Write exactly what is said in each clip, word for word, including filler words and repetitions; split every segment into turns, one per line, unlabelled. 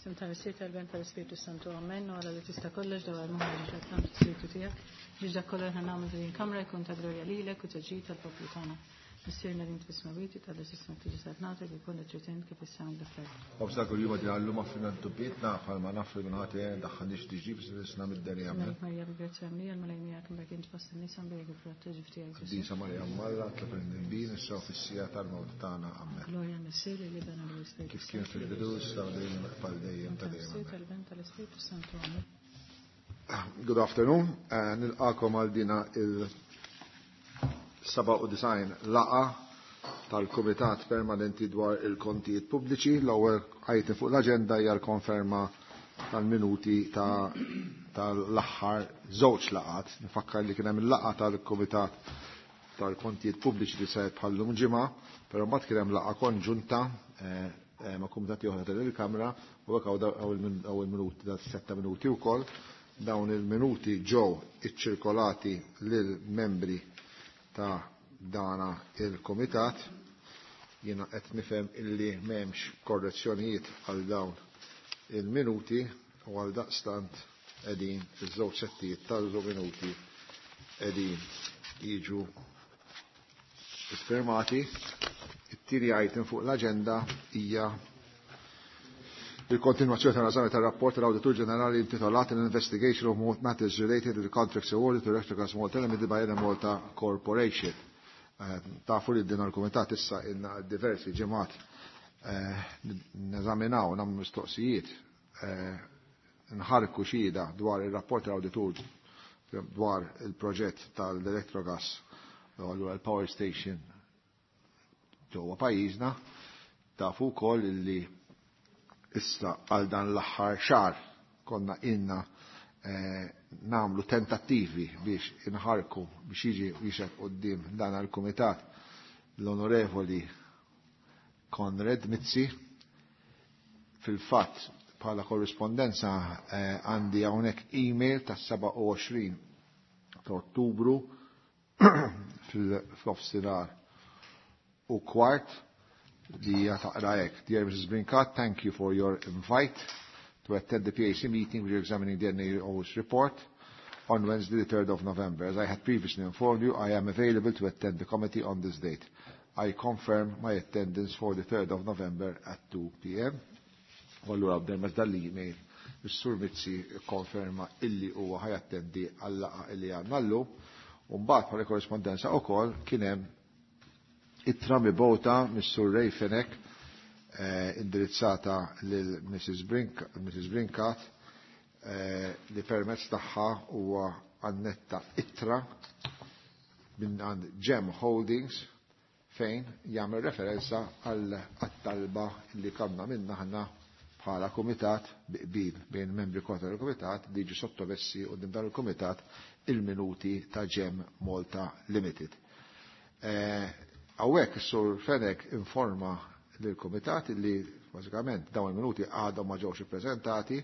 Isem tal-Missier, tal-Iben, tal-Ispirtu Santu, amen. U Alla li tista' kollox dawwar moħħna ġo l-Ispirtu tiegħek biex dak kollu li nagħmlu f'din il-kamra jkun ta' glorja lilek u ta' ġid tal-poplu tagħna. Missierna li int fis-smewwiet, titqaddes ismek, tiġi saltnatek, ikun li trid int kif fis-sema hekk fl-art.
Ħobżna kuljum agħtina llum, aħfrilna dnubietna bħalma naħfru lil min hu ħati, tdaħħalniex f'tiġrib, iżda eħlisna mid-deni. Amen.
Marija, bil-grazzja mimlija, l-Mulej miegħek, imbierka int fost in-nisa, imbierek il-frott ta' ġuf tiegħek Ġesù.
Qaddisa Marija Omm Alla, itlob għalina midinbin, issa u fis-siegħa tal-mewt tagħna. Amen.
Glorja lill-Missier, lill-Iben u lill-Ispirtu
Kif kien fil-bidu, issa u dejjem għal dejjem ta' dejjem.
Missier,
Amen.
tal-Iben, tal-Ispirtu Santu. Amen.
Good afternoon. Eh, Nilqagħkom għal dina il-sebgħa u disgħin laqgħa tal-Kumitat Permanenti dwar il-Kontijiet Pubbliċi. L-ewwel item fuq l-aġenda hija l-konferma tal-minuti ta' tal-aħħar żewġ laqgħat. Nifakkar li kien hemm il-laqgħa tal-Kumitat tal-Kontijiet Pubbliċi li saret bħal-lum ġimgħa, però mbagħad kien hemm laqgħa konġunta eh, eh, ma' kumitati oħra tal-Kamra u hekk hawn il-minuti ta' setta minuti wkoll. Dawn il-minuti ġew iċċirkolati lil membri ta' dana il-komitat. Jiena qed nifhem illi m'hemmx korrezzjonijiet għal dawn il-minuti u għal daqstant qegħdin iż-żewġ settijiet tal-minuti qegħdin jiġu iffirmati. It-tieni item fuq l-aġenda hija il-kontinuazzjoni tal-eżami tal-rapport tal-Awditur Ġenerali intitolat "An Investigation of Matters Related to the Contracts Awarded to Electrogas Malta Limited by Enemalta Corporation". Eh, tafu li din il-Kumitat issa ilna diversi ġimgħat eh, neżaminaw, nagħmlu mistoqsijiet, eh, nħarku xhieda dwar il-rapport tal-Awditur dwar il-proġett tal-Electrogas, allura il-Power Station ġewwa pajjiżna. Tafu wkoll illi issa għal dan l-aħħar xahar konna ilna eh, nagħmlu tentattivi biex inħarku biex jiġi jixhed quddiem dan il-kumitat l-Onorevoli Konrad Mizzi. Fil-fatt, bħala korrispondenza eh, għandi hawnhekk email tas-sebgħa u għoxrin ta' Ottubru fil-nofsinhar u kwart li hija taqra hekk: "Dear Missus Brincat, thank you for your invite to attend the P A C meeting which is examining the N A O's report on Wednesday the third of November. As I had previously informed you, I am available to attend the committee on this date. I confirm my attendance for the third of November at two p m" U allura b'del dal-email is-Sur Mizzi konferma illi huwa ħa jattendi għal-laqgħa illi għandna llum. U mbagħad bħala korrispondenza wkoll kien hemm ittra mibgħuta mis-Sur Ray Fenech eh, indirizzata lil Missus Brink, Missus Brincat eh, li permezz tagħha huwa annetta ittra minn għand Gem Holdings fejn jagħmel referenza għal talba li kellna minna aħna bħala kumitat bi qbil bejn membri kollha tal-kumitat li jiġu sottomessi quddiem dan il-kumitat il-minuti ta' Gem Malta Limited. Hawnhekk is-Sur Fenech informa lill-kumitat li bażikament dawn il-minuti għadhom ma ġewx ippreżentati,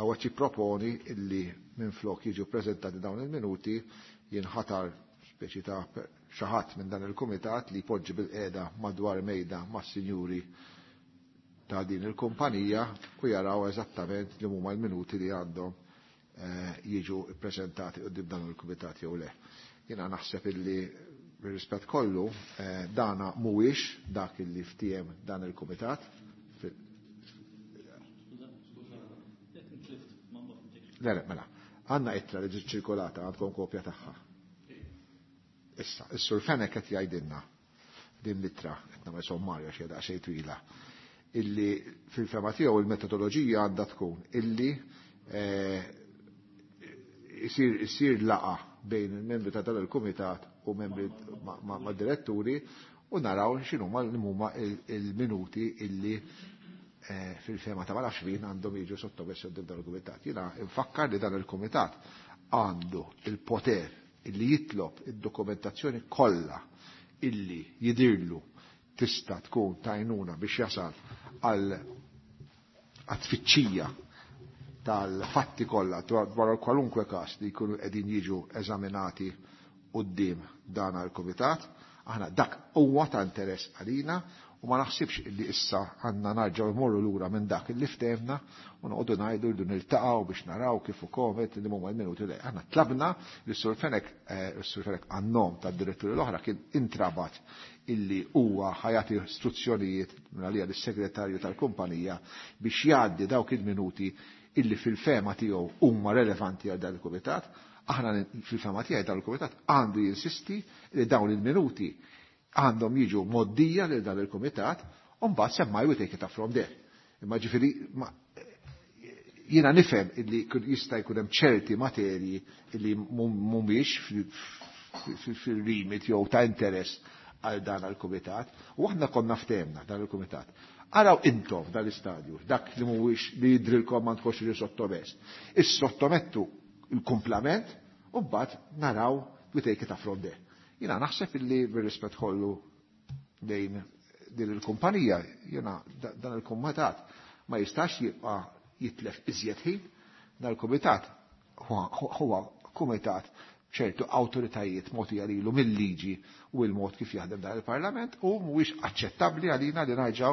hawnhekk jipproponi illi minflok jiġu ppreżentati dawn il-minuti jinħatar speċi ta' xi ħadd minn dan il-kumitat li jpoġġi bilqiegħda madwar mejda mas-sinjuri ta' din il-kumpanija u jaraw eżattament li huma l-minuti li għandhom eh, jiġu ppreżentati quddiem dan il-kumitat jew le. Jiena naħseb illi bir-rispett kollu eh, dana mhuwiex dak illi ftiehem dan il-kumitat. Le, le, mela, għandna ittra li ġiet ċirkolata, għandkom kopja tagħha. Issa, is-Sur Fenech qed jgħidilna din l-ittra, qed nagħmel sommarja xi daqsxejn twila, illi fil-fehma tiegħu il-metodoloġija għandha tkun illi eh, isir isir laqgħa bejn il-membri ta' dan il-kumitat u membri ma' diretturi u naraw x'inhuma huma il-minuti illi eh, fil-fehma ta' ma nafx min għandhom jiġu sottomessi quddiem dan il-kumitat. Jiena nfakkar li dan il-kumitat għandu il-poter illi jitlob id-dokumentazzjoni kollha illi jidirlu tista' tkun tajnuna biex jasal għal tfittxija tal-fatti kollha dwar kwalunkwe każ li jkunu qegħdin jiġu eżaminati quddiem dan il-kumitat. Aħna dak huwa ta' interess għalina U ma naħsibx illi issa għandna narġgħu mmorru lura minn dak illi ftehmna u noqogħdu ngħidu rridu niltaqgħu biex naraw kif ukoll li huma l-minuti li aħna tlabna li s-Sur Fenech, s-Sur Fenech għan-nom tad-diretturi l-oħra kien intrabat illi huwa ħajati istruzzjonijiet minn għalija lis-segretarju tal-kumpanija biex jgħaddi dawk il-minuti illi fil-fema tiegħu huma relevanti għal dan il-kumitat. Aħna fil-fema tiegħi dan il-kumitat għandu jinsisti li dawn il-minuti għandhom jiġu moddija lil dan il-kumitat u mbagħad semmaj we take it up from there. Imma ġifieri jiena nifhem illi jista' jkun hemm ċerti materji illi mhumiex fil-limit jew ta' interess għal dan il-kumitat u aħna konna ftehmna dan il-kumitat. Araw intom dan l-istadju, dak li mhuwiex li jidrilkom ma tkunx li sottomess. Is-sottomettu il-kumplament u mbagħad naraw we take it up from there. Jina naħseb illi bir-rispett kollu lejn din il-kumpanija, jina dan il-kumitat ma jistax jibqa' jitlef iżjed ħin, dan il-kumitat huwa kumitat ċertu awtoritajiet mogħtija lilu mill-liġi u l-mod kif jaħdem dan il-Parlament u mhuwiex aċċettabbli għalina li narġgħu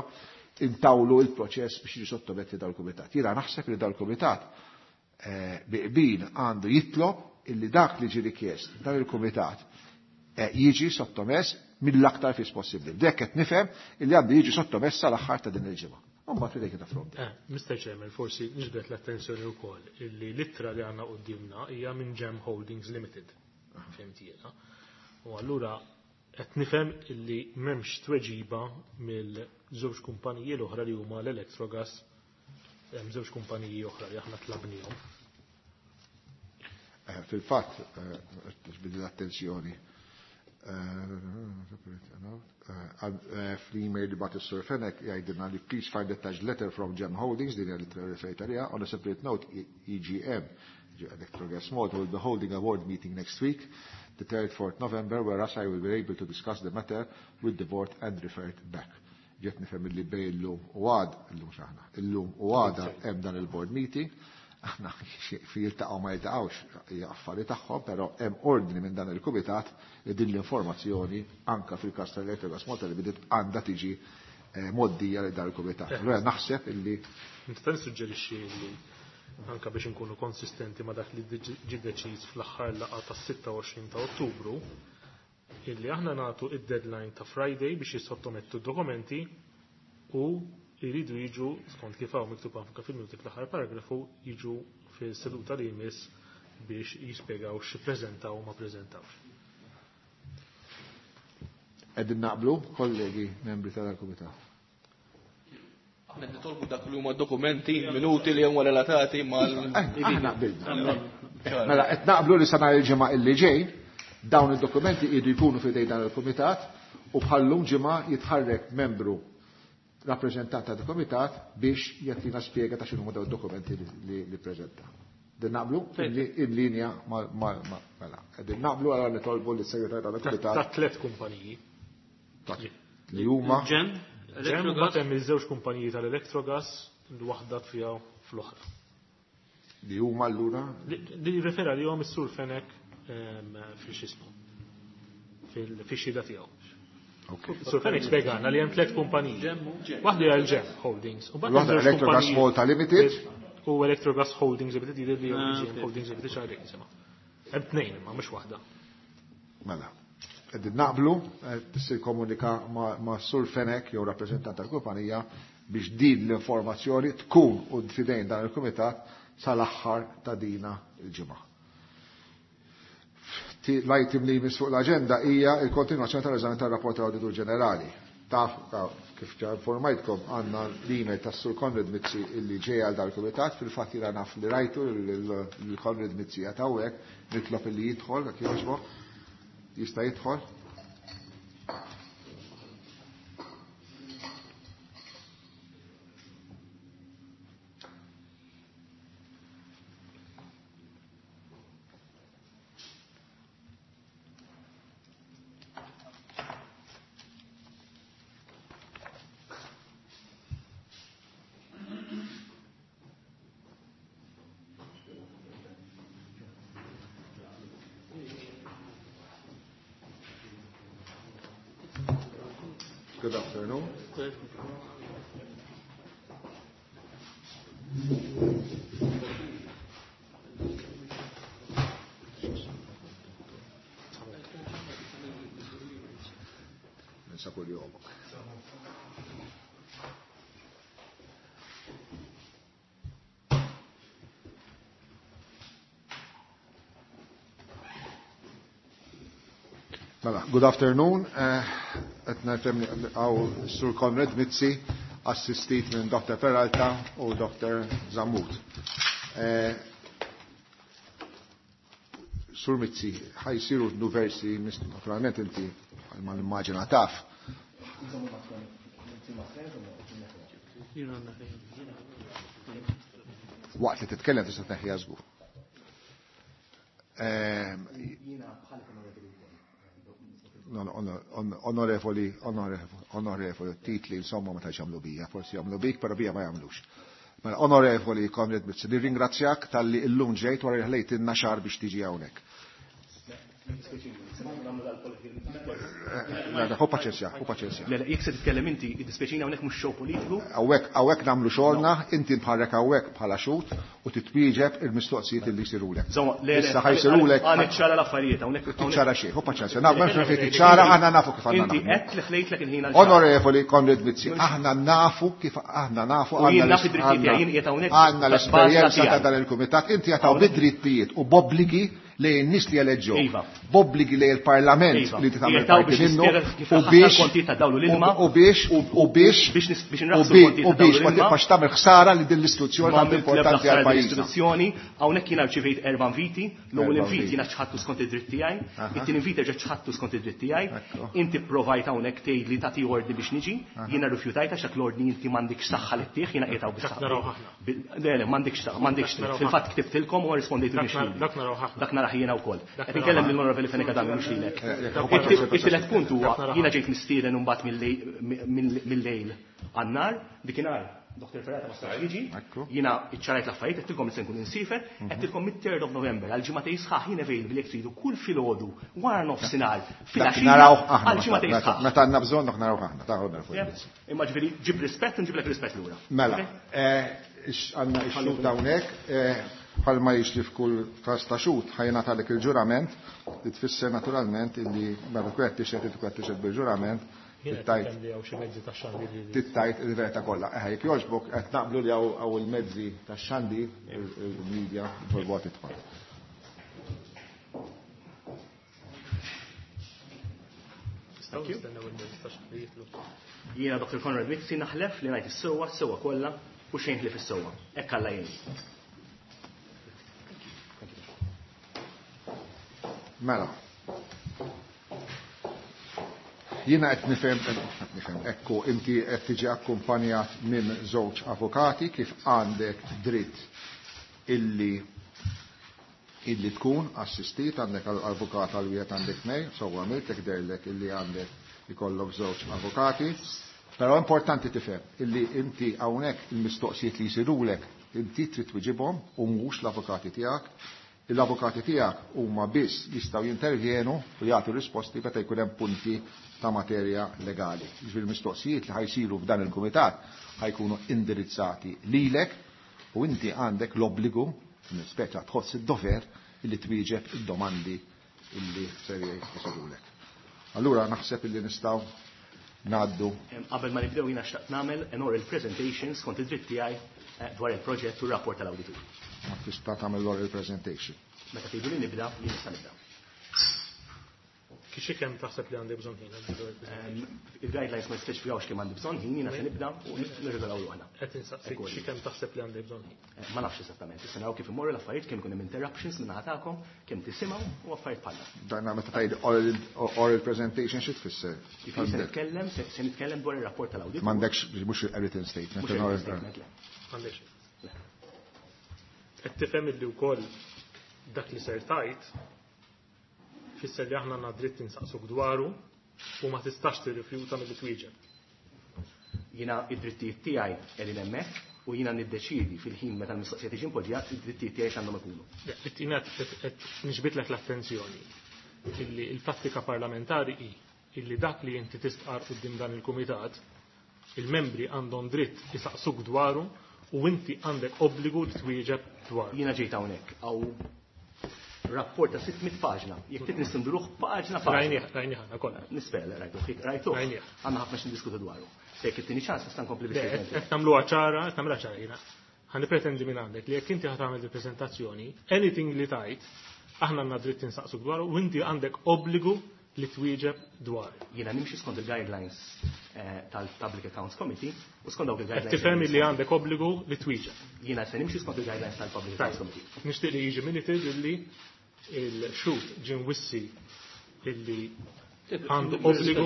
intawlu il-proċess biex jiġi sottometti dal kumitat. Jiena naħseb li dal-kumitat bi qbil għandu jitlob illi dak li ġie rikjest dan il-kumitat jiġi sottomess mill-aktar fis possibbli. Dek qed nifhem illi għandu jiġi sottomess sal-aħħar ta' din il-ġimgħa. Mbagħad we take it from there.
Mister Chairman, forsi niġbed l-attenzjoni wkoll illi l-ittra li għandna quddiemna hija minn Gem Holdings Limited. Fhimt jiena. U allura qed nifhem illi m'hemmx tweġiba mill-żewġ kumpaniji l-oħra li huma l-Electrogas, hemm żewġ kumpaniji oħra li aħna tlabnihom.
Fil-fatt, bidil l-attenzjoni. Fl-email li bat is-Sur Fenech jgħidilna li please find attached letter from Gem Holdings, din hija l-ittra referita għaliha, on a separate note E G M, Electrogas Malta, will be holding a board meeting next week, the third, fourth November, whereas I will be able to discuss the matter with the board and refer it back. Ġiet nifhem li bej illum u għad, illum x'aħna, illum u għada hemm dan il-board meeting, aħna fi jiltaqgħu ma jiltaqgħux hija affari tagħhom, però hemm ordni minn dan il-kumitat li din l-informazzjoni anka fil-każ tal-Electrogas Malta li bidiet għandha tiġi moddija lil dan il-kumitat. Allura naħseb illi
Nista' nissuġġerixxi li anka biex inkunu konsistenti ma' dak li ġie deċiż fl-aħħar laqgħa tas-sitta u għoxrin ta' Ottubru, illi aħna nagħtu id-deadline ta' Friday biex jissottomettu d-dokumenti u jridu jiġu, skont kif hawn miktub anke fil-minuti fl-aħħar paragrafu, jiġu fil-seduta li jmiss biex jispjegaw x'ippreżentaw u ma ppreżentawx.
Qegħdin naqblu, kollegi membri tal-kumitat.
Aħna nitolbu dak li huma dokumenti, minuti li huma relatati mal
Aħna qbilna. Mela qed naqblu li sa nhar il-ġimgħa illi ġej dawn id-dokumenti jridu jkunu f'idej dan il-kumitat u bħallum ġimgħa jitħarrek membru rappreżentant tal-kumitat biex jagħtina spjega ta' x'inhuma dawn id-dokumenti li, li preżenta. Din naqblu in linja ma, ma, ma, mela. Din naqblu għal nitolbu lis segretarju tal-kumitat.
Ta' tliet kumpaniji.
Li huma
Gem,
Gem, mbagħad hemm iż-żewġ kumpaniji tal-Electrogas, l-waħda fiha fl-oħra.
Li huma allura?
Li refera li hom is-Sur Fenech fil-xismu, fil-xhieda tiegħu. Sur Fenech spjegana li hemm tliet kumpaniji. Waħda hija l-Gem Holdings. U mbagħad
Waħda Electrogas Malta Limited.
U Electrogas Holdings Limited jidher li Gem Holdings Limited xi ħaġa. Hemm tnejn imma mhux waħda.
Mela. Qegħdin naqblu, tissir komunika ma' Sur Fenech jew rappreżentant tal-kumpanija biex din l-informazzjoni tkun u fidejn dan il-kumitat sal-aħħar ta' dina il-ġimgħa. L-item li jmiss fuq l-aġenda hija l-kontinwazzjoni tal-eżami tar-rapport tal-Awditur Ġenerali. Taf kif ġa informajtkom għandna l-email tas-Sur Konrad Mizzi illi ġej għal dal-kumitat, fil-fatt jiena naf li rajtu lil Konrad Mizzi qed hawnhekk, nitlob illi jidħol jekk jogħġbok. Jista' jidħol? Good afternoon. Ninsa kull jom. Mela, good afternoon. Qed nifhem hawn Sur Konrad Mizzi, assistit minn Doctor Peralta u Doctor Zammut. Sur Mizzi, ħajsiru diversi, naturalment inti ma nimmaġina taf. Waqt li titkellem tista' tneħħiha żgur. Onorevoli, onorevoli, titli, insomma, ma tax jagħmlu bija, forsi jagħmlu bik, però bija ma jagħmlux. Mela, onorevoli Konrad Mizzi, nirringrazzjak talli llum ġejt wara li ħlejt ilna xahar biex tiġi hawnhekk. Hu paċenzja, hu paċenzja.
Le, jekk se titkellem inti, iddispjaċini hawnhekk mhux show politiku.
Hawnhekk hawnhekk nagħmlu xogħolna, inti nħarrek hawnhekk bħala xhud u titwieġeb il-mistoqsijiet li jsirulek. Issa ħajsirulek.
Għan iċċara l-affarijiet hawnhekk.
Tiċċara xejn, hu paċenzja. Naf m'hemmx fejn tiċċara, aħna nafu kif għandna.
Inti qed li ħlejtlek il-ħin għal.
Onorevoli Konrad Mizzi, aħna nafu kif aħna nafu għandna l-esperjenza ta' dan il-kumitat, inti qed hawn bid-drittijiet u b'obbligi lejn nies li eleġġew. B'obbligi lejn il-Parlament li tagħmel parti minnu u biex u biex u biex u biex ma tibqax tagħmel ħsara li din l-istituzzjoni tant importanti għal pajjiż.
L-istituzzjoni hawnhekk jiena rċivejt erba' inviti, l-ewwel invit jiena ċħadtu skont id-dritt tiegħi, it-tieni invit erġa' ċħadtu skont id-dritt tiegħi, inti provajt hawnhekk tgħid li tagħti ordni biex niġi, jiena rrifjutajt għax dak l-ordni inti m'għandikx saħħa li ttieħ, jiena qiegħed hawn bis-saħħa. Le, le, m'għandikx saħħa, m'għandikx dritt. Fil-fatt ktibtilkom u rrispondejtu biex. Dak naraħ jiena wkoll. Qed inkellem lill-Onorevoli Fenech Adami mhux lilek. It-tielet punt huwa jiena ġejt mistieden imbagħad mill-lejl għan-nar, dikinhar Doctor Ferrata ma setax jiġi, jiena iċċarajt l-affarijiet, qedtilkom li se nkun insifer, qedtilkom mid-third of November għal ġimgħatej sħaħ jien available jekk tridu kull filgħodu wara nofsinhar filgħaxija għal ġimgħatej sħaħ.
Meta għandna bżonn naraw aħna, ta' Onorevoli.
Imma ġifieri ġib rispett u nġiblek rispett lura.
Mela, għandna x-xhud hawnhekk, bħalma jiġri f'kull każ ta' xhud ħajingħatalek il-ġurament li tfisser naturalment illi meta tkun qed tixhed tkun qed tixhed bil-ġurament tittajt il-verità kollha. Eħe, jekk jogħġbok qed naqblu li hawn il-mezzi tax-xandir, il-media, jitolbu tidħol.
Jiena Doctor Konrad Mizzi naħlef li ngħid is-sewwa, s-sewwa kollha u xejn ħlief is-sewwa. Hekk Alla jgħin.
Mela. Jiena qed nifhem qed nifhem ekku inti qed tiġi akkumpanjat minn żewġ avukati kif għandek dritt illi illi tkun assistit, għandek avukat għal wieħed għandek tnejn, sewwa għamilt jekk derlek illi għandek ikollok żewġ avukati. Però importanti tifhem illi inti hawnhekk il-mistoqsijiet li jsirulek inti trid twiġibhom u mhux l-avukati tiegħek. L-avukati tiegħek huma biss jistgħu jintervjenu u jagħtu risposti meta jkun hemm punti ta' materja legali. Jiġifieri mistoqsijiet li ħajsiru f'dan il-kumitat ħajkunu indirizzati lilek u inti għandek l-obbligu, speċa tħoss id-dover illi twieġeb id-domandi illi ser jsirulek. Allura naħseb illi nistgħu ngħaddu.
Qabel ma nibdew jiena xtaqt nagħmel an oral presentation skont id-dritt tiegħi dwar il-proġett u r-rapport tal-awditur.
Ma tista' tagħmel l-oral presentation.
Meta tgħidu li nibda, jien nista' nibda.
Kixi kemm taħseb li għandi bżonn ħin?
Il-guidelines ma jispeċifikawx kemm għandi bżonn ħin, jiena se nibda u nirregolaw ruħna.
Qed insaqsik xi kemm taħseb li għandi bżonn ħin?
Ma nafx esattament, issa naraw kif imorru l-affarijiet, kemm ikun hemm interruptions minn naħa tagħkom, kemm tisimgħu u affarijiet bħal dan.
Dan meta tgħid oral presentation xi tfisser?
Jiġifieri se nitkellem, se nitkellem dwar ir-rapport tal-awditur.
M'għandekx mhux written statement.
Mhux written statement, le.
M'għandekx. Qed tifhem illi wkoll dak li ser tajt fisser li aħna għandna dritt insaqsuk dwaru u ma tistax tirrifjuta milli twieġeb.
Jiena id-drittijiet tiegħi qegħdin hemmhekk u jiena niddeċiedi fil-ħin meta l-mistoqsija tiġi impoġġja id-drittijiet tiegħi x'għandhom ikunu.
Jiena qed nixbitlek l-attenzjoni illi l-prattika parlamentari hi illi dak li inti tistqar quddiem dan il-kumitat, il-membri għandhom dritt isaqsuk dwaru u inti għandek obbligu li twieġeb dwaru.
Jiena ġejt hawnhekk hawn rapport ta' sitt mitt paġna. Jekk trid nistinduruh paġna paġna.
Rajnieh, rajnieh aħna kollha.
Nispera li rajtuh, rajtuh.
Rajnieh.
Għandna ħafna x'niddiskutu dwaru. Se jekk ittini ċans nista' nkompli
Le,
biex
qed qed nagħmluha ċara, qed nagħmluha ċara jiena. Ħa nippretendi minn għandek li jekk inti ħa tagħmel il-preżentazzjoni, anything li tajt, aħna għandna dritt insaqsuk dwaru u inti għandek obbligu li twieġeb dwaru.
Jiena nimxi skont il-guidelines eh, tal-Public Accounts Committee u skont dawk
Qed
il-guidelines.
tifhem li għandek obbligu li twieġeb.
Jiena se nimxi skont il-guidelines tal-Public Accounts Committee.
Nixtieq li jiġi minuted illi il-xhud ġie mwissi illi għandu obbligu.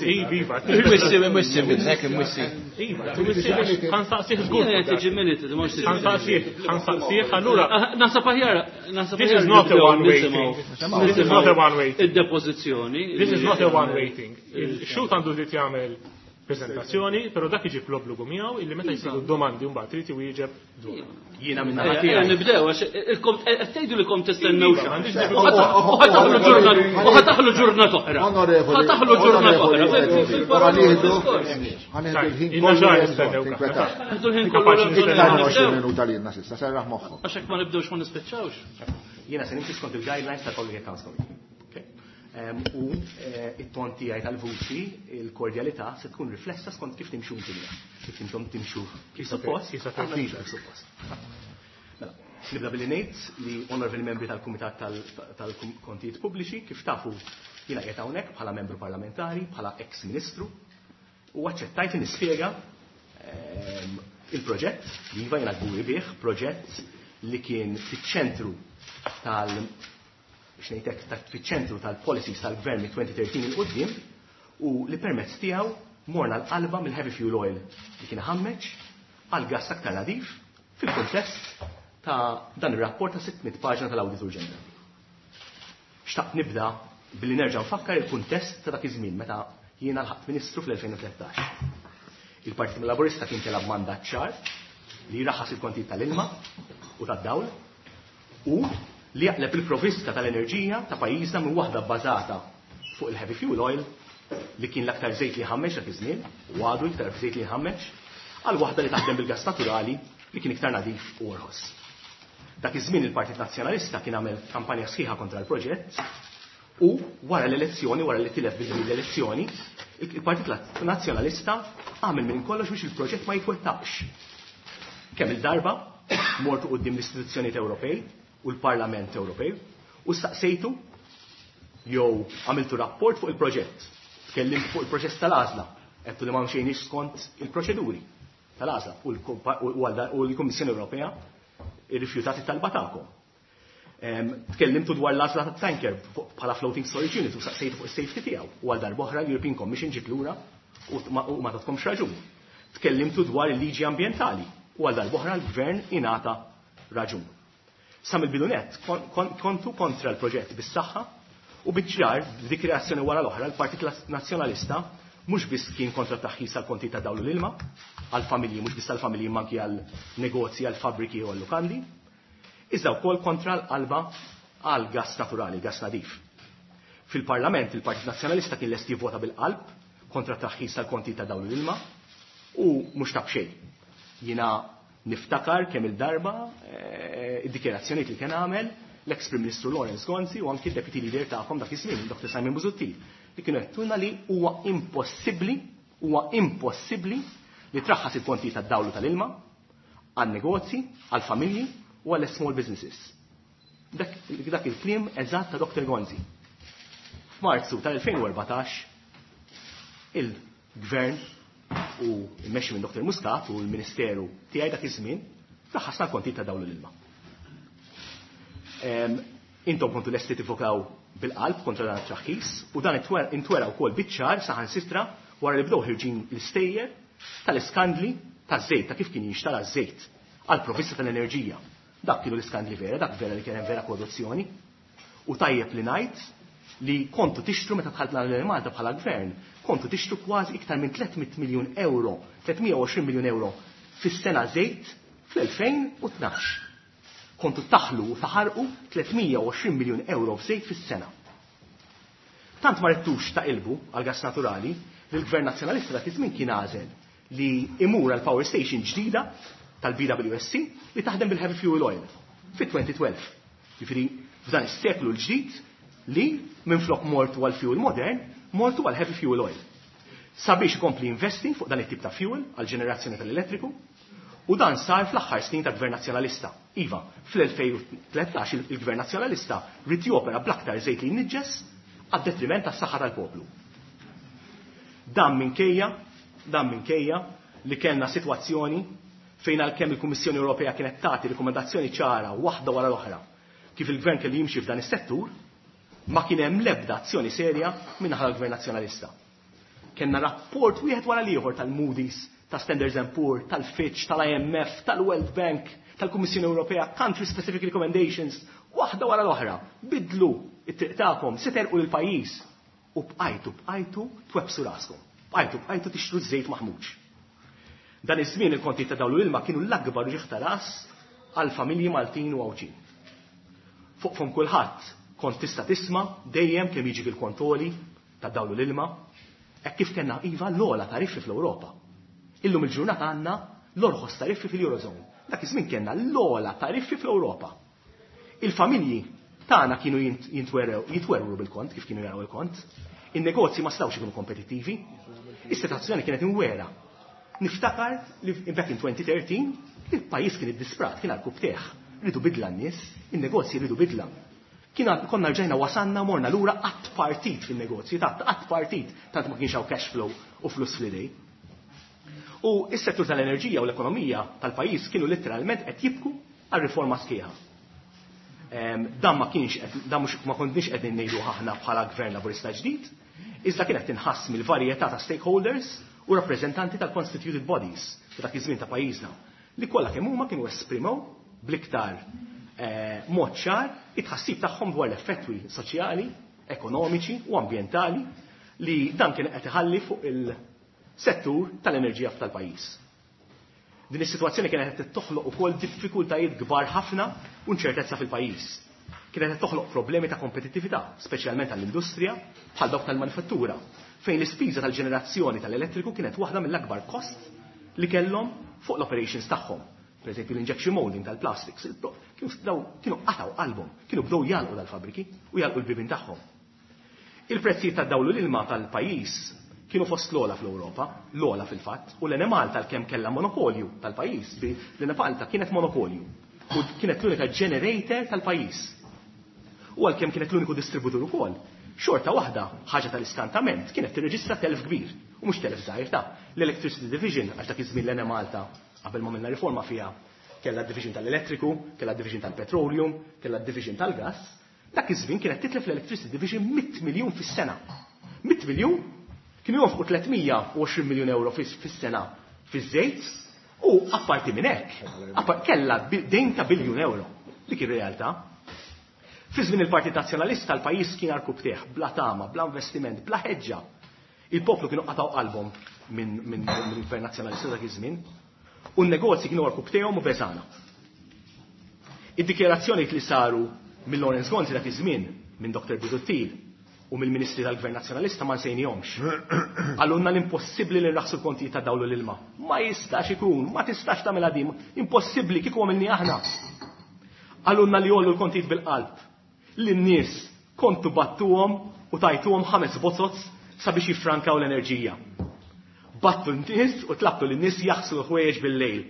Iva, iva.
Mwissi, mwissi minnek, mwissi.
Iva, twissi ħa nsaqsih żgur.
Jiena qed tiġi minuted, mhux
Ħa nsaqsih, ħa nsaqsih, allura
Naħseb aħjar, naħseb
This is
aħjar
not a
nibdew
one-way
nisimgħu-
thing. This is not a one-way thing.
Id-depożizzjoni.
This is not a one-way thing. Il-xhud għandu dritt jagħmel prezentazzjoni, però dak iġib l-obbligu miegħu illi meta jsiru domandi mbagħad trid iwieġeb dwar.
Jiena minn naħa
Ejja,
tiegħi.
nibdew, għax ilkom qed tgħidu li kom tistennew
Iva,
xi.
m'għandix
U ħa taħlu ġurnata, u ħa taħlu ġurnata oħra.
Onorevoli,
Ħa taħlu ġurnata oħra.
Onorevoli,
Fil-paroli diskors.
ħa nieħdu l-ħin
Ilna
kollu
xahar
li
nistennew
hemm bżonn, tinkwetax.
Ħadu l-ħin kollu
Kapaċi
li
Iktar minn
nibdew.
għoxrin minuta lilna s'issa, serraħ moħħok.
Għax hekk ma nibdewx ma nispiċċawx.
Jiena se nimxi skont il-guidelines tal-Public Accounts Committee. Okay? Em, U eh, it-ton tiegħi tal-vuċi, il-kordjalità se tkun riflessa skont kif timxu inti miegħi. Kif intom timxu kif suppost,
Kif
aħna nimxu kif suppost. Mela, nibda billi ngħid li onorevoli membri tal-Kumitat tal-Kontijiet Pubbliċi, kif tafu jiena qiegħed hawnhekk bħala membru parlamentari, bħala ex-ministru, u aċċettajt li nispjega ehm, il-proġett li iva jiena kburi bih, proġett li kien fiċ-ċentru tal biex ngħidlek ta' fiċ-ċentru tal-policies tal-gvern mit-elfejn u tlettax 'il quddiem u li permezz tiegħu morna l-qalba mill-heavy fuel oil li kien ħammeġ għal gas aktar nadif fil-kuntest ta' dan ir-rapport ta' sitt mitt paġna tal-Awditur Ġenerali. Xtaqt nibda billi nerġa' nfakkar il-kuntest ta' dak iż-żmien meta jiena lħaqt ministru fl-elfejn u tlettax. Il-Partit Laburista kien telab mandat ċar li jraħħas il-kontijiet tal-ilma u tad-dawl u li jaqleb il-provvista tal-enerġija ta' pajjiżna minn waħda bbażata fuq il-heavy fuel oil li kien l-aktar żejt li ħammeġ dak iż-żmien u għadu iktar żejt li ħammeġ għal waħda li taħdem bil-gas naturali li kien iktar nadif u orħos. Dak iż-żmien il-Partit Nazzjonalista kien għamel kampanja sħiħa kontra l-proġett u wara l-elezzjoni, wara li tilef bil l-elezzjoni, il-Partit Nazzjonalista għamel minn kollox biex il-proġett ma jitwettaqx. Kemm il-darba mortu quddiem l-istituzzjonijiet Ewropej u l-Parlament Ewropej u staqsejtu jew għamiltu rapport fuq il-proġett. Tkellimt fuq il-proċess tal-għażla, għedtu li ma mxejniex skont il-proċeduri tal-għażla u l-kompa-, u l-, u l-Kummissjoni Ewropea irrifjutat it-talba tagħkom. Em, Tkellimtu dwar l-għażla tat-tanker fuq-, bħala floating storage unit u saqsejtu fuq is-safety tiegħu u għal darb'oħra l-European Commission ġiet lura u t-, ma-, u ma tatkomx raġun. Tkellimtu dwar il-liġi ambjentali u għal darb'oħra l-gvern ingħata raġun. Sa mill-bidu nett kon-, kon-, kontu kontra l-proġett bis-saħħa u biċ-ċar dik reazzjoni wara l-oħra l-Partit Nazzjonalista mhux biss kien kontra t-taħħis tal-konti ta' dawl l-ilma għall-familji, mhux biss għall-familji manki għal-negozji, għall-fabriki u għall-lukandi, iżda wkoll kontra l-qalba għal gas naturali, gas nadif. Fil-Parlament il-Partit Nazzjonalista kien lest jivvota bil-qalb kontra t-taħħis tal-konti ta' dawl l-ilma u mhux ta' b'xejn. Jiena niftakar kemm il-darba, eh, id-dikjerazzjonijiet li kien għamel l-ex Prim Ministru Lawrence Gonzi u anki l-Deputy Leader tagħkom dak iż-żmien, Doctor Simon Busuttil, li kienu għedtulna li huwa impossibbli, huwa impossibbli li traħħas il-konti tad-dawlu tal-ilma għan-negozji, għall-familji u għall-small businesses. Dak, dak il-kliem eżatt ta' Doctor Gonzi. F'Marzu tal-elfejn u erbatax il-Gvern u mmexxi minn Doctor Muscat u l-Ministeru tiegħi dak iż-żmien raħħasna l-konti ta' dawl l-ilma. Em, intom kontu lesti tivokaw bil-qalb kontra dan it-traħħis u dan intwera, intwera wkoll biċ-ċar saħansitra wara li bdew ħirġin l-istejjer tal-iskandli taż-żejt, ta' kif kien jinxtara ż-żejt għal provvista tal-enerġija. Dak kienu l-iskandli vera, dak vera li kien hemm vera korruzzjoni. U tajjeb li ngħid li kontu tixtru meta dħaltna l Malta bħala gvern, kontu tixtru kważi iktar minn tliet mitt miljun euro, tliet mija u għoxrin miljun euro fis-sena żejt fl-elfejn u tnax. Kontu taħlu u taħarqu tliet mija u għoxrin miljun euro f'żejt fis-sena. Tant ma ridtux taqilbu għal gas naturali li l-Gvern Nazzjonalista dak iż-żmien kien għażel li imur għal power station ġdida tal-B W S C li taħdem bil-heavy fuel oil fi elfejn u tnax. Jiġifieri f'dan is-seklu l-ġdid li minflok mortu għal fuel modern, mortu għal heavy fuel oil. Sabiex ikompli investi fuq dan it-tip ta' fuel għal ġenerazzjoni tal-elettriku, u dan sar fl-aħħar snin ta' Gvern Nazzjonalista. Iva, fl-elfejn u tlettax il-Gvern Nazzjonalista ried jopera bl-aktar żejt li jniġġes għad-detriment tas-saħħa tal-poplu. Dan minkejja, dan minkejja li kellna sitwazzjoni fejn għalkemm il-Kummissjoni Ewropea kienet tagħti rikomendazzjoni ċara waħda wara l-oħra kif il-gvern kellu jimxi f'dan is-settur, ma kien hemm l-ebda azzjoni serja min-naħa tal-Gvern Nazzjonalista. Kellna rapport wieħed wara l-ieħor tal-Moody's, ta' Standards and Poor, tal-Fitch, tal-I M F, tal-World Bank, tal-Kummissjoni Ewropea, country specific recommendations, waħda wara l-oħra. Bidlu it-triq tagħkom, se terqu l-pajjiż. U bqajtu, bqajtu twebbsu raskom. Bqajtu, bqajtu tixtru żejt maħmuġ. Dan iż-żmien il-konti ta' dawl u ilma kienu l-akbar uġigħ ta' ras għal familji Maltin u Għawdxin. Fuq fomm kulħadd kont tista' tisma' dejjem kemm jiġi il-kont għoli ta' dawl u l-ilma, hekk kif kellna, iva, l-ogħla tariffi fl-Ewropa. Illum il-ġurnata għandna l-orħos tariffi fil-Eurozone. Dak iż-żmien kellna l-ogħla tariffi fl-Ewropa. Il-familji tagħna kienu jitwerwru bil-kont, kif kienu jaraw il-kont. In-negozji ma stawx ikunu kompetittivi. Is-sitwazzjoni kienet imwera. Niftakar li back in twenty thirteen il-pajjiż kien iddisprat, kien għarkupptejh. Riedu bidla n-nies, in-negozji riedu bidla. Kien konna rġajna wasanna morna lura qatt partit fin-negozji, ta' qatt partit, tant ma kienx hawn cash flow u flus fl-idej. U s-settur tal-enerġija u l-ekonomija tal-pajjiż kienu letteralment qed jibku għal riforma sħiħa. Dan ma kienx, dan mhux ma konniex qegħdin ngħidu aħna bħala gvern laburista ġdid, iżda kienet tinħass mill-varjetà ta' stakeholders u rappreżentanti tal-constituted bodies dak iż-żmien ta' pajjiżna li kollha kemm huma kienu esprimew bl-iktar eh, mod ċar it-tħassib tagħhom dwar l-effetti soċjali, ekonomiċi u ambjentali li dan kien qed iħalli fuq il-settur tal-enerġija tal-pajjiż. Din is-sitwazzjoni kienet qed toħloq ukoll diffikultajiet kbar ħafna u inċertezza fil-pajjiż. Kienet qed toħloq problemi ta' kompetittività, speċjalment għall-industrija bħal dawk tal-manifattura, fejn l-ispiża tal-ġenerazzjoni tal-elettriku kienet waħda mill-akbar kost li kellhom fuq l-operations tagħhom. Per eżempju, l-injection molding tal-plastics, kienu kienu qataw qalbhom, kienu bdew jagħlqu dal-fabriki u jagħlqu l-bibien tagħhom. Il-prezzijiet tad-dawl u l-ilma tal-pajjiż kienu fost l-ogħla fl-Ewropa, l-ogħla fil-fatt, u l-Enemalta għalkemm kellha monopolju tal-pajjiż, l-Enemalta kienet monopolju u kienet l-unika generator tal-pajjiż. U għalkemm kienet l-uniku distributur ukoll, xorta waħda, ħaġa tal-iskantament, kienet tirreġistra telf kbir, u mhux telf żgħir ta' l-Electricity Division, għax dak iż-żmien l-Enemalta qabel ma minna riforma fiha kellha division tal-elettriku, kellha division tal-petroleum, kellha division tal-gas, dak iż-żmien kienet titlef l-Electricity Division mitt miljun fis-sena. mitt miljun kienu jonfqu tliet mija u għoxrin miljun euro fis-sena fiż-żejt u apparti minn hekk kellha dejn ta' biljun euro. Dik ir-realtà. Fi żmien il-Partit Nazzjonalista l-pajjiż kien għarkupptejh, bla tama, bla investiment, bla ħeġġa. Il-poplu kienu qataw qalbhom minn min, min gvern Nazzjonalista dak iż-żmien. U n-negozji kienu għarkupptejhom u beżgħana. Id-dikjerazzjoni li saru minn Lawrence Gonzi dak iż-żmien, minn Doktor Busuttil u mill-Ministri tal-Gvern Nazzjonalista ma nsejnihomx. Qalulna l-impossibbli li nraħsu l-kontijiet ta' dawl u l-ilma. Ma jistax ikun, ma tistax tagħmilha din, impossibbli kieku għamilni aħna. Qalulna li jogħlu l-kontijiet bil-qalb. Lin-nies kontu bgħattuhom u tajtuhom ħames bozoz sabiex jiffrankaw l-enerġija. Bgħattu n-nies u tlabtu lin-nies jaħslu l-ħwejjeġ bil-lejl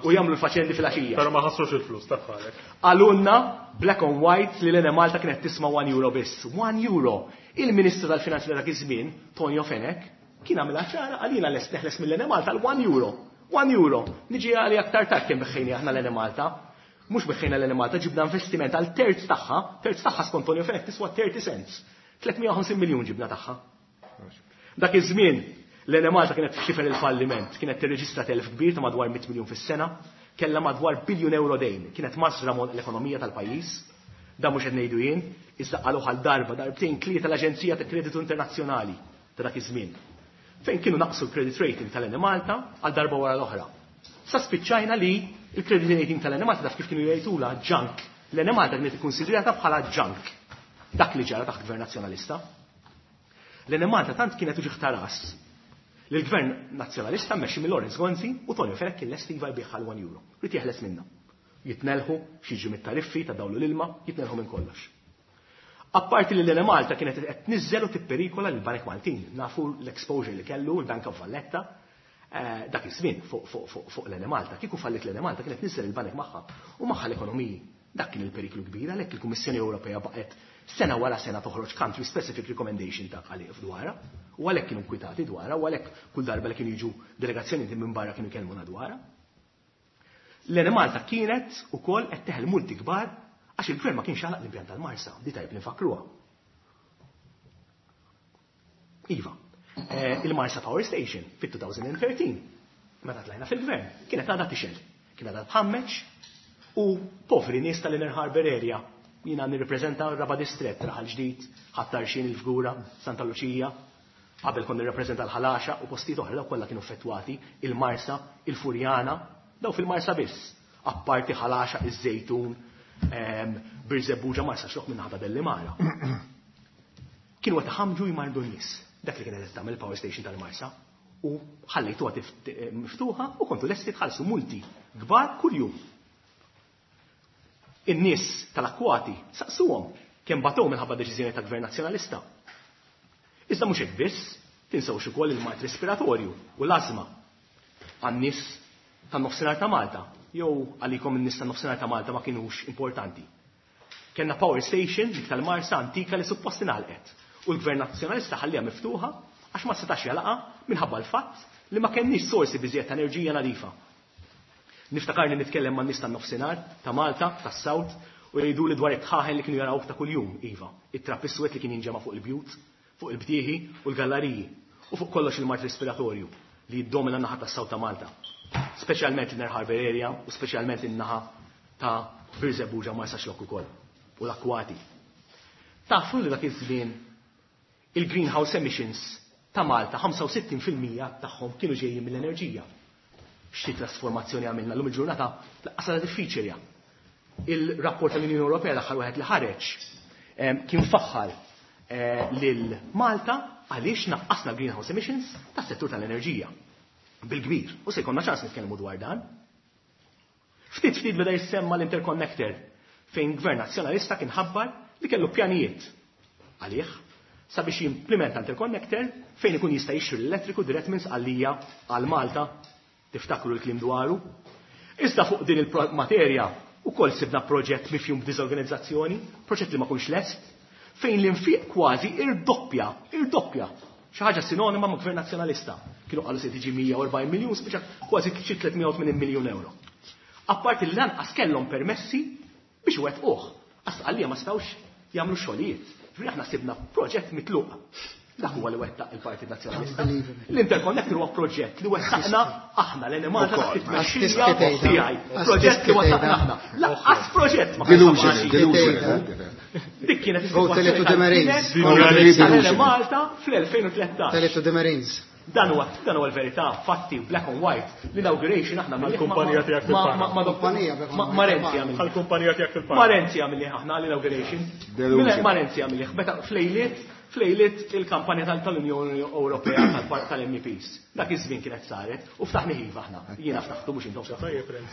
u jagħmlu l-faċendi fil-għaxija.
Però ma ħassrux il-flus ta' bħalek.
Qalulna black on white li l-Enemalta kienet tisma' one euro biss. one euro. Il-Ministru tal-Finanzi dak iż-żmien, Tonio Fenech, kien għamilha ċara għalina lest neħles mill-Enemalta l-one euro. one euro. Niġi għali aktar tard kemm biegħna aħna l-Enemalta. Mhux biegħna l-Enemalta, ġibna investiment għal terz tagħha, terz tagħha skont Tonio Fenech tiswa thirty cents. tliet mija u ħamsin miljun ġibna tagħha. Dak iż-żmien l-Enemalta kienet f'xifer il-falliment, kienet tirreġistra telf kbir ta' madwar mitt miljun fis-sena, kellha madwar biljun euro dejn, kienet mażra l-ekonomija tal-pajjiż. Dan mhux qed ngħidu jien, iżda qalu għal darba, darbtejn, tlieta l-Aġenzija ta' Kreditu Internazzjonali ta' dak iż-żmien. Fejn kienu naqsu l-credit rating tal-Enemalta għal darba wara l-oħra. Sa spiċċajna li il-credit rating tal-Enemalta, taf kif kienu jgħidula, junk. L-Enemalta kienet ikkonsidrata bħala junk. Dak li ġara taħt Gvern Nazzjonalista. L-Enemalta tant kienet uġigħ ta' ras li l-Gvern Nazzjonalista mmexxi minn Lawrence Gonzi u Tonio Fenech kien lest iva jbigħha għal one euro. Ried jeħles minnha. Jitnelħu x'jiġri mit-tariffi ta' dawl u l-ilma, jitnelħu minn kollox. Apparti li l-Enemalta kienet qed tniżżel u tipperikola lil Banek Maltin. Nafu l-exposure li kellu l-Bank of Valletta eh, dak iż-żmien fuq fuq fuq fuq l-Enemalta. Kieku fallit l-Enemalta kienet tniżżel il-banek magħha u magħha l-ekonomiji. Dak kien il-periklu kbir għalhekk il-Kummissjoni Ewropea baqgħet sena wara sena toħroġ country specific recommendation ta' għalih dwarha u għalhekk kienu nkwitati dwarha u għalhekk kull darba li kienu jiġu delegazzjoni minn barra kienu jkellmuna dwarha. L-Enemalta kienet ukoll qed teħel multi kbar għax il-gvern ma kienx għalaq l-impjant tal-Marsa, di tajb nifakruha. Iva, eh, il-Marsa Power Station fit-twenty thirteen, meta tlajna fil-gvern, kienet għadha tixgħel, kienet għadha tħammeġ u povri nies tal-Inner Harbor area, jiena nirrepreżenta r-Raba' Distrett, Raħal Ġdid, Ħal Tarxien, il-Fgura, Santa Luċija, qabel kon nirrepreżenta l-Ħal Għaxaq u postijiet oħra, daw kollha kienu effettwati, il-Marsa, il-Furjana, daw fil-Marsa biss, apparti Ħal Għaxaq, iż-Żejtun, ehm, Birżebbuġa, Marsaxlokk minn naħa Delimara. Kienu qed iħammġu jmardu n-nies. Dak li kienet qed tagħmel il-power station tal-Marsa u ħallejtuha miftuħa u kontu lesti tħallsu multi kbar kuljum. In-nies tal-akkwati saqsuhom kemm batow minħabba deċiżjoni ta' Gvern Nazzjonalista. Iżda mhux hekk biss, tinsewx ukoll il-mard respiratorju u l-ażma għan-nies tan-nofsinhar ta' Malta, jew għalikom in-nies tan-nofsinhar ta' Malta ma kinux importanti. Kenna power station dik tal-Marsa antika li suppost ingħalqet u l-Gvern Nazzjonalista ħalliha miftuħa għax ma setax jagħlaqha minħabba l-fatt li ma kenniex sorsi biżjed ta' enerġija nadifa. Niftakarni nitkellem man nies tan-nofsinhar ta' Malta, tas-South, u jgħidu li dwar it-tħaħen li kienu jaraw ta' kuljum, iva, it-trap iswed li kien jinġema' fuq il-bjut, fuq il-btieħi u l-gallariji, u fuq kollox il-mard respiratorju li jiddomina n-naħa tas-South ta' Malta. Speċjalment l-Inner Harbor area u speċjalment in-naħa ta' Birżebbuġa, Marsaxlokk ukoll u l-akkwati. Tafu li dak iż-żmien il-greenhouse emissions ta' Malta ħamsa u sittin fil-mija tagħhom kienu ġejjin mill-enerġija. Xi trasformazzjoni għamilna l-lum il-ġurnata lanqas diffiċli. Il-rapport tal-Unjoni Ewropea l-aħħar wieħed li ħareġ kien faħħar eh, lil Malta għaliex naqqasna greenhouse emissions tas-settur tal-enerġija bil-kbir. U se jkollna ċans nitkellmu dwar dan. Ftit ftit beda jissemma l-interconnector fejn Gvern Nazzjonalista kien ħabbar li kellu pjanijiet għalih sabiex jimplementa interconnector fejn ikun jista' jixtri l-elettriku dirett minn Sqallija għal Malta. Tiftakru l-kliem dwaru. Iżda fuq din il-materja ukoll sibna proġett mifjum b'diżorganizzazzjoni, proġett li ma kunx lest, fejn l-infiq kważi irdoppja, irdoppja. Xi ħaġa sinonima ma' Gvern Nazzjonalista. Kienu qalu se tiġi mija u erbgħin miljun, spiċċa kważi xi tliet mija u tmenin miljun euro. Apparti li lanqas kellhom permessi biex wettquh. Għax Sqallija ma setgħux jagħmlu xogħlijiet. Ġifieri aħna sibna proġett mitluq. Dak huwa li wettaq il-Partit Nazzjonalista. L-interconnector huwa proġett li wettaqna aħna l-Enemalta taħt it-tmexxija tiegħi. Proġett li wettaqna aħna. Lanqas proġett ma
Delusion.
Dik kienet is-sitwazzjoni tal-Enemalta fl-elfejn u tlettax.
Tell it to the Marines.
Dan huwa dan huwa l-verità, fatti, black and white. L-inauguration aħna
Għall-kumpanija tiegħek fil-Panama.
Ma ma Renzi għamil.
Għall-kumpanija tiegħek fil-Panama.
Ma Renzi għamilli aħna l-inauguration. Ma Renzi għamilli meta flejliet flejliet il-kampanja tal-Unjoni Ewropea tal-M E Ps. Dak iż-żmien kienet saret u ftaħni iva aħna. Jiena ftaħtu mhux intom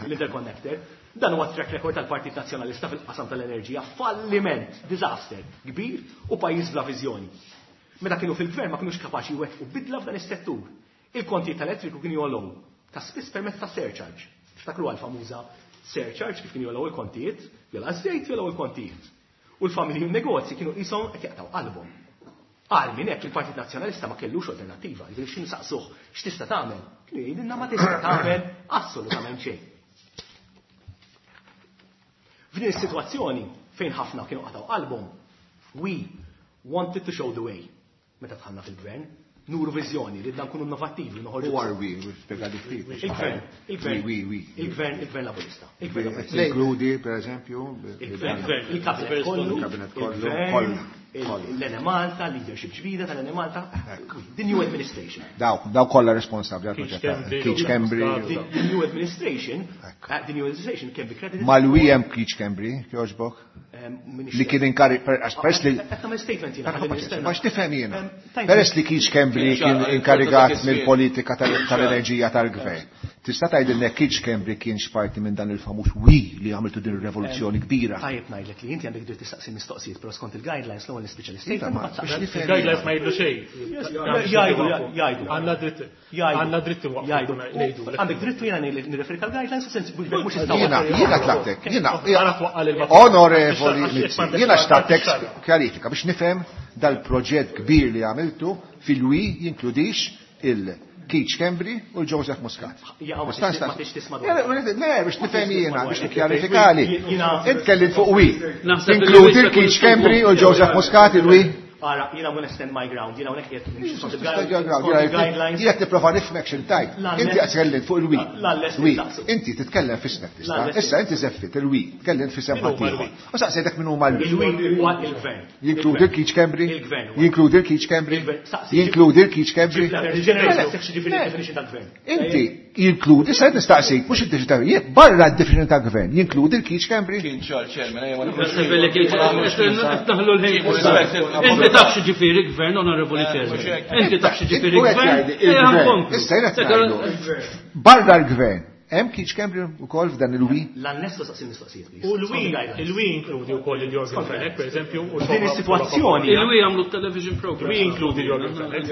l-interconnector. Dan huwa track record tal-Partit Nazzjonalista fil-qasam tal-enerġija, falliment, disaster kbir u pajjiż bla viżjoni. Meta kienu fil-gvern ma kienux kapaċi jwettqu bidla f'dan is-settur. Il-konti tal-elettriku kienu jogħlew ta' spiss permezz ta' surcharge. Tiftakru għal-famuża surcharge kif kienu jogħlew il-kontijiet, jogħla żejt jogħlew il-kontijiet. U l-familji u n-negozji kienu qishom qed jaqtgħu qalbhom. Għal minn hekk il-Partit Nazzjonalista ma kellux alternattiva, jiġifieri x'inhu saqsuh x'tista' tagħmel? Kienu jgħidilna ma tista' tagħmel assolutament xejn. F'din is-sitwazzjoni fejn ħafna kienu qatgħu qalbhom, we wanted to show the way. Meta dħalna fil-gvern, nuru viżjoni li nkunu innovattivi, noħorġu.
Who are we? Spjega di ftit.
Il-gvern, il-gvern,
We, we,
il-gvern, il-gvern Laburista. Il-gvern Laburista.
Inkludi, per eżempju,
Il-gvern, il-kabinet kollu,
il-kabinet kollu,
il-gvern,
kollha, kollha.
l-Enemalta, leadership ġdida tal-Enemalta, the new administration.
Daw, daw kollha responsabbli għal
Keith
proġett.
Schembri.
Keith Schembri.
The, the new administration, uh, the new administration can be credited.
Mal-we hemm Keith Schembri, kjoġbok?
Eh,
Li kien inkarigat, peress li. Ma x'tifhem jiena. Peress li Keith Schembri kien inkarigat mill-politika tal-enerġija tal-gvern. Tista' tgħidilna Keith Schembri kienx parti minn dan il-famuż wi li għamiltu din ir-revoluzzjoni kbira.
Tajjeb ngħidlek li inti għandek dritt tistaqsi mistoqsijiet, però skont il-guidelines l-ewwel nispiċċa l-statement.
Il-guidelines ma jgħidu xejn.
Jgħidu, jgħidu.
Għandna dritt. Għandna dritt
jgħidu. Għandek dritt jiena nirreferik għall-guidelines u sens mhux
Jiena, jiena tlabtek, jiena. Onorevoli Mizzi, jiena xtaqtek kjarifika biex nifhem dal-proġett kbir li għamiltu fil-wi jinkludix il- Keith Schembri u Joseph Muscat. Le, biex nifhem jiena, biex nikkjarifikali. Int kellim fuq wi. Inkludi l-Keith Schembri u Joseph Muscat il-wi.
Ara, jiena gonna stand my ground, jiena hawnhekk qed nimxi skont il-guidelines.
Jiena tipprova nifhmek x'intajt. Inti qed tkellem fuq il-wi. Wi. Inti titkellem f'ismek tista'. Issa inti żeffit il-wi, tkellem f'isem ħaddieħor. U saqsejtek min huma l-wi.
Il-wi huwa il-gvern.
Jinkludi l-Keith Schembri? Jinkludi l-Keith Schembri? Jinkludi l-Keith Schembri? Inti jinkludi, se nistaqsik, mhux id-definizzjoni, barra d-definizzjoni ta' gvern, jinkludi l-Keith Schembri?
Kien ċar chairman, ejja ma
Inti taf x'ġifieri gvern, onorevoli chairman. Inti taf x'ġifieri gvern.
Issa jiena ngħidu. Barra l-gvern, hemm Keith Schembri wkoll f'dan il-wi?
L-annesso saqsi mistoqsijiet.
U l-wi, il-wi inkludi wkoll il-Yorgen Fenech, pereżempju, u
din is-sitwazzjoni.
Il-wi għamlu television program.
Il-wi inkludi l-Yorgen Fenech.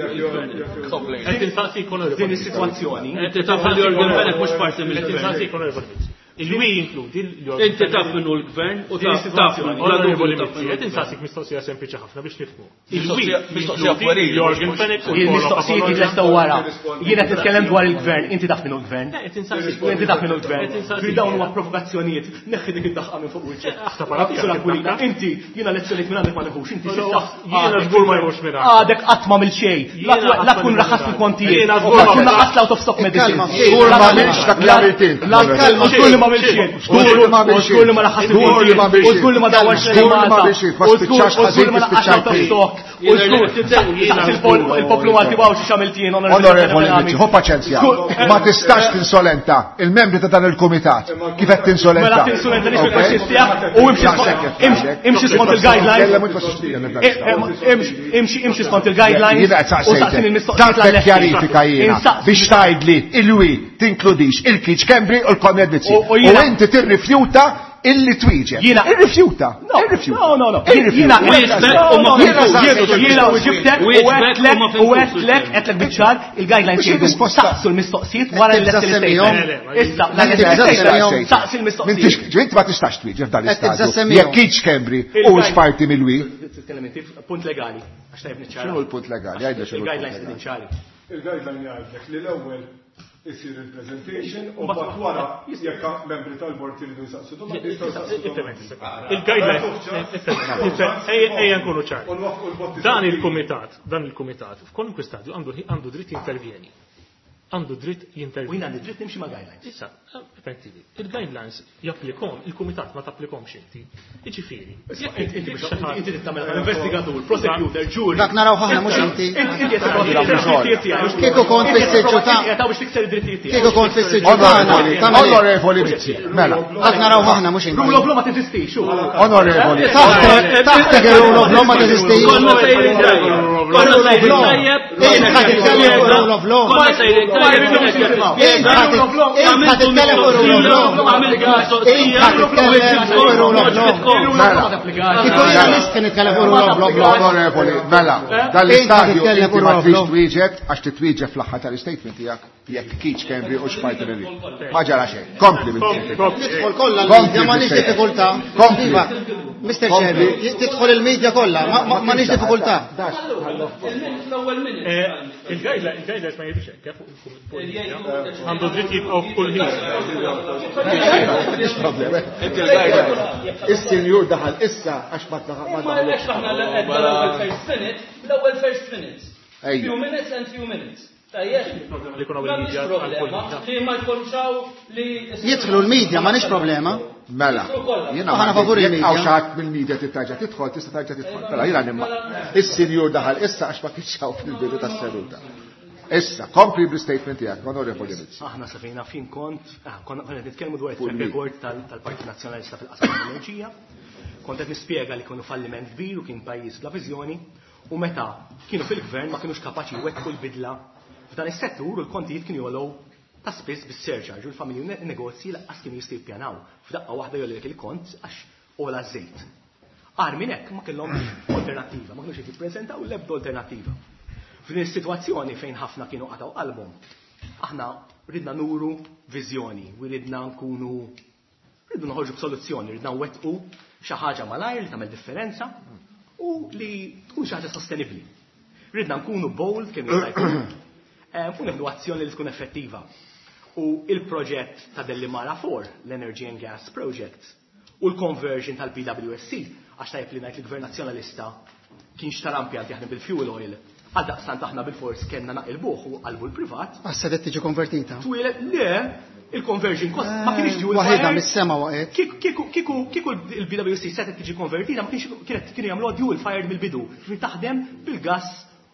Qed insaqsi
Din is-sitwazzjoni.
Inti taf il-Yorgen Fenech mhux parti mill-gvern.
Il-wi jinkludi l-Yorgen.
Inti taf minnu l-gvern u taf taf
Onorevoli Mizzi, qed insaqsik mistoqsija sempliċi ħafna biex nifhmu. Il-wi
Mistoqsija puerili.
Yorgen Fenech u
Il-mistoqsijiet jitlestew wara. Jiena qed nitkellem dwar il-gvern, inti taf minnu l-gvern. Inti taf minnu l-gvern. Fi dawn huma provokazzjonijiet, neħħi dik id-daħqa minn fuq wiċċek. Inti jiena lezzjonijiet minn għandek ma neħux, inti s'issa
Jiena żgur ma jmurx minn
għadek qatt ma mill xejn. La tkun raħas il-kontijiet, la tkun raħas l-out of stock medicine.
Żgur ma għamilx dak li għamilt int.
Żgur li ma għamilx xejn. Żgur li ma raħas il-kontijiet. U żgur li ma dawwarx
il-Malta.
U żgur li ma laqqax out of stock. U żgur il-poplu Malti waw xi x'għamilt jien.
Onorevoli Mizzi, ħu paċenzja. Ma tistax tinsolenta il-membri ta' dan il-kumitat. Kif qed tinsolenta?
Mela tinsolenta nix il-faxxisti u imxi skont il-guidelines. Imxi imxi skont il-guidelines.
Jiena qed saqsejtek. Tlabtek kjarifika jiena biex tgħidli il-wi tinkludix il-Keith Schembri u l-Konrad Mizzi. U inti tirrifjuta illi twieġeb.
Jiena
irrifjuta. Irrifjuta.
No, no, no. Jiena jiena u ġibtek u għedtlek u għedtlek għedtlek biċ-ċar il-guidelines jgħidu saqsu l-mistoqsijiet wara l-statement. Issa, l-statement saqsi l-mistoqsijiet.
Inti ma tistax twieġeb dan l-istadju. Jekk Keith Schembri u x'parti mill-wi.
Titkellem inti punt legali. Għax tajb niċċara.
X'inhu l-punt legali? Għidli x'inhu.
Il-guidelines qegħdin ċari.
Il-guideline jgħidlek li l-ewwel isir il-presentation u mbagħad wara jekk membri tal-bord iridu jsaqsu domandi jistgħu jsaqsu domandi.
Il-guidelines, ejja nkunu ċari. Dan il-kumitat, dan il-kumitat f'kwalunkwe stadju għandu għandu dritt jintervjeni. Għandu dritt jintervjeni.
U jien għandi dritt nimxi ma' guidelines.
Issa, permettili, il-guidelines japplikom, il-kumitat ma tapplikomx inti. Jiġifieri.
Inti trid tagħmel investigatur, prosecutor, jury.
Dak naraw ħafna mhux inti.
Inti qed tipprova
Kieku kont fis-siġġu ta'
biex tikser id-drittijiet tiegħek.
Kieku kont fis-siġġu tagħna.
Onorevoli Mizzi, mela.
Dak naraw ħafna mhux inti.
Rule of law ma teżistix.
Onorevoli.
Taħtek ir-rule of law ma teżistix.
Konna sejrin tajjeb. Konna sejrin tajjeb.
Int ħa titkellem fuq rule of law.
Konna sejrin tajjeb.
Int ħa titkellem fuq rule of law. Int ħa titkellem fuq rule of law.
Mela.
Kieku jiena nista' nitkellem fuq rule of law.
Onorevoli, mela, dal-istadju inti ma trix twieġeb għax titwieġeb fl-aħħar tal-istatement tiegħek jekk Keith Schembri u x'parti mill Ma ġara xejn. Kompli
Tidħol kollha l-media m'għandix diffikultà.
Kompli.
Iva, Mister Chairman, tidħol il-media kollha, m'għandix diffikultà.
L-ewwel minute.
Il-guidelines ma jgħidux hekk fuq il-media. Għandu dritt jibqgħu f'kull ħin.
Inti il-guidelines.
Is-sinjur daħal issa għax ma
Ma għalhekx aħna l-ewwel first minute, l-ewwel first minutes.
Ejja.
Few minutes and few minutes. Tajjeb.
Li jkun hawn il-media
M'għandix problema li ma jkunx hawn li
Jidħlu l-media, m'għandix problema.
Mela, jiena
Aħna favur
jekk
il-media.
hawn xi ħadd mill-media tittarġa' tidħol, tista' tarġa' tidħol. Mela jiena nimma. Is-sinjur daħal issa għax ma kienx hawn fil-bidu tas-seduta. Issa, kompli bl-statement tiegħek, Onorevoli Mizzi.
Aħna sa fejna fin kont, ah, konna konna nitkellmu dwar
Fuq
it-track
il-media.
record tal-Partit Nazzjonalista fil-qasam tal-enerġija. Kont qed nispjega li kienu falliment kbir u kien pajjiż bla viżjoni u meta kienu fil-gvern ma kinux kapaċi jwettqu l-bidla f'dan is-settur u l-kontijiet kienu jogħlew ta' spiss bis-surcharge u l-familji u negozji lanqas kienu jistgħu jippjanaw. F'daqqa waħda jogħlilek il-kont għax ogħla ż-żejt. Agħar minn hekk ma kellhomx alternattiva, ma kinux qed jippreżentaw l-ebda alternattiva. F'din is-sitwazzjoni fejn ħafna kienu qatgħu qalbhom, aħna ridna nuru viżjoni, u ridna nkunu ridna noħorġu b'soluzzjoni, ridna nwettqu xi ħaġa malajr li tagħmel differenza u li tkun xi ħaġa sostenibbli. Ridna nkunu bold kemm jista' jkun u nieħdu azzjoni li tkun effettiva. U il-proġett ta' Delimara four, l-Energy and Gas Project, u l-conversion tal-B W S C, għax tajjeb li ngħid li gvern nazzjonalista kien xtara impjant jaħdem bil-fuel oil, għal daqstant aħna bil-fors kellna naqilbuh u qalbu l-privat.
Għax setgħet tiġi konvertita.
Twieled, le, il-conversion cost ma kienx dual
Waħedha
fired.
mis-sema waqgħet.
Kieku kieku kieku il-B W S C setgħet tiġi konvertita, ma kienx kienet kienu jagħmluha dual fired mill-bidu, ġifieri taħdem bil-gas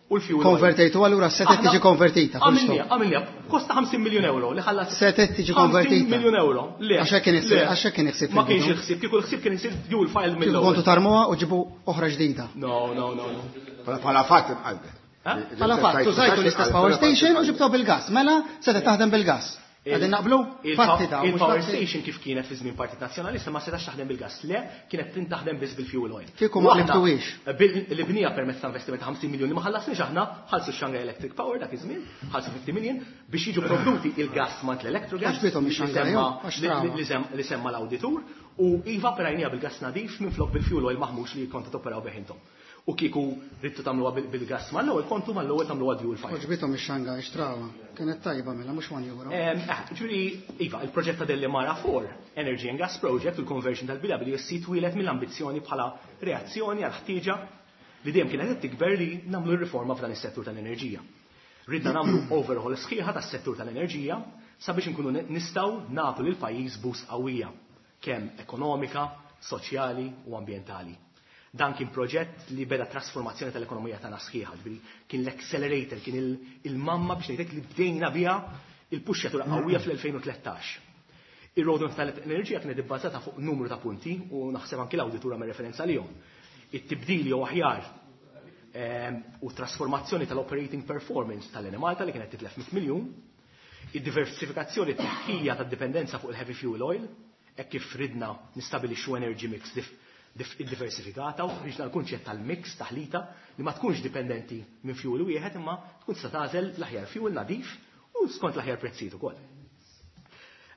u l-fuel oil.
Konvertejtu allura setgħet tiġi konvertita. Full
Għamilniha,
stop.
għamilniha, kosta ħamsin miljun euro li ħallas.
Setgħet tiġi
ħamsin
konvertita.
Miljun euro. Le.
Għax hekk kien
le.
għax hekk kien il-ħsieb
Ma kienx
fil-bidu.
il-ħsieb, kieku l-ħsieb kien isir dual fired
Kieku
mill-ewwel.
kontu tarmuha u ġibu oħra ġdida.
No, no, no, no.
Bħala fatt inqalbet.
Bħala fatt, użajtu l-istess power station u ġibtuha bil-gas. Mela, setgħet taħdem bil-gas. Qegħdin naqblu? Fatti ta' mhux
Il-power
fatti.
Station kif kienet fi żmien Partit Nazzjonalista ma setax taħdem bil-gas. Le, kienet taħdem biss bil-fuel oil.
Kieku
U
ma
aħna,
qlibtuhiex.
bil- Li bnija permezz ta' investiment ta' ħamsin miljoni ma ħallasniex aħna, ħallsu Shanghai Electric Power dak iż-żmien, ħallsu fifty million biex jiġu provduti il-gas mant l-Electrogas.
Għax bithom ix-Shanghai,
li semma-
għax
li-
trawa.
li sem- li semma l-awditur u iva operajnieha bil-gas nadif minn flok bil-fuel oil maħmux li kontu toperaw bih intom. U kieku ridtu tagħmluha bil- bil-gas mal-ewwel kontu mal-ewwel tagħmluha dual fire.
Għoġbithom ix-Shanghai, xtrawha. Kienet tajba mela, mhux one euro.
Em, eh, Ġifieri, iva, il-proġett ta' Delimara four, Energy and Gas Project, u l-conversion tal-B W S C twieled mill-ambizzjoni bħala reazzjoni għal ħtieġa li dejjem kienet qed tikber li nagħmlu r-riforma f'dan is-settur tal-enerġija. Ridna nagħmlu overhaul sħiħa tas-settur tal-enerġija sabiex inkunu nistgħu nagħtu lil pajjiż boost qawwija, kemm ekonomika, soċjali u ambjentali. Dan kien proġett li beda trasformazzjoni tal-ekonomija tagħna sħiħa, ġifieri kien l-accelerator, kien il- il-mamma biex ngħidlek li bdejna biha il-puxxjatura qawwija fl-elfejn u tlettax. Ir-roadmap tal-enerġija kienet ibbażata fuq numru ta' punti u naħseb anki l-awditura me referenza lihom. It-tibdil jew aħjar ehm, u trasformazzjoni tal-operating performance tal-Enemalta li kienet titlef mitt miljun, id-diversifikazzjoni t-tneħħija tad-dipendenza fuq il-heavy fuel oil, hekk kif ridna nistabilixxu energy mix dif dif diversifikata u ħriġna l-kunċett tal-mix taħlita li ma tkunx dipendenti minn fuel wieħed imma tkun tista' tagħżel l-aħjar fuel nadif u skont l-aħjar prezzijiet ukoll.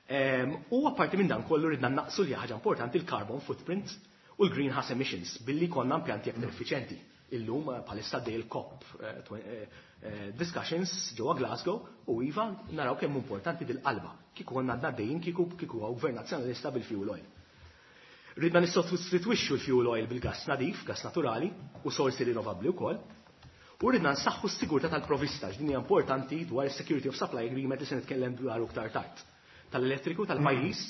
Ehm, U apparti minn dan kollu ridna naqsu li ħaġa importanti il-carbon footprint u l-greenhouse emissions billi konna impjanti aktar effiċenti. Illum eh, bħalissa dej il-COP eh, twen- eh, eh, discussions ġewwa Glasgow u iva naraw kemm importanti dil-qalba. Kieku konna għadna dejjin kieku kieku hawn gvern nazzjonalista bil-fuel oil. Ridna nissostitwixxu l-fuel oil bil-gas nadif, gas naturali u sorsi rinnovabbli wkoll. U ridna nsaħħu s-sigurtà tal-provista, x'din hija importanti dwar is-Security of Supply Agreement li se nitkellem dwar iktar tard. Tal-elettriku tal-pajjiż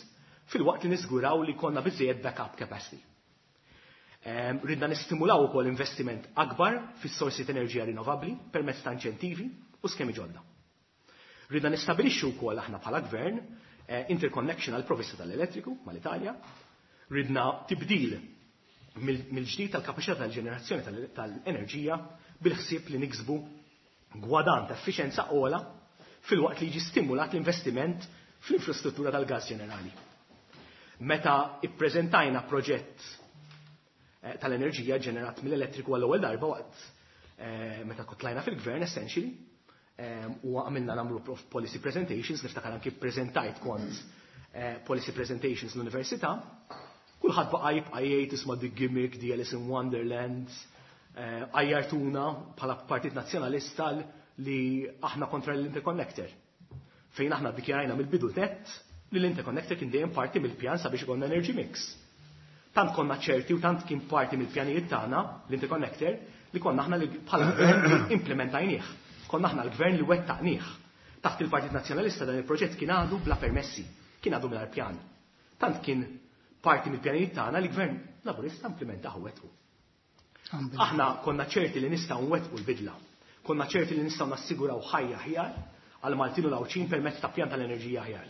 filwaqt li niżguraw li konna biżejjed backup capacity. Em, Ridna nistimulaw ukoll investiment akbar fis-sorsi ta' enerġija rinnovabbli permezz ta' inċentivi u skemi ġodda. Ridna nistabilixxu wkoll aħna bħala gvern eh, interconnection għal provista tal-elettriku mal-Italja. Ridna tibdil mill- mill-ġdid tal-kapaċità tal-ġenerazzjoni tal- tal-enerġija bil-ħsieb li niksbu gwadann ta' effiċenza ogħla filwaqt li jiġi stimulat l-investiment fl-infrastruttura tal-gas ġenerali. Meta ippreżentajna proġett eh, tal-enerġija ġenerat mill-elettriku għall-ewwel darba waqt eh, meta tlajna fil-gvern essentially eh, u għamilna nagħmlu prof- policy presentations, niftakar anki prezentajt kont eh, policy presentations l-università, kulħadd baqa' jibqa' jgħid isma' the gimmick, the Alice in Wonderland, eh, għajjartuna bħala Partit Nazzjonalista li aħna kontra l-interconnector. Fejn aħna dikjarajna mill-bidu nett li l-interconnector kien dejjem parti mill-pjan sabiex ikollna energy mix. Tant konna ċerti u tant kien parti mill-pjanijiet tagħna l-interconnector li konna aħna li bħala gvern li implementajnieh. Konna aħna l-gvern li wettaqnieh. Taħt il-Partit Nazzjonalista dan il-proġett kien għadu bla permessi, kien għadu mingħajr pjan. Tant kien parti mill-pjanijiet tagħna li gvern Laburista implementaħ u wettqu. Aħna konna ċerti li nistgħu nwettqu l-bidla. Konna ċerti li nistgħu nassiguraw ħajja aħjar għal Maltin u l-Għawdxin permezz ta' pjan tal-enerġija aħjar.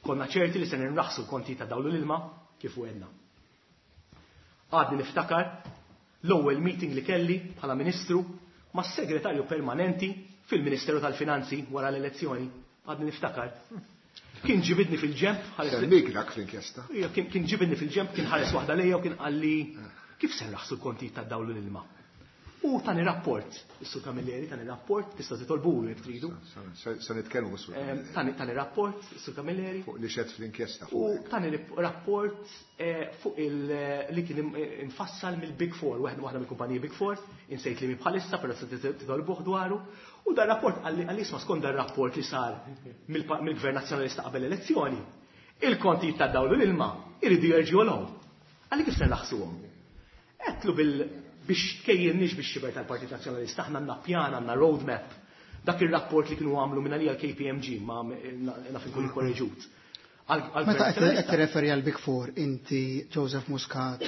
Konna ċerti li se nirraħsu l-konti ta' dawl u l-ilma kif wegħedna. Għadni niftakar l-ewwel meeting li kelli bħala Ministru mas-Segretarju Permanenti fil-Ministeru tal-Finanzi wara l-elezzjoni. Għadni niftakar. Kien ġibidni fil-ġemp, ħares
Semmik dak fl-inkjesta.
Ija, kien kien ġibidni fil-ġemp, kien ħares waħda lejja u kien qalli kif se nraħsu l-kontijiet tad-dawl u l-ilma. U tani rapport, is-Sur Camilleri tani rapport, tista' titolbulu jekk tridu.
Se nitkellmu Sur
Ehm, Tani tani rapport, is-Sur Camilleri.
Fuq li xed fl-inkjesta.
U tani rapport eh, fuq il li kien infassal mill-Big Four, waħda waħda mill-kumpaniji Big Four, insejt li mi bħalissa, però se titolbuh dwaru. U dan rapport qalli qalli isma' skont dan rapport li sar mill-Gvern Nazzjonalista qabel l-elezzjoni, il-kontijiet tad-dawl u l-ilma iridu jerġgħu jogħlew. Qalli kif se nraħsuhom? Għedtlu bil biex tkejjilniex biex xiber tal-Partit Nazzjonalista, aħna għandna pjan, għandna roadmap. Dak il-rapport li kienu għamlu minn għalija l-K P M G, ma naf inkun korreġut.
Meta qed tirreferi għal Big Four, inti Joseph Muscat,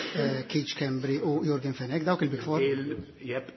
Keith Schembri u Yorgen Fenech, dawk il-Big Four?
Jep,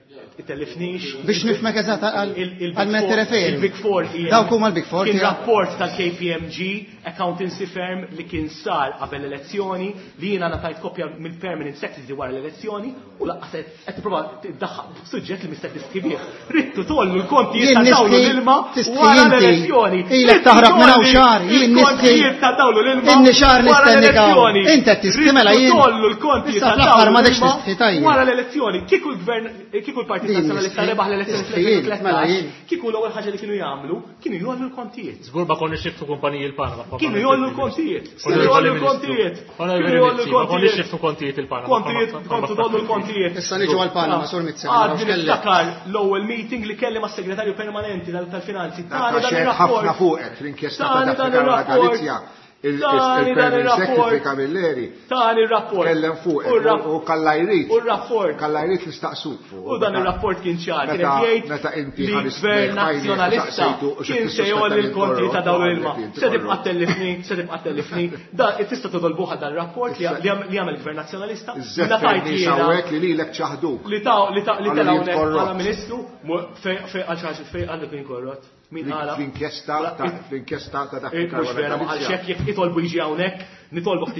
tellifnix.
Biex nifhmek eżatt għal men tirreferi.
Il-Big Four hija
Dawk huma l-Big Four
Kien
tiegħek.
rapport tal-K P M G, accountancy firm li kien sar qabel l-elezzjoni, li jiena ngħatajt kopja mill-permanent secretary wara l-elezzjoni, u laqqas qed tipprova tiddaħħal suġġett li mistek tiskrivih. Rittu tollu l-kontijiet
Jien
ta' dawl
nistħi
l-ilma
tistħi
wara
inti.
l-elezzjoni.
Ilek
Rittu
taħrab minn hawn
tollu
xahar, jien nistħi.
il-kontijiet ta' dawl l-ilma
Inni xahar
wara
nistennik hawn.
l-elezzjoni.
Inti qed tistħi mela
Rittu
jien.
tollu l-kontijiet
Issa
ta'
fl-aħħar
dawl
ma dekx
l-ilma
tistħi tajjeb.
wara l-elezzjoni. Kieku l-gvern, kieku l-Partit
Din
Nazzjonalista
nistħi.
rebaħ l-elezzjoni
Tistħi jien,
fl-elfejn u
mela
tlettax,
jien.
kieku l-ewwel ħaġa li kienu jagħmlu, kienu jgħollu l-kontijiet.
Żgur ma konniex niftu kumpaniji l-Panama.
Kienu jgħollu l-kontijiet. Kienu jgħollu l-kontijiet.
Onorevoli
Kienu jgħollu
Mizzi, ma konniex
l-kontijiet.
niftu kontijiet il-Panama.
Kontijiet, kontu tollu l-kontijiet.
Issa niġu għal-Panama, Sur Mizzi, ma
Għadni
nafx kellek.
niftakar l-ewwel meeting li kelli mas-segretarju permanenti tal-finanzi.
Dak
Tani dan
xed
ir-rapport.
ħafna fuqek fl-inkjesta ta'
Tani dan
Daphne Caruana
ir-rapport.
Galizia.
Tani dan
Il-Permanent Secretary
ir-rapport.
Camilleri
Tani ir-rapport.
kellem fuqek
U r-rapp-
u kalla jrid.
U r-rapport.
Kalla jrid li staqsuk fuq.
U dan ir-rapport kien ċar, kien
Meta-
qed jgħid
meta inti
li
ħarist
gvern
lejn ħajni,
nazzjonalista
saqsejtu u xi
kien se
tissuspetta
jgħolli
lil
l-konti ta'
korrott,
dawn
u
l-ilma.
għalek inti
Se tibqa'
korrott.
tellifni, se tibqa' tellifni. Da tista' titolbuha dan ir-rapport li li għamel gvern nazzjonalista.
Iż-żeffer
Meta tajt
nies
jiena
hawnhekk li lilek ċaħduk.
Li ta' li ta' li
Għallu
tela'
jien
hawnhekk
korrott.
bħala ministru, mu- fej fej għal xi ħaġa fej għallu kien korrott. Min qala?
Fl-inkjesta ta' fl-inkjesta ta' Daphne
Eh, mhux
Caruana
vera, ma qalx
Galizia.
hekk, jekk itolbu jiġi hawnhekk, nitolbok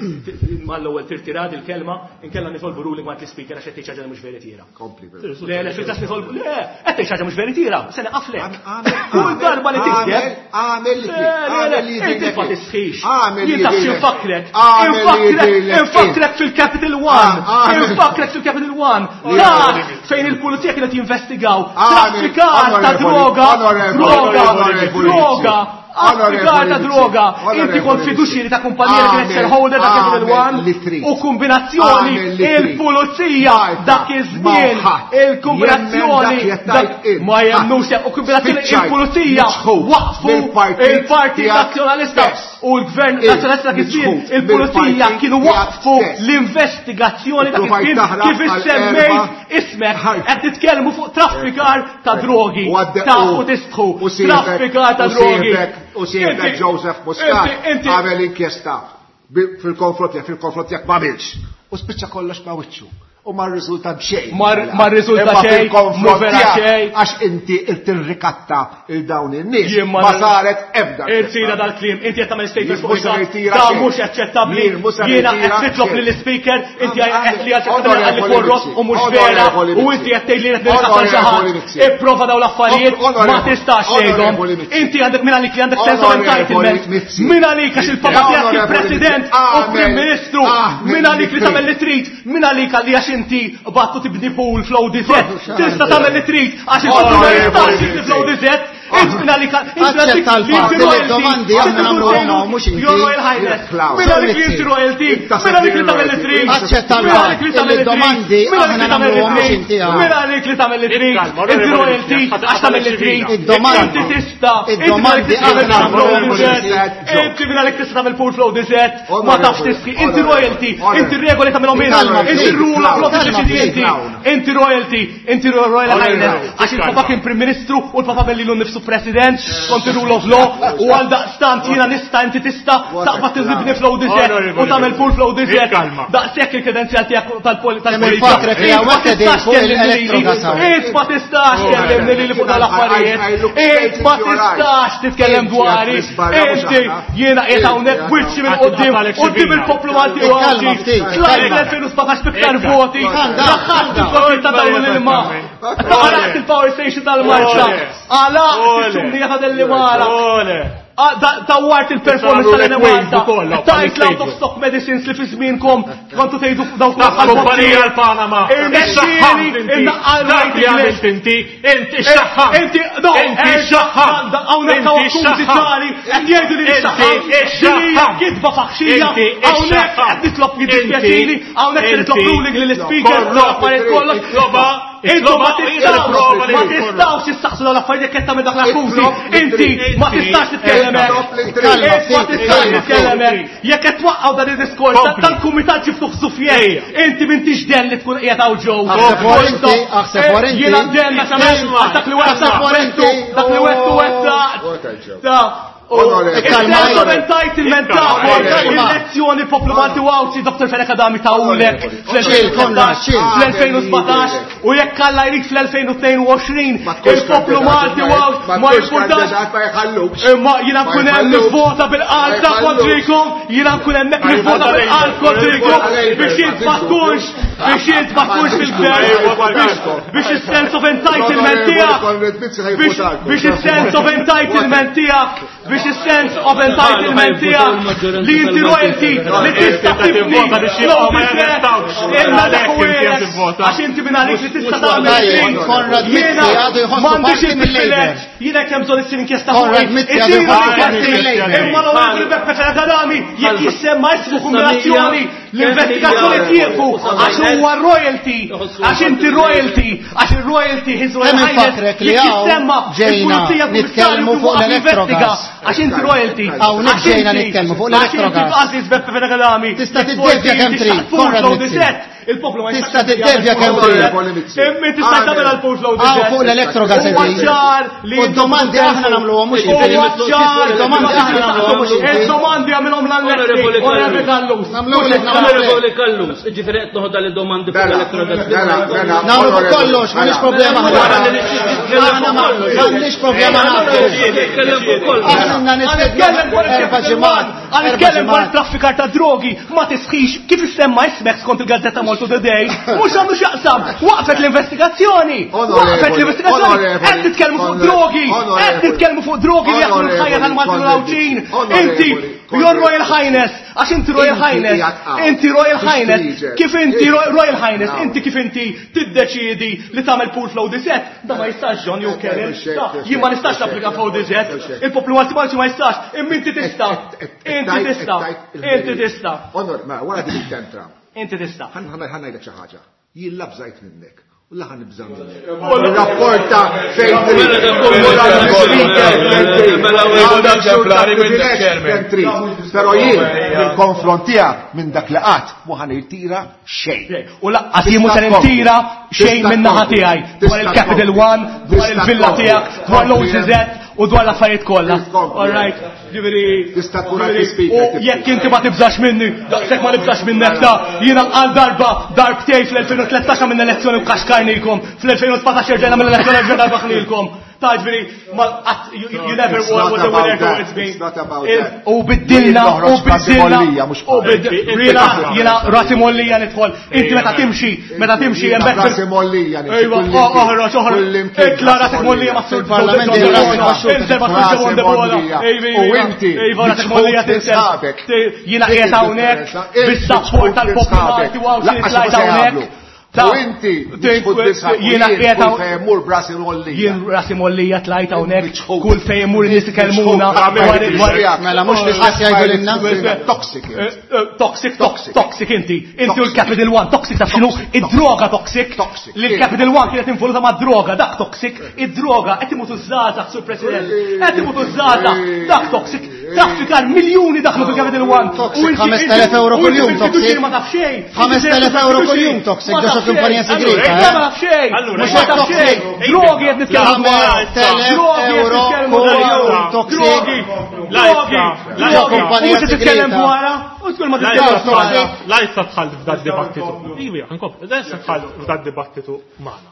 mal-ewwel tirtirad il-kelma, inkella nitolbu ruling ma' l-speaker għax qed tgħid xi ħaġa li mhux veritiera.
Kompli, però.
Le, le, fil-każ nitolbu, le, qed tgħid xi ħaġa mhux veritiera, se neqaflek.
Għamel,
Kull darba li
għamel,
tikdeb.
għamel li
Le,
trid,
le, le,
għamel li
inti
jidhirlek
ma
int.
tisħix.
Għamel li
Jien taf
jidhirlek.
x'infakkrek.
Għamel li
Infakkrek,
jidhirlek int.
infakkrek fil-Capital One.
Għamel.
Infakkrek fil-Capital One.
Li
Dak
jidhirlek.
fejn il-pulizija kienet jinvestigaw
Għamel,
traffikar ta'
onorevoli,
droga,
onorevoli,
droga,
onorevoli,
droga, traffikar ta'
onorevoli,
droga.
onorevoli,
Inti kont fiduċjeri ta' kumpanija li kienet
Għamel,
shareholder ta' Capital
għamel
One
li trid.
u kombinazzjoni
Għamel li trid.
il-pulizija
Malta,
dak iż-żmien
ma ħadd jemmen
il-kombinazzjoni
dak li qed
dak
tgħid int.
ma jemnux u kombinazzjoni
Spiċċajt
il-pulizija
miċħud
waqfu
mill-partit
il-Partit
tiegħek
Nazzjonalista
stess.
u l-Gvern
Int
Nazzjonalista dak iż-żmien
miċħud
il-pulizija
mill-partit
kienu
tiegħek
waqfu
stess.
l-investigazzjoni dak
Ipprovajt
iż-żmien
taħrab
kif
għal
issemmejt
erba'
ismek
ħarb.
qed titkellmu fuq traffikar ta' drogi
U għadde-
ta'
u-
u tistħu
u siebek-
traffikar ta'
u
drogi.
siebek- U siebek
Inti-
Joseph Muscat
inti- inti-
għamel inkjesta bi- fil-konfront tiegħek, fil-konfront tiegħek ma għamilx. U spiċċa kollox ma' wiċċu. U ma rriżulta b'xejn.
Ma- ma rriżulta
Imma
xejn,
fil-konfront
mu vera
tiegħek,
xejn.
Għax inti tirrikatta il dawn in-nies.
Jien ma
Ma saret ebda.
Irtira dal-klim, inti qed tagħmel statement
Jien
fuq
mhux se
il-każ.
nirtira
Da
xejn.
mhux aċċettabbli.
Jien mhux se
Jiena
nirtira
qed titlob
xejn.
lill-speaker, inti
Għamel-
qed li għal għalli
Onorevoli
korrott
Mizzi,
u mhux vera
Onorevoli
u
Mizzi.
inti qed tgħid li qed nirrikatta xi ħadd.
Onorevoli Mizzi.
Ipprova dawn l-affarijiet ma
Onorevoli-
tistax tgħidhom.
Onorevoli Mizzi.
Inti għandek min għalik li għandek sense of
Onorevoli
entitlement.
Mizzi.
Min għalik għax il-papa tiegħek
Onorevoli
il-President
Mizzi.
u Prim
Għamel-
Ministru.
għamel
Min għalik li
li
tagħmel li trid, min għalik għalli għax inti battu tibni pool fl-O D Z. Tista' tagħmel li trid għax il-poplu ma
Onorevoli
jistax jibni
Mizzi.
fl-O D Z. Int min għalik int min għalik
Aċċetta
li inti
l-fatt li
royalty.
d-domandi aħna nagħmluhom hawn, mhux inti.
Your Royal Highness.
Klaus.
Min għalik li inti royalty, min għalik li tagħmel li trid.
Aċċetta
Min għalik li
l-fatt
tagħmel
li
li trid.
d-domandi
Min għalik
aħna
li tagħmel li
nagħmluhom mhux
trid.
inti hawn.
Min għalik li tagħmel li trid.
Ikkalma,
Inti
onorevoli
royalty
Mizzi,
għax tagħmel li trid.
Id-domandi.
Inti tista' inti min għalik
Id-domandi
tista' tagħmel
aħna
pool flow
nagħmluhom mhux
D Z.
inti.
Inti min għalik tista' tagħmel pool flow D Z. Ma tafx tisħi. Inti royalty, inti regoli tagħmelhom inti.
Kalma,
Inti
ftit.
rule of law
Kalma,
tiddeċidi
ftit.
inti. Inti royalty, inti Royal
Onorevoli,
Highness, għax il-papa kien Prim Ministru u l-papa bellilu nnifsu
qisu president skont ir-rule of law u għal daqstant jiena nista' inti tista' taqbad tiżibni flow dizet u tagħmel full flow dizet. Daqshekk il-kredenzjal tiegħek tal-polizija. Ma tistax tkellimni lili. Ma tistax tkellimni lili fuq dal-affarijiet. Int ma tistax titkellem dwari. Inti jiena qiegħed hawnhekk wiċċi minn quddiem quddiem il-poplu Malti u Għawdxi. Tlajt l-elfejn u sbatax b'iktar voti. Daħħalt il-florita tal-ilma. Għalaqt il-power station tal-Marsa. Għalaqt il-ċumnija ta' Dellimara. Dawwart il-performance tal-Enemalta. Tajt l-out of stock medicines li fi żmienkom kontu tgħidu dawk
l-kumpanija l-Panama. Irnexxieli
innaqqal
dak li għamilt inti, inti xaħħam.
Inti no,
inti xaħħam.
Hawnhekk hawn akkużi ċari qed jgħidu li xaħħam. Din kitba faħxija. Hawnhekk qed nitlob jiddispjaċini, hawnhekk nitlob ruling lill-speaker l-affarijiet kollox. Intu ma tistgħux ma tistgħux issaqsu dawn l-affarijiet jekk qed tagħmel dak l-akkużi. Inti ma tistax titkellem hekk. Ma tistax titkellem hekk. Jekk qed twaqqgħu dan id-diskors tal-kumitat ġiftuh sufjej. Inti m'intix den li tkun qiegħed hawn ġew.
Aħseb wara inti.
Jiena den għax għamilt dak li wettu dak li wettu wettaq. Il-sense of entitlement tagħhom, il-lezzjoni poplu Malti u Għawdxi, Dottor Fenech Adami tawlek fl-elfejn u sbatax u jekk Alla jrid fl-elfejn u tnejn u għoxrin il-poplu Malti u Għawdxi ma jimpurtax. Imma jiena nkun hemm nivvota bil-qalb kontrikom, jiena nkun hemmhekk nivvota bil-qalb kontrikom biex int ma tkunx biex int ma tkunx fil-gvern, biex is-sense of entitlement tiegħek, biex is-sense of entitlement tiegħek, biex is-sense of entitlement tiegħek li inti royalty li tista' tibni imma dak għax inti minn għalik li tista' tagħmel. Jiena m'għandix il-privileġġ, jiena kemm bżonn issir inkjesta fuqi. Imma l-Onorevoli Beppe Fenech Adami jekk jissemma ismu kombinazzjoni l-investigazzjoni tieqfu għax huwa royalty, għax inti royalty, għax ir-royalty his royal highness jekk jissemma
il-pulizija nitkellmu fuq l-Electrogas.
Għax inti royalty.
Hawnhekk ġejna nitkellmu fuq l-Electrogas.
Għażiż Beppe Fenech Adami.
Tista' tiddevja kemm trid. Konrad Mizzi.
Il-poplu ma
Tista' tiddevja kemm trid.
Imma tista' tagħmel għal post load.
Hawn fuq l-Electrogas
qegħdin.
U d-domandi aħna nagħmluhom mhux inti. Id-domandi aħna nagħmluhom mhux inti.
Id-domandi għamilhom l-Onorevoli Callus.
Onorevoli Callus, jiġifieri qed noħodha li domandi fuq l-Electrogas.
Nagħmlu fuq kollox, m'għandniex problema aħna. M'għandniex problema nagħmlu. Aħna nitkellem erba' ġimgħat.
Għanitkellem dwar traffikar ta' drogi, ma tisħix kif issemma ismek skont il-Gazzetta Malta Today. Mhux għandu x'jaqsam, waqfet l-investigazzjoni. Waqfet l-investigazzjoni. Qed nitkellmu fuq drogi, qed nitkellmu fuq drogi li jaħdmu l-ħajja tal-Maltin u l-Għawdxin. Inti, your Royal Highness, għax inti Royal Highness, inti Royal Highness, kif inti Royal Highness, inti kif inti tiddeċiedi li tagħmel pool flow dizet, da ma jistax John jew Karen, jien ma nistax napplika flow dizet, il-poplu Malti Malti ma jistax, imma inti tista', inti tista', inti tista'.
Onor, ma wara din it-tentra.
Inti tista'.
Ħa ngħidlek xi ħaġa. Jien la bżajt minnek. U la ħa nibża' minnek. Rapporta fejn trid. Però jien nil-konfront tiegħek minn dak li qatt mhu ħa nirtira xejn.
U laqqas jien mhux se nirtira xejn minn naħa tiegħi dwar il-Capital One, dwar il-villa tiegħek, dwar l-O C Z u dwar l-affarijiet kollha. All right. Ġifieri
tista' tkun għandi speaker.
Jekk inti ma tibżax minni, daqshekk ma nibżax minnek ta' jiena għal darba darbtej fl-elfejn u tlettax għamilna elezzjoni u kaxkarnikom, fl-elfejn u sbatax erġajna mill elezzjoni erġajna rbaħnilkom. Ta' ġifieri ma qatt you never won with the winner towards me. U biddilna, u biddilna, u biddilna, jiena rasi mollija nidħol. Inti meta timxi, meta timxi hemmhekk.
Rasi mollija nidħol.
Ejwa, oħroġ, oħroġ. Itla rasek mollija ma' sur
Parlament
U inti,
jiena qiegħed hawnhekk bis-sapport tal-poplu Malti u Għawdxi tlajt hawnhekk.
U inti,
jiena qiegħed
kull fejn imur brasi mollija.
Jien rasi mollija tlajt hawnhekk, kull fejn imur nies ikellmuna.
Mela mhux l-istess jgħidu lilna.
Toxic.
Toxic, toxic inti. Inti u l-Capital One, toxic taf x'inhu? Id-droga toxic. Li l-Capital One kienet involuta ma' droga, dak toxic. Id-droga qed imutu żgħażagħ, Sur President. Qed imutu żgħażagħ, dak toxic. Traffikar miljuni daħlu fil-Capital One.
Toxic, ħamest elef euro kuljum, toxic.
Ma taf xejn.
ħamest elef euro kuljum, toxic, ġo xi kumpanija segreta.
Ma taf xejn.
Mhux hekk toxic.
Drogi qed nitkellmu dwar.
Ħamest elef euro kuljum, toxic.
Drogi. Drogi.
Ġo kumpanija
Mhux qed titkellem
segreta.
dwarha. U tkun ma titkellem dwarha.
La issa dħalt f'dad dibattitu. Iwi, nkompli, la issa dħalt f'dad dibattitu magħna.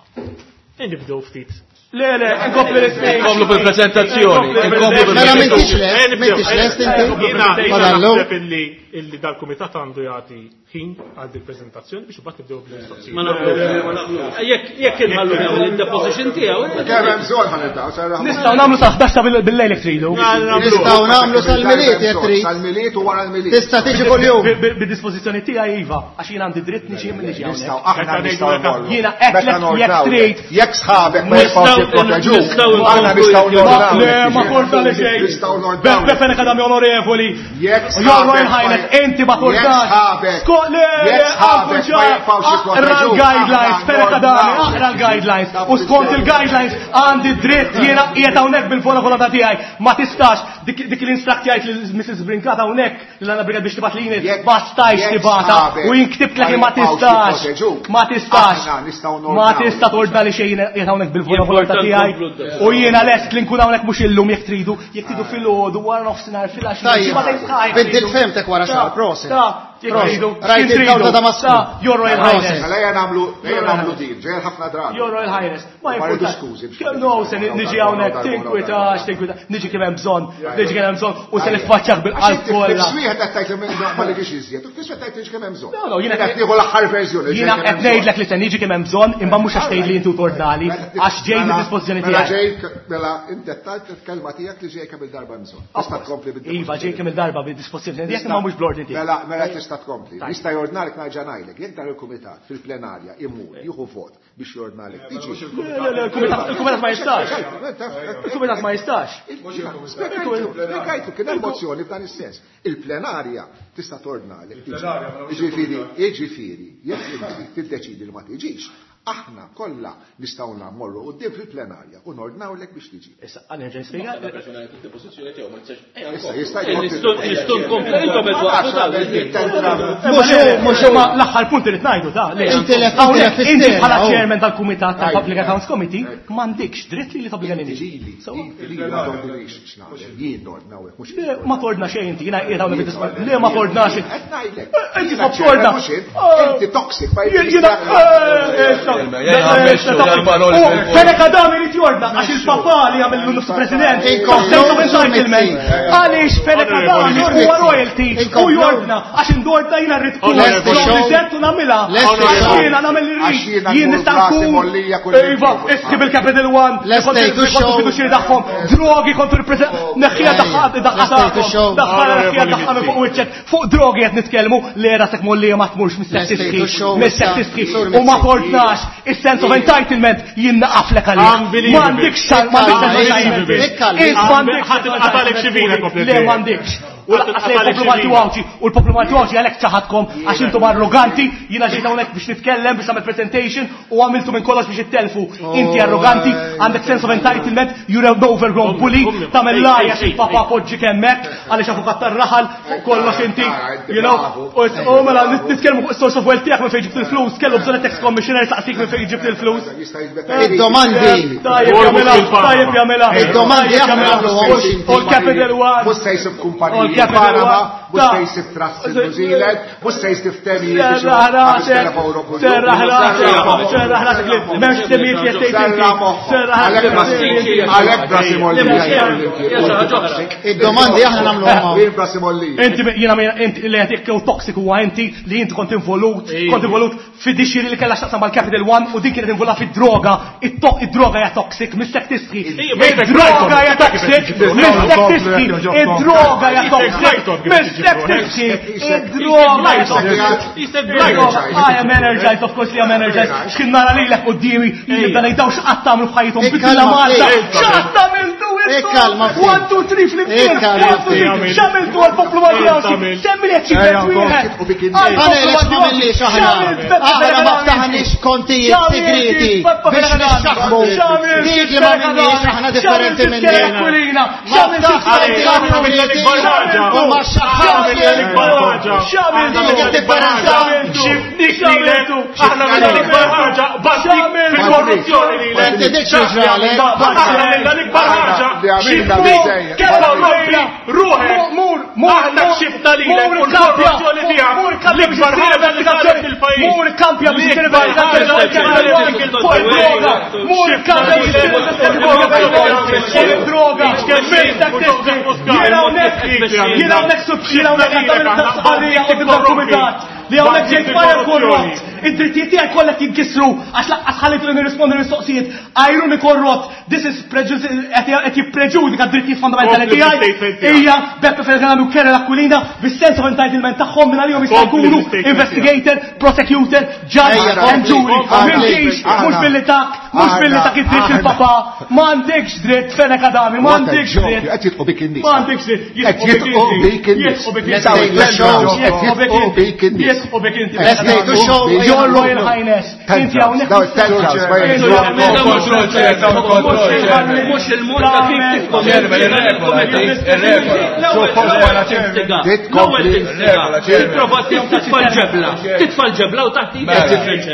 Nibdew ftit.
Le, le, nkompli l-ispeech.
Nkomplu bil-prezentazzjoni. Nkomplu
Mela m'intix
bil-prezentazzjoni.
lest, m'intix lest inti.
Jiena jiena
Fadallu.
naħseb illi illi dal-kumitat għandu jagħti ħin għal il prezentazzjoni biex imbagħad nibdew bil-mistoqsijiet.
Ma naqblux, ma naqblux. Jekk jekk inħallu nagħmel id-deposition tiegħu.
Kemm hemm bżonn ħa nibdew, sarra.
Nistgħu nagħmlu sa ħdax ta' bil-lejl jekk tridu.
Nistgħu nagħmlu sal-Milied jekk trid.
Sal-Milied u wara l-Milied.
Tista' tiġi kuljum.
Bid-dispożizzjoni tiegħi iva, għax jien għandi dritt niġi niġi
Nistgħu
hawnhekk.
aħna nistgħu nmorru.
Jiena hekk
Meta
jekk
nordnaw,
trid.
Jekk sħabek ma jibqgħux jipproteġuk,
Nistgħu
aħna nistgħu nordnaw.
Le, ma forza li xejn.
Nistgħu nordnaw.
Beppe Fenech Adami onorevoli.
Jekk
Your Royal
sħabek ma-
Highness, inti ma
Jekk
tordax.
sħabek.
Sko, le, le,
Jekk sħabek ma jibqgħux
Aqra
jipproteġuk,
l-guidelines,
aħna
Fenech Adami,
nordnaw.
aqra l-guidelines. U skont il-guidelines għandi dritt jiena qiegħed hawnhekk bil-vola volontà tiegħi. Ma tistax dik dik l-instruct jgħid lil Missus Brincat hawnhekk li għandna Brincat biex tibgħat lili
Jekk-
ma stajx
jekk
tibgħatha
sħabek
u jien ktibt li ma
ma jibqgħux
tistax.
jipproteġuk,
Ma tistax.
aħna nistgħu
Ma
nordnaw.
tista' tordna li xejn qiegħed hawnhekk bil-vola volontà
Importanti
tiegħi.
nkomplu
U jiena lest li nkun hawnhekk mhux illum jekk tridu, jekk tridu filgħodu wara nofsinhar filgħaxija.
Tajjeb, biddil femtek wara xahar, prosit.
Ta, jekk
Prosit.
tridu.
Rajt
Kien
il-dawl ta'
tridu.
Damasku.
Ta, Your Royal
Prosit.
Highness.
Mela ejja nagħmlu ejja nagħmlu din, ġejja ħafna drabi.
Your Royal Highness. Ma
Ma rridu
jimpurtax.
skużi biex
No, se niġi hawnhekk tinkwitax, tinkwitax. Niġi kemm hemm bżonn, niġi kemm hemm bżonn u se niffaċċjak bil-qalb kollha.
Fis-swieħed qed tgħid li ma liġix iżjed, u fis-swieħed tgħid li kemm hemm bżonn.
No, no, jiena
qed nieħu l-aħħar verżjoni.
Jiena qed ngħidlek li se niġi kemm hemm bżonn, imma mhux għax tgħidli inti u tordnali, għax ġej mid-dispożizzjoni
Mela
tiegħek.
ġej, mela inti qed il-kelma tiegħek li ġej kemm il-darba hemm bżonn. Tista' tkompli bid
Iva, ġej kemm il-darba bid-dispożizzjoni tiegħek imma mhux bl-ordni tiegħek.
Mela, mela tista' tkompli. Jista' jordnalek nerġa' ngħidlek, jekk dan il-kumitat fil-plenarja imur jieħu vot biex jordnalek tiġi.
Le, le, il-kumitat il-kumitat ma jistax. Il-kumitat ma jistax.
Spjegajtu kien hemm mozzjoni f'dan is-sens. Il-plenarja tista' tordnalek tiġi. Jiġifieri, jiġifieri, jekk inti tiddeċidi li ma tiġix, aħna kollha nistgħu mmorru quddiem fil-plenarja u nordnawlek biex tiġi.
Issa, għal nerġa' nispjega.
Issa jista'
Nistgħu nistgħu nkomplu intom qed waqfu tal.
Mhux hu, mhux hu.
Ma l-aħħar punt irid ngħidu ta' le.
Inti lef- inti
Hawnhekk
lef
inti
isterja,
bħala
oh.
chairman tal-kumitat tal-Public Accounts Committee m'għandikx dritt li li tobbliga lili.
Lili, lili ma tordinix x'nagħmel, jien nordnawlek mhux
Le, ma tordna xejn inti, jiena qiegħed hawnhekk bid-dispożizzjoni. Le, ma tordna xejn.
Qed ngħidlek.
Inti
Jiena
tħobb torna.
mhux int, Inti toxic, ma
Jiena, Fenech Adami li jordna, għax il-papa li għamil nofs president,
Inkomplu,
sense of entitlement.
Mizzi.
Għaliex Fenech Adami huwa royalty u
Inkomplu.
jordna, għax indorda jiena rrid tkun
Lest ix-show.
u nagħmilha.
Lest
Għax
ix-show.
jiena nagħmel li
Għax
rrid.
jiena
Jien
nkun
nista'
rasi
nkun.
mollija kull
Iva,
imkien.
isħib il-Capital One,
Lest
kont
tgħidu
il-
show.
fiduċjeri tagħhom, drogi kontu il-president, neħħija daħħa daħħa
Lest tgħidu show.
daħħa neħħija daħħa minn fuq wiċċek, fuq drogi qed nitkellmu li rasek mollija ma tmurx mis-sek
Lest tgħidu
tisħi,
show
mis-sek
issa.
tisħi,
Sur
u ma
Mizzi.
tordnax is-sense of entitlement jien naqaflek għalih.
Unbelievable.
M'għandikx m'għandikx sense of entitlement.
Ikkalmi.
Int m'għandikx
Ħadd qatalek xi vina komplet.
Le m'għandikx. U lanqas lejn il-poplu Malti u Għawdxi, u l-poplu Malti u Għawdxi għalhekk ċaħadkom għax intom arroganti, jiena ġejt hawnhekk biex nitkellem biex nagħmel presentation u għamiltu minn kollox biex ittelfu. Inti arroganti, għandek sense of entitlement, you're an overgrown bully, tagħmel lajja xi papa poġġi hemmhekk għaliex avukat tar-raħal fuq kollox inti, you know, u u mela nitkellmu fuq is-source of wealth tiegħek minn fejn ġibt il-flus, kellu bżonn tax commissioner saqsik minn fejn ġibt il-flus.
Jista' jiġbed.
Id-domandi.
Tajjeb jagħmilha, tajjeb jagħmilha.
Id-domandi
Tajjeb
aħna
jagħmilha.
nagħmluhom, mhux inti.
U l-Capital One.
Mhux se jsib
U
kumpaniji
l-Capital
Panama,
One.
mhux se
Ta'
jsib trust in New Zealand, mhux se jsib temijiet biex
Serraħ rasek, serraħ rasek,
Serraħ
serraħ rasek li m'hemmx temijiet li qed tgħid
Serraħ
inti.
moħħok.
Serraħ
Għalhekk
rasek.
Għalhekk brasi mollija.
Id-domandi aħna nagħmluhom hawn.
Jien brasi mollija.
Inti jiena inti li qed jew toxic huwa inti li inti kont involut, kont involut fid-dixxiri li kellha x'taqsam mal-Capital One u din kienet involuta fid-droga. Id-droga hija toxic, missek tisħi. Id-droga hija toxic, missek tisħi. Id-droga hija toxic, missek tisħi. Id-droga hija toxic. I am energized, of course li am energized. X'kien nara lilek quddiemi, jibda ngħidaw x'qatt tagħmlu f'ħajjithom bidla Malta. X'qatt tagħmiltu
Ikkalma ftit.
One, two, three, flimkien.
Ikkalma ftit.
X'għamiltu għall-poplu Malti Għawdxi? Semmi li achievement wieħed.
Aħna ma għamilniex aħna. Aħna ma ftaħniex kontijiet segreti biex nixxaħmu. Dik li ma għamilniex aħna differenti minni. Ma ftaħniex u ma xaħħamx. Dik id-differenza.
Aħna minna l-ikbar ħaġa, bastik fil-korruzzjoni li l
Inti dik xi ġralek.
Aħna minna l-ikbar ħaġa, xifnik, korrompi, ruħek,
Mur, mur,
aħna kxifna lilek u l-korruzzjoni tiegħek, l-ikbar ħaġa li saret fil-pajjiż.
Mur kampja biex issir investigazzjoni fuq id-droga. Mur kampja biex issir investigazzjoni fuq id-droga. Jiena hawnhekk, jiena hawnhekk jiena hawnhekk għandha stqarrija quddiem dal-kumitat li hawnhekk ġejt fire korrott. Id-drittijiet tiegħi kollha jinkisru għax lanqas ħallitu li nirrispondi l-mistoqsijiet. Għajruni korrott. This is prejudice qed jippreġudika d-drittijiet fondamentali
Kompli
tiegħi.
bil-statement tiegħek.
Hija Beppe Fenech Adami u Karen Aquilina bis-sense of entitlement tagħhom minn għalihom jista'
Kompli
jkunu
bil-statement
investigator, prosecutor, judge
Ejja,
and
kompli,
jury.
kompli.
M'intix mhux
Aħna.
billi tak, mhux billi tak id-dritt
Aħna.
il-papa. M'għandekx dritt Fenech Adami,
What a
m'għandekx
joke.
dritt.
Qed jitqu bik in-nies.
M'għandekx dritt.
Qed jitqu bik in-nies.
Jitqu bik inti.
Let's show.
Jitqu bik
Jitqu
inti.
bik in-nies.
Jitqu bik inti.
Let's take the show.
Your Royal Highness. Inti hawnhekk.
Daw it-tantrums, ma
Mhux il-mod ta' kif L-ewwel tinstiga. Tipprova titfa' l-ġebla. Titfa' l-ġebla u taħt idek.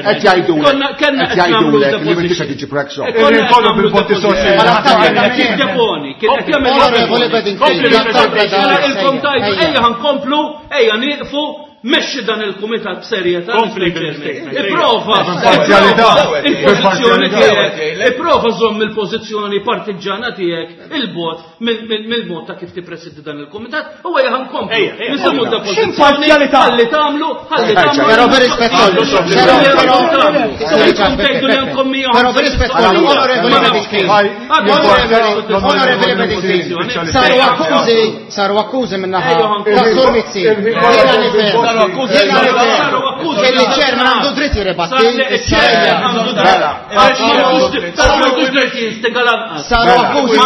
Qed jgħidulek.
Kellna
Qed
qed nagħmlu
jgħidulek li m'intix qed
deposition.
tiġi prek
Konna qed
Kollu
nagħmlu
bil-botti
deposition.
soċjali.
Deponi, kien qed jagħmel
Onorevoli Bedingfield,
Mela ilkom tajdu,
Ejja.
ejja ħankomplu, ejja nieqfu, mexxi dan il-kumitat b'serjetà.
Kompli bil-statement.
Ipprova,
B'parzjalità.
ipprova il-pożizzjoni
B'parzjalità.
tiegħek, ipprova żomm il-pożizzjoni partiġġana tiegħek il-bot mill-mod ta' kif tippresidi dan il-kumitat u ejja ħankomplu.
Ejja, ejja.
Nisimgħu depożizzjoni,
X'imparzialità?
ħalli tagħmlu, ħalli tagħmlu.
Però bir-rispett kollu. Però però Però bir-rispett kollu, onorevoli Bedingfield. Onorevoli Bedingfield. Saru akkużi, saru akkużi minnaħa ta' Sur Mizzi. Jiena nifhem. Jiena nifhem. Illi ċerman għandu dritt jirribatti. Saru akkużi.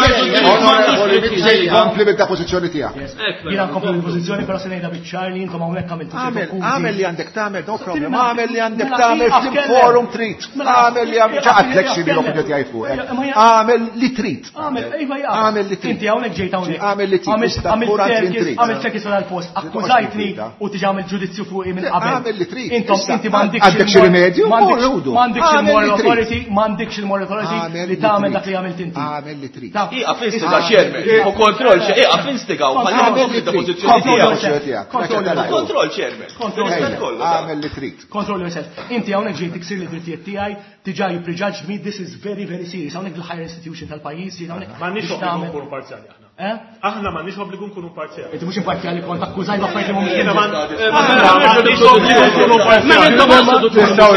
Onorevoli Mizzi, kompli bil-depożizzjoni tiegħek.
Jiena nkompli bil-pożizzjoni però se ngħidha biċ-ċar li intom hawnhekk għamiltu ċertu
Għamel,
akkużi.
għamel li għandek tagħmel, no problem.
Mela,
Għamel li għandek
mela,
tagħmel
ieqaf
fil
kellem.
forum trid.
Mela,
Għamel li għamel ċaqatlek
ieqaf
xi
kellem.
l-opinjoni tiegħi fuq.
Ejja, ma jaqaf.
Għamel li trid.
Għamel, iva jaqaf.
Għamel li trid.
Inti hawnhekk ġejt hawnhekk.
Għamel li trid.
Għamilt
Tista'
għamilt
tmur għand li
circus,
trid.
għamilt circus għal post. Akkużajtni u tiġi għamilt ġudizzju fuqi minn qabel.
Għamel li trid.
Intom
Issa,
inti m'għandekx
għandek xi
il-mor-
rimedju?
m'għandekx-
Mur, ħudu.
M'għandekx
Għamel
il-moral
li trid.
authority, m'għandekx il-moral authority
Għamel
li
li
tagħmel
trid.
dak li għamilt inti.
Għamel li trid.
Ta'
Iqaf instiga chairman, u kontroll xe, iqaf instiga u ħalli
Għamel li
kompli
trid.
depożizzjoni
Kontroll
tiegħek.
yourself. tiegħek.
Kontroll yourself.
Kontroll chairman.
Kontroll
Ejja,
yourself.
kollu.
Għamel li trid.
Control yourself. Inti hawnhekk ġejt tiksir li drittijiet tiegħi, diġà you prejudged me, this is very very serious. Hawnhekk il-higher institution tal-pajjiż, ġejt hawnhekk.
M'għandniex
biex
obbligu
tagħmel-
nkunu parzjali aħna.
Eh?
Aħna m'għandniex obbligu nkunu parzjali.
Inti mhux imparzjali kont akkużajt b'affarijiet li mhumiex
Jiena ma-
inġusti.
Aħna m'għandniex obbligu nkunu parzjali.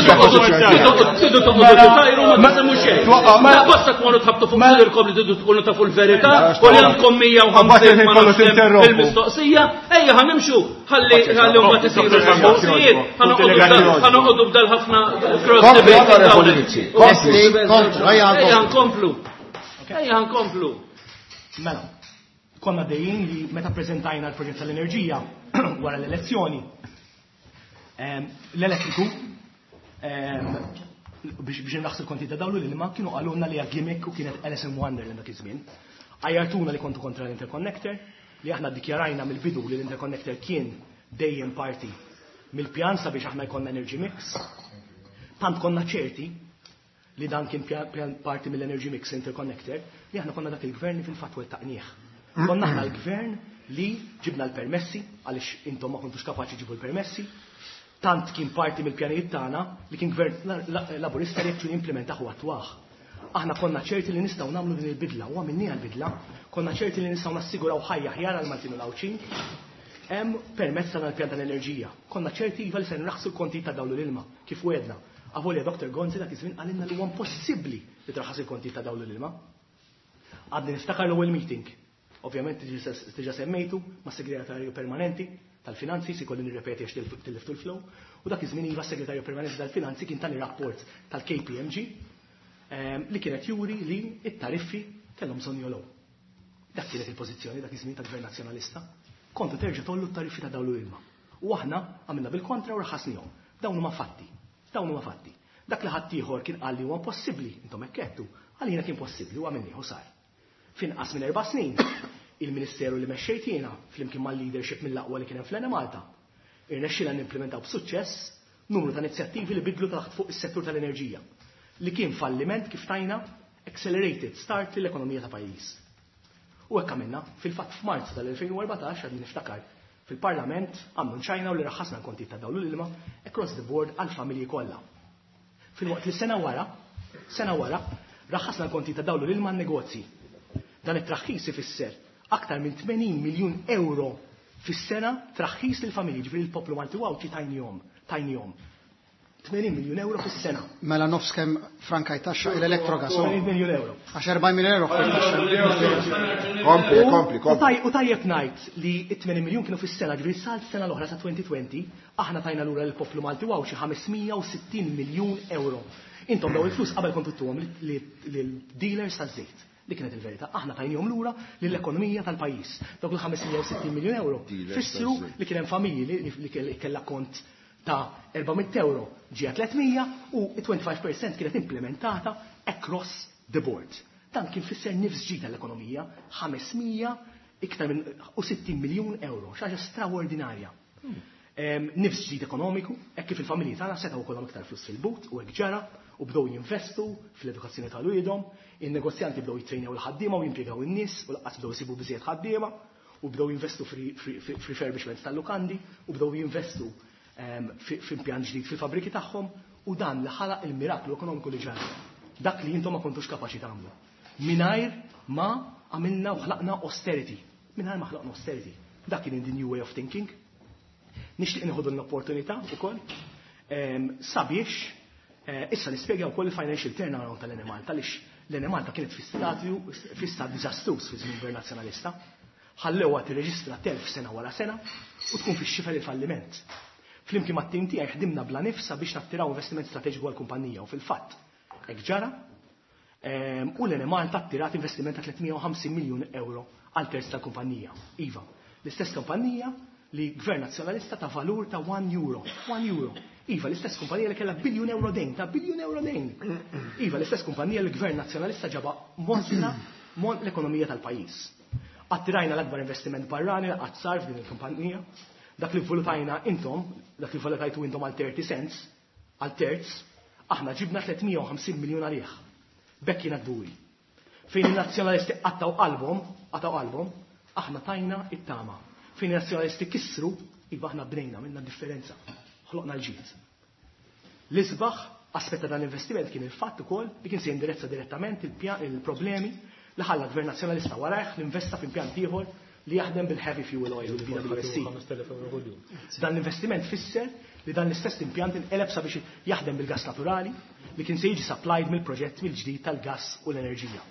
Tidu toqgħodu tajru ma tsemmu xejn. Ma basta tkunu tħabtu fuq sirkom li tidu tkunu tafu l-verità u li għandkom mija u ħamsin ma nafx kemm il-mistoqsija. Ejja ħa nimxu ħalli ħalli mbagħad isiru l-mistoqsijiet. Ħa noqogħdu b'dal ħafna cross
Kompli,
debate.
onorevoli Mizzi. Kompli.
Lesti, komplu, ejja
Ejja
nkomplu.
nkomplu. Ejja nkomplu.
Mela, konna dejjin li meta prezentajna l-proġett tal-enerġija wara l-elezzjoni, em, l-elettriku em, biex biex nraħsu l-konti ta' dawlu li ma kienu qalulna li hija gimmick u kienet Alice in Wonderland dak iż-żmien. Għajjartuna li kontu kontra l-interconnector, li aħna ddikjarajna mill-bidu li l-interconnector kien dejjem parti mill-pjan sabiex aħna jkollna energy mix. Tant konna ċerti li dan kien pjan, pjan parti mill-Energy Mix Interconnector, li aħna konna dak il-gvern li fil-fatt wettaqnieh. Konna aħna l-gvern li ġibna l-permessi, għaliex intom ma kontux kapaċi ġibu l-permessi, tant kien parti mill-pjanijiet tagħna li kien gvern la- la- laburista li jekk implementaħ u attwah. Aħna konna ċerti li nistgħu nagħmlu din il-bidla, u għamilniha l-bidla, konna ċerti li nistgħu nassiguraw ħajja ħjar għal Maltin u l-Għawdxin, hemm permezz tal-pjan tal-enerġija. Konna ċerti iva li se nraħsu l-konti ta' dawl u l-ilma, kif wedna. Avolja Dr. Gonzi dak iż-żmien qalilna li huwa impossibbli li traħas il-konti ta' dawl u l-ilma. Għadni niftakar l-ewwel meeting. Ovvjament diġà semmejtu ma' segretarju permanenti tal-finanzi, si kolli nirrepeti għax tilliftu l-flow, u dak iż-żmien iva segretarju permanenti tal-finanzi kien tani rapport tal-K P M G, ehm, li kienet juri li it-tariffi
Kellhom bżonn jogħlew. Dak kienet il-pożizzjoni dak iż-żmien tal-Gvern Nazzjonalista. Kontu terġa' tollu t-tariffi ta' dawl u ilma. U aħna għamilna bil-kontra u raħasnihom. Dawn huma fatti. Dawn huma fatti. Dak li ħaddieħor kien qal li huwa impossibbli, intom hekk għedtu, għalina kien possibbli u għamilnieh u sar. F'inqas minn erba' snin, il-Ministeru li mexxejt jiena flimkien mal-leadership mill-aqwa li kien hemm fl-Enemalta, irnexxielna nimplementaw b'suċċess numru ta' inizjattivi li bidlu taħt fuq is-settur tal-enerġija, li kien falliment kif tajna accelerated start lill-ekonomija ta' pajjiż. U hekk għamilna, fil-fatt f'Marzu tal-elfejn u erbatax għadni niftakar fil-Parlament għamlu ċajna u li raħasna l-kontijiet ta' dawl u l-ilma across the board għall-familji kollha. Fil-waqt li sena wara, sena wara, raħasna l-kontijiet ta' dawl u l-ilma għan-negozji. Dan it-traħħis ifisser aktar minn tmenin miljun euro fis-sena traħħis lill-familji, ġifieri l-poplu Malti u Għawdxi tajnihom, tajnihom. tmenin miljun euro fis-sena.
Mela nofs kemm frankaj taxxa l-elettrogas.
tmenin miljun euro.
Għax erbgħin miljun euro frankaj taxxa.
Kompli,
U-
kompli, kompli.
U taj-, u tajjeb ngħid li t-tmenin miljun kienu fis-sena, ġifieri sal sena l-oħra sa twenty twenty, aħna tajna lura lill-poplu Malti u Għawdxi ħames mija u sittin miljun euro. Intom daw il-flus qabel kontu ttuhom lil-dealers taż-żejt. Dik kienet il-verità. Aħna tajnihom lura lill-ekonomija tal-pajjiż. Dawk il-ħames mija u sittin miljun euro
Dealers
fissru
taż-żejt.
li kien hemm familji li, li kell-, kellha kont ta' erba' mitt euro ġie tliet mija u twenty-five percent kienet implementata across the board. Dan kien fisser nifs ġid tal-ekonomija, ħames mija iktar minn u sittin miljun euro, xi ħaġa straordinarja. Em, nifs ġdid ekonomiku, hekk kif il-familji tagħna setgħu jkollhom iktar flus fil-but u hekk ġara u bdew jinvestu fl-edukazzjoni tal-uliedhom, in-negozjanti bdew jittrejnew il-ħaddiema u jimpjegaw in-nies u lanqas bdew isibu biżejjed ħaddiema u bdew jinvestu f'refurbishments tal-lukandi u bdew jinvestu, em, fi-, f'impjant ġdid fil-fabriki tagħhom u dan li ħalaq il-miraklu ekonomiku li ġara. Dak li intom ma kontux kapaċi tagħmlu. Mingħajr ma għamilna u ħlaqna austerity. Mingħajr ma ħlaqna austerity. Dak kien the new way of thinking. Nixtieq nieħu l-opportunità wkoll, em, sabiex, eh, issa nispjega wkoll il-financial turnaround tal-Enemalta, għaliex l-Enemalta kienet fi statju, fi stat diżastruż fi żmien Gvern Nazzjonalista. Ħallewha tirreġistra telf sena wara sena u tkun fix-xifer il-falliment. Flimkien mat-tim tiegħi ħdimna bla nifsa biex nattiraw investiment strateġiku għall-kumpanija u fil-fatt hekk ġara. Em, u l-Enemalta attirat investiment ta' tliet mija u ħamsin miljun euro għal terz tal-kumpanija. Iva, l-istess kumpanija li Gvern Nazzjonalista ta' valur ta' one euro. one euro. Iva, l-istess kumpanija li kellha biljun euro dejn, ta' biljun euro dejn. Iva, l-istess kumpanija li Gvern Nazzjonalista ġaba mozna mon l-ekonomija tal-pajjiż. Attirajna l-akbar investiment barrani li qatt sar f'din il-kumpanija. Dak li valutajna intom, dak li valutajtu intom għal thirty cents, għal terz, aħna ġibna tliet mija u ħamsin miljun għalih. Bekk jiena kburi. Fejn il-nazzjonalisti qattaw qalbhom, qattaw qalbhom, aħna tajna it-tama. Fejn il-nazzjonalisti kissru, iva aħna bnejna minna differenza. Ħloqna l-ġid. L-isbaħ aspett ta' dan l-investiment kien il-fatt ukoll li kien se jindirizza direttament il-pja-, il-problemi li ħalla Gvern Nazzjonalista warajh li investa f'impjant ieħor li jaħdem bil-heavy fuel oil u l-V W S C. Dan l-investiment fisser li dan l-istess impjant inqeleb sabiex jaħdem bil-gas naturali li kien se jiġi supplied mill-proġett mill-ġdid tal-gas u l-enerġija.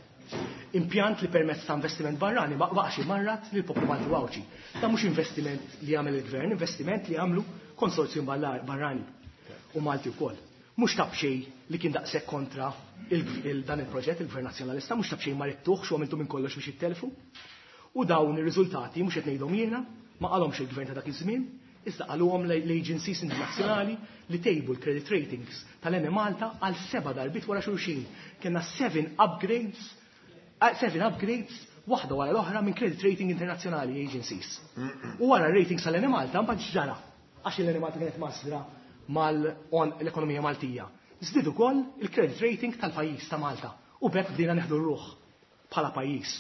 Impjant li permezz ta' investiment barrani ma baqax imarrat lil poplu Malti u Għawdxi. Dan mhux investiment li jagħmel il-gvern, investiment li jagħmlu konsorzjum barra-, barrani u Malti wkoll. Mhux ta' b'xejn li kien daqshekk kontra il-, il-, dan il-proġett, il-Gvern Nazzjonalista, mhux ta' b'xejn ma ridtuhx u għamiltu minn kollox biex jittelfu. U dawn ir-riżultati mhux qed ngħidhom jiena, ma qalhomx il-gvern ta' dak iż-żmien, iżda qaluhom l-agencies internazzjonali li tejbu l-credit ratings tal-Enemalta għal seba' darbiet wara xulxin. Kellna seven upgrades, eh, seven upgrades waħda wara l-oħra minn credit rating internazzjonali agencies. U wara ratings tal-Enemalta mbagħad ġara għax l-Enemalta kienet masra mal-on l-ekonomija Maltija. Żdied ukoll il-credit rating tal-pajjiż ta' Malta u b'hekk bdejna neħdu r-ruħ bħala pajjiż.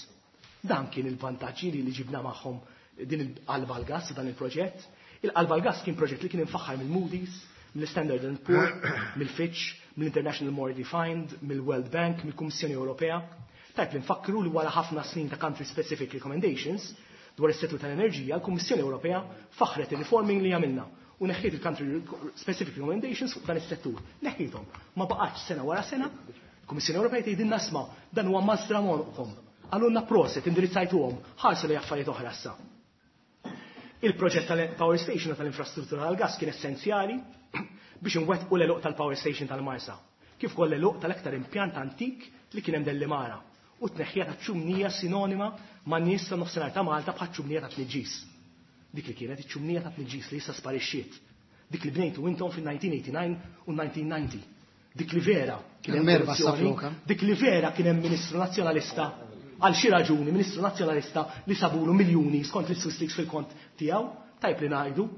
Dan kien il-vantaġġi li ġibna magħhom din il-qalba l-gas dan il-proġett. Il-qalba l-gas kien proġett li kien infaħħar mill-Moody's, mill-Standard and Poor, mill-Fitch, mill-International Monetary Fund, mill-World Bank, mill-Kummissjoni Ewropea. Tajb li nfakru li wara ħafna snin ta' country specific recommendations dwar is-settur tal-enerġija, l-Kummissjoni Ewropea faħret il-reforming li għamilna u neħħiet il-country specific recommendations fuq dan is-settur. Neħħiethom. Ma baqgħetx sena wara sena, il-Kummissjoni Ewropea tgħidilna isma' dan huwa mażra monqhom. Għalunna proset, indirizzajtuhom, ħarsu li affarijiet oħra issa. Il-proġett tal-power station u tal-infrastruttura tal-gas kien essenzjali biex inwettqu l-għeluq tal-power station tal-Marsa, kif ukoll l-għeluq tal-aktar impjant antik li kien hemm Delimara u t-tneħħija ta' ċumnija sinonima ma' nies ta' nofsinhar ta' Malta bħal ċumnija ta' tniġġis. Dik li kienet iċ-ċumnija ta' tniġġis li issa sparixxiet. Dik li bnejtu intom fil-elf disa' mija u tmienja u disgħin u elf disa' mija u disgħin. Dik li vera kien hemm
Il-merba
korruzzjoni,
safluka.
Dik li vera kien hemm Ministru Nazzjonalista, għal xi raġuni Ministru Nazzjonalista li sabulu miljuni skont l-Swiss Leaks fil-kont tiegħu, tajb li ngħidu.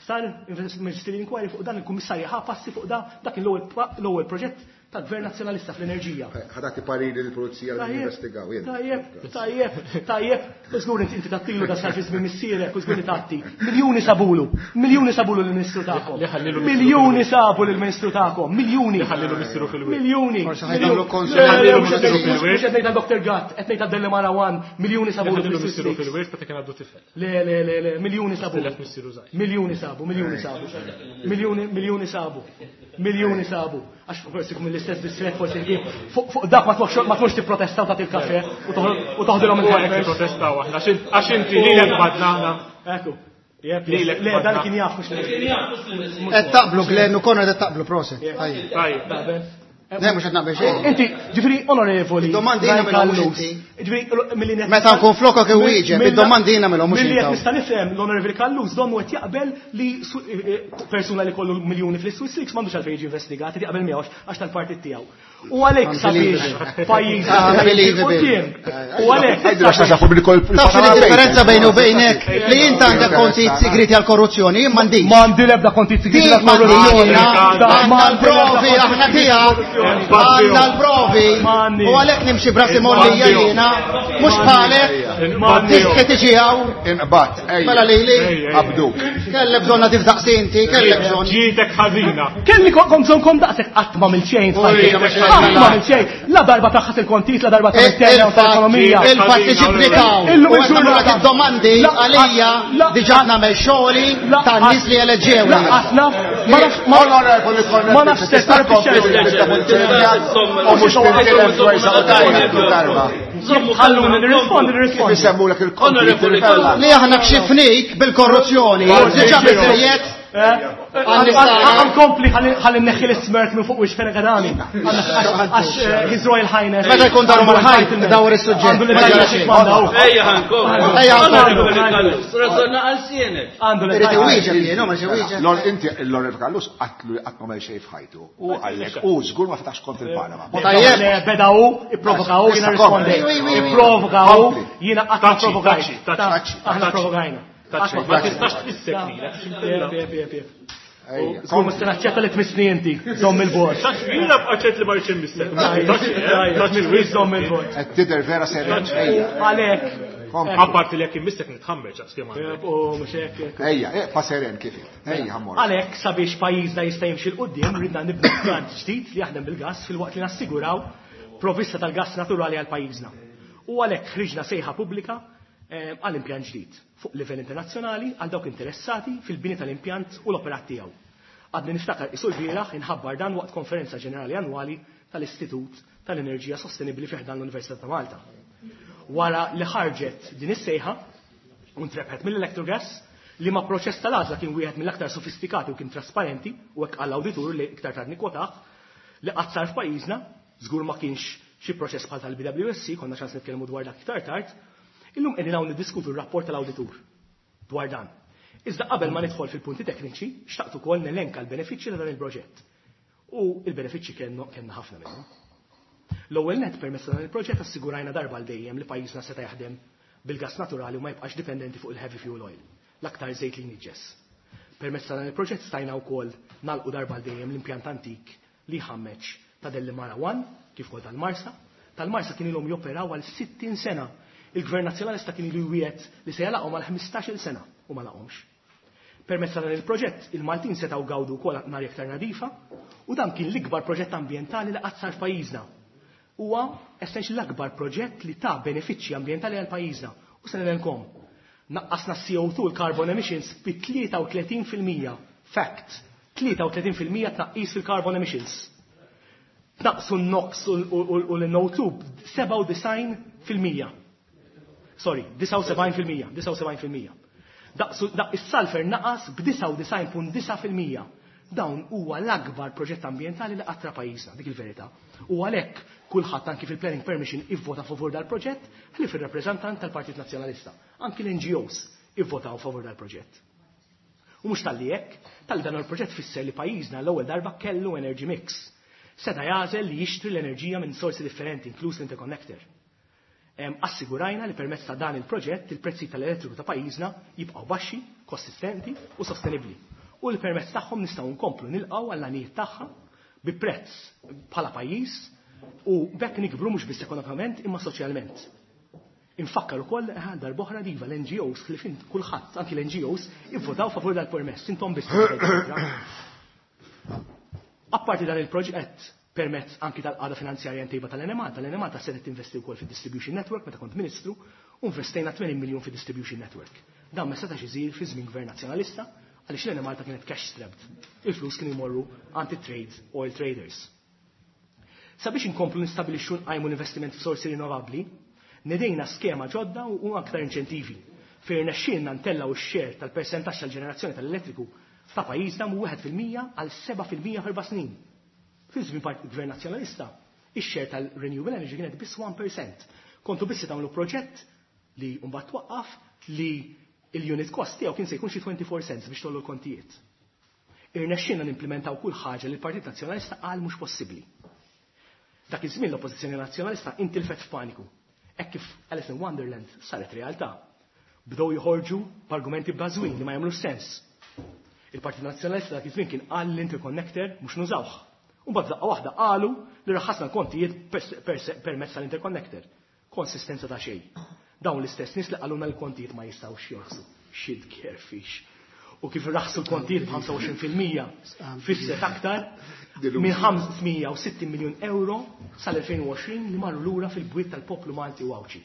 Sar Ministerial Inquiry fuq dan, il-Kummissarju ħa passi fuq da, dak l-ewwel l-ewwel proġett ta' Gvern Nazzjonalista fl-enerġija.
Ħa tagħti pariri lill-pulizija li investigaw. Jien.
Tajjeb, tajjeb, tajjeb, żgur inti inti tattilu da sar fi żmien missierek u żgur li tatti. Miljuni sabulu, miljuni sabulu lill-Ministru tagħkom.
Li ħallilu
Miljuni sabu lill-Ministru tagħkom, miljuni.
Li ħallilu missieru fil-wied.
Miljuni.
Forsi ħa jagħmlu konsul.
Le, le,
Ħallilu
mhux
missieru fil-wied.
mhux qed ngħid Doctor Gatt, qed ngħid Delimara One, miljuni sabulu
Ħallilu
fil-Swiss
missieru
Leaks.
fil-wied ta' kien għaddu tifel.
Le, le, le, le, miljuni sabu.
Tilef missieru żgħir.
Miljuni sabu, miljuni sabu. Miljuni, miljuni sabu. Miljuni sabu. Għax forsi kum l-istess distret, forsi ħdiem. Fuq fuq dak ma tmurx ma tmurx tipprotesta u tagħti il-kafe u toħod- u toħdilhom
U għalek
il-hampers.
protestaw aħna, għax inti lilek badna aħna.
Ekku. Jep,
Lilek
Le, dan
badna.
kien jaf mhux li.
Qed taqblu Glenn u Konrad, qed taqblu, proset. Tajjeb.
Tajjeb.
Naqbel.
Le, mhux qed naqbel xejn.
Inti, ġifieri, onorevoli.
Id-domandi jiena
Ryan
minnhom mhux
Callus.
inti.
Ġifieri, milli net-
Meta nkun flokok iwieġeb,
Mill-
id-domandi jiena minnhom mhux
Milli qed
intaw.
nista' nifhem l-Onorevoli Callus donnu qed jaqbel li su- eh, eh, persuna li kollu miljuni fl-Swiss Leaks m'għandux għalfejn jiġi investigat, qed jaqbel miegħu għax tal-partit tiegħu. U għalhekk sabiex pajjiż
Unbelievable.
quddiem. U għalhekk
Għidlu għax tafu bil-kol.
Taf x'inhi differenza bejn u bejnek? Li int għandek kontijiet segreti għal korruzzjoni, jien m'għandix.
M'għandi l-ebda kontijiet segreti
Dik
għal korruzzjoni.
Għandna l-provi aħna tiegħek. Għandna l-provi.
M'għandix.
U għalhekk nimxi brasi mollija jiena, mhux bħalek. Tistħi tiġi hawn.
Inqbat, ejja.
Mela lili.
Abduk.
Kellek bżonna tifdaqsi inti, kellek bżonn.
Ġietek ħażina.
Kelli kom bżonn kom daqshekk qatt ma mill xejn. Qatt ma mill xejn. La darba taħħas il-kontijiet, la darba tal-interna u tal-ekonomija.
Il-fatt li ġiblikaw.
Illum
U qed
il-ġurnata.
nagħmlulek id-domandi
La-
għalija
la-
diġà nagħmel xogħli
La-
tan-nies li eleġġew.
La qatt naf, ma nafx ma
Onorevoli Konrad,
ma nafx
tista'
se
tkompli u mhux tintilef dwar sa' darba.
Ħalluni nirrispondi, nirrispondi.
Kif isemmulek il-konti?
Onorevoli Callus.
Li aħna kxifnik bil-korruzzjoni, diġà biżejjed.
Għan kompli ħalli neħħi l-smirk minn fuq wix Fenech Adami. Għax eh, His Royal Highness.
Meta jkun daru mal-ħajt, dawar is-suġġett.
Għandu l-entitlement mandaw.
Ejja ħankom.
Ejja, ħankom.
Onorevoli Callus, rażonna għal sienek.
Għandu
Irid iwieġeb jien, ma xi wieġeb.
Lol, inti l-Onorevoli Callus għatlu li qatt ma għamel xejn f'ħajtu. U għallek, u żgur ma fetax kont il-Panama.
Tajjeb.
Le, beda u, ipprovoka u, jiena
Issa kompli.
rispondejt. Ipprovoka u,
Kompli.
jiena qatt ma
Taċi,
provokajt.
taċi, taċi,
Aħna
taċi.
provokajna.
Taċi, ma tistax tmissek lilek.
Jep, jep, jep, jep.
Ejja,
Żgur mhux se naċċetta li tmissni inti, żomm il-bord.
Taċi, jiena bqaċet li ma rridx immissek. Taċi,
Taċi, żomm il-bord.
Qed tidher vera serjen. Ejja,
Għalhekk.
kompli.
Apparti li jekk immissek nitħammeġ għax kemm għandek.
U mhux hekk, hekk.
Ejja, eqpa seren kif. Ejja, ħammor.
Għalhekk sabiex pajjiżna jista' jimxi 'l quddiem ridna nibnu plant ġdid li jaħdem bil-gass filwaqt li nassiguraw provvista tal-gass naturali għal pajjiżna. U għalhekk ħriġna sejħa pubblika eh, għal impjant ġdid fuq livell internazzjonali għal dawk interessati fil-bini tal-impjant u l-operat tiegħu. Għadni niftakar isu l-bieraħ inħabbar dan waqt konferenza ġenerali annwali tal-Istitut tal-Enerġija Sostenibbli fi ħdan l-Università ta' Malta. Wara li ħarġet din is-sejħa, u ntrebħet mill-Electrogas, li ma proċess tal-għażla kien wieħed mill-aktar sofistikati u kien trasparenti, u hekk għall-awditur li iktar tard nikkwotah li qatt sar f'pajjiżna, żgur ma kienx xi proċess bħal tal-B W S C, konna ċans nitkellmu dwar dak iktar tard. Illum qegħdin hawn niddiskutu r-rapport tal-awditur dwar dan. Iżda qabel ma nidħol fil-punti tekniċi, xtaqt ukoll nelenka l-benefiċċji ta' dan il-proġett. U il-benefiċċji kellna kellna ħafna minnhom. L-ewwel net, permezz ta' dan il-proġett assigurajna darba għal dejjem li pajjiżna seta' jaħdem bil-gas naturali u ma jibqax dipendenti fuq il-heavy fuel oil, l-aktar żejt li jniġġes. Permezz ta' dan il-proġett stajna wkoll nagħlqu darba għal dejjem l-impjant antik li ħammeġ ta' Delimara one kif ukoll tal-Marsa. Tal-Marsa kien ilhom joperaw għal sittin sena. Il-Gvern Nazzjonalista kien ilu jwiegħed li se jagħlaqhom għal ħmistax-il sena u ma laqhomx. Permezz ta' dan il-proġett, il-Maltin setgħu gawdu wkoll arja iktar nadifa u dan kien l-ikbar proġett ambjentali li qatt sar f'pajjiżna. Huwa essentially l-akbar proġett li ta' benefiċċji ambjentali għal pajjiżna. U se nelenkom. Naqqasna C O two, l-carbon emissions, bi tlieta u tletin fil-mija. Fact, tlieta u tletin fil-mija tnaqqis fil-carbon emissions. Tnaqqsu n-NOx u l-N O two b'sebgħa u disgħin fil-mija. Sorry, disgħa u sebgħin fil-mija, disgħa u sebgħin fil-mija. Daqsu, daq is-sulfur naqas b'disgħa u disgħin punt disgħa fil-mija. Dawn huwa l-akbar proġett ambjentali li qatt ra pajjiżna, dik il-verità. U għalhekk kulħadd anki fil-planning permission ivvota favur dal-proġett ħlief ir-rappreżentant tal-Partit Nazzjonalista. Anki l-N G Os ivvotaw favur dal-proġett. U mhux talli hekk, tal dan il-proġett fisser li pajjiżna l-ewwel darba kellu energy mix. Seta' jagħżel li jixtri l-enerġija minn sorsi differenti, inkluż l-interconnector. Assigurajna li permezz ta' dan il-proġett il-prezzi tal-elettriku ta' pajjiżna jibqgħu baxxi, konsistenti u sostenibbli. U li permezz tagħhom nistgħu nkomplu nilqgħu għall-għanijiet tagħha bi prezz bħala pajjiż u b'hekk nikbru mhux biss ekonomikament imma soċjalment. Infakkar ukoll eh, darb'oħra diva l-N G Os li fin kulħadd, anki l-N G Os ivvotaw favur dal-permess, intom biss. Apparti dan il-proġett, permezz anki tal-qagħda finanzjarja ntejba tal-Enemalta, l-Enemalta setgħet tinvesti wkoll fid-distribution network meta kont ministru u investejna tmenin miljun fid-distribution network. Dan ma setax isir fi żmien gvern nazzjonalista għaliex l-Enemalta kienet cash strapped. Il-flus kienu jmorru anti-trade oil traders. Sabiex inkomplu nistabilixxu nqajmu l-investiment f'sorsi rinnovabbli, nedejna skema ġodda u aktar inċentivi fejn rnexxielna ntellgħu x-share tal-persentaġġ tal-ġenerazzjoni tal-elettriku ta' pajjiżna minn wieħed fil-mija għal seba' fil-mija f'erba' snin. Fi żmien Gvern Nazzjonalista, ix-share tal-renewable energy kienet biss wieħed fil-mija. Kontu biss tagħmlu proġett li mbagħad twaqqaf li il-unit cost tiegħu kien se jkun xi twenty-four cents biex tollu l-kontijiet. Irnexxielna nimplementaw kull ħaġa li l-Partit Nazzjonalista qal mhux possibbli. Dak iż-żmien l-Oppożizzjoni Nazzjonalista intilfet f'paniku. Hekk kif Alice in Wonderland saret realtà. Bdew joħorġu b'argumenti bbażwin li ma jagħmlux sens. Il-Partit Nazzjonalista dak iż-żmien kien qal l-interconnector mhux nużawh. U mbagħad daqqa waħda qalu li raħasna l-kontijiet permezz tal-interconnector. Konsistenza ta' xejn. Dawn l-istess nies li qalulna l-kontijiet ma jistgħux jorħsu. Shit carefix. U kif raħsu l-kontijiet b'ħamsa u għoxrin fil-mija fisset aktar minn ħames mija u sittin miljun euro sal-elfejn u għoxrin li marru lura fil-bwiet tal-poplu Malti u Għawdxi.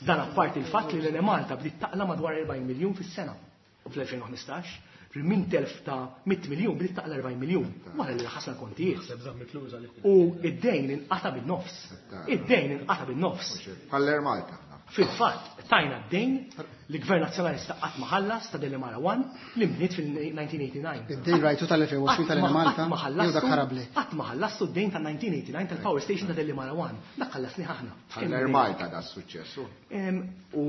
Dan apparti il-fatt li l-Enemalta bdiet taqla madwar erbgħin miljun fis-sena fl-elfejn u ħmistax, minn telf ta' mitt miljun bdiet taqla erbgħin miljun wara li ħasna kontijiet. U id-dejn inqata bin-nofs. Id-dejn inqata bin-nofs.
Bħall-Air Malta.
Fil-fatt, tajna d-dejn li gvern nazzjonalista qatt ma ħallas ta' Delimara one li mbniet fil-elf disa' mija tmienja u disgħin.
Id-dejn rajtu tal-elfejn u għoxrin tal-Malta, jew dak ħarabli.
Qatt ma ħallastu d-dejn tal-elf disa' mija tmienja u disgħin tal-Power Station ta' Delimara one. Dak ħallasni aħna.
Bħall-Air Malta da suċċessu.
U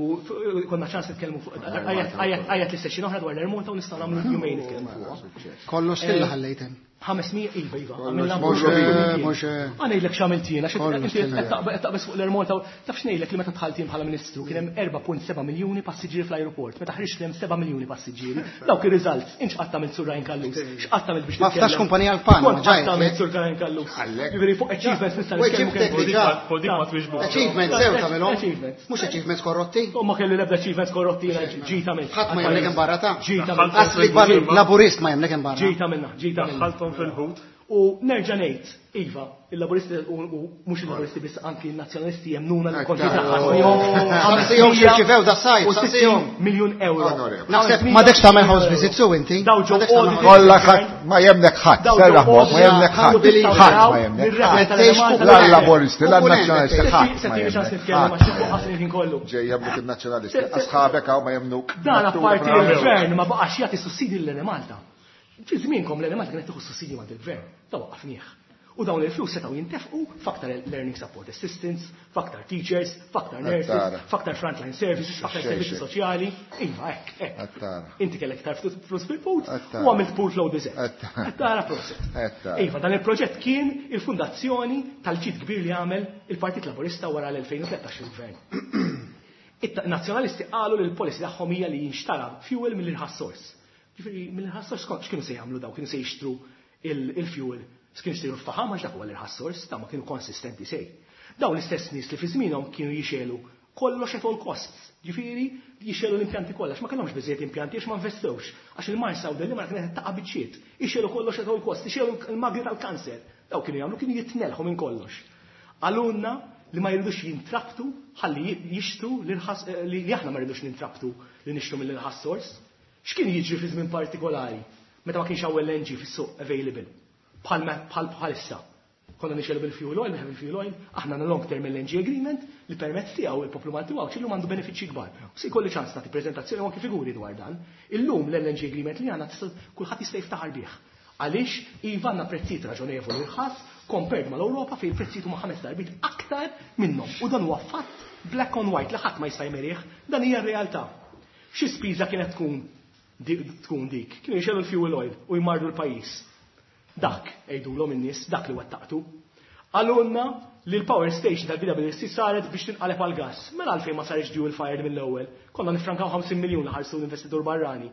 konna ċans nitkellmu fuq għajat l-session oħra dwar l-Air Malta u nistgħu nagħmlu jumejn nitkellmu fuq.
Kollox stilla ħallejtem.
ħames mija, iva, iva.
Mhux mhux
Ħa ngħidlek x'għamilt jiena, qed taqbeż fuq l-Air Malta, taf x'ngħidlek li meta dħalt jien bħala ministru kien hemm erbgħa punt seba' miljuni passiġġieri fl-ajruport, meta ħriġt hemm seba' miljuni passiġġieri. Dawk ir-results, int x'qatt għamilt, Sur Ryan Callus? X'qatt għamilt biex
Ma ftax kumpanija l-Panama,
Kont qatt għamilt, Sur Ryan Callus? Jiġifieri fuq achievements nista' nitkellmu kemm.
Achievements sew tagħmilhom. Mhux achievements korrotti.
U ma kelli l-ebda achievements korrotti jiena ġita għamilt.
Ħadd ma jemlek imbarra ta'
Ġita għamilt.
Asli Laburist ma jemlek imbarra.
Ġita minna, ġita minna.
Daħħalthom fil-ħut.
U nerġa' ngħid, iva, il-Laburisti u mhux il-Laburisti biss, anki n-Nazzjonalisti jemnuna l-konti
Saqsihom x'irċivew da sajf, saqsihom.
Miljun euro.
Naħseb m'għadekx tagħmel house visit su inti.
Daw ġew
Kollha ħadd ma jemnek ħadd, serraħ ma jemnek ħadd. Ħadd ma jemnek ħadd. La Laburisti, la Nazzjonalisti, ħadd ma jemnek.
Kollu.
Ġej jemnuk il-Nazzjonalisti, asħabek hawn ma jemnuk.
Dan apparti il-gvern ma baqax jagħti sussidi l-Enemalta. Fi żmienkom l-Enemalta kienet tieħu sussidi ma' il-gvern. Ta' waqqafnieh. U dawn il-flus setgħu jintefqu f'aktar learning support assistants, f'aktar teachers, f'aktar nurses, f'aktar frontline services, f'aktar servizzi soċjali. Iva, hekk, hekk. Inti kellek iktar flus fil-put u għamilt pool flow design. Tara proset. Iva, dan il-proġett kien il-fundazzjoni tal-ġid kbir li għamel il-Partit Laburista wara l-elfejn u tlettax il-gvern. Il-nazzjonalisti qalu li l-policy tagħhom hija li jinxtara fuel mill-irħas source. Ġifieri mill-irħas source x'kienu se jagħmlu daw? Kienu se jixtru il-fuel. Kienu jixtru l-faħam għax dak huwa l-irħas source, ta' ma kienu konsistenti sej. Dawn l-istess nies li fi żmienhom kienu jixelu kollox at all costs. Ġifieri jixelu l-impjanti kollha, ma kellhomx biżejjed impjanti għax ma investewx, għax il-Marsa u Delimara kienet taqa' biċċiet. Ixelu kollox at all costs, ixelu l-magni tal-kanser. Daw kienu jagħmlu kienu jitnelħu minn kollox. Qalulna li ma jridux jintrabtu ħalli jixtru l-irħas li aħna ma rridux nintrabtu li nixtru mill-irħas source. X'kien jiġri fi żmien partikolari meta ma kienx hawn L N G fis-suq available bħal bħal bħalissa? Konna nixelu bil-fuel oil, bil fuel oil, aħna għandna long term L N G agreement li permezz tiegħu il-poplu Malti u illum għandu benefiċċji kbar. U se jkolli ċans nagħti preżentazzjoni u anki figuri dwar dan. Illum l-L N G agreement li għandna tista' kulħadd jista' jiftaħar bih. Għaliex iva għandna prezzijiet raġonevoli rħas compared mal-Ewropa fejn il-prezzijiet huma ħames darbiet aktar minnhom. U dan huwa fatt black on white li ħadd ma jista' jmerih, dan hija r-realtà. Xi spiża kienet tkun tkun dik? Kienu jxegħlu l-fuel oil u jmardu l-pajjiż. Dak, għidulhom in-nies, dak li wettaqtu. Qalulna li l-power station tal-B W S C saret biex tinqaleb għal gas. Mela għalfejn ma sarx dual fired mill-ewwel? Konna nifrankaw ħamsin miljun li ħarsu l-investitur barrani.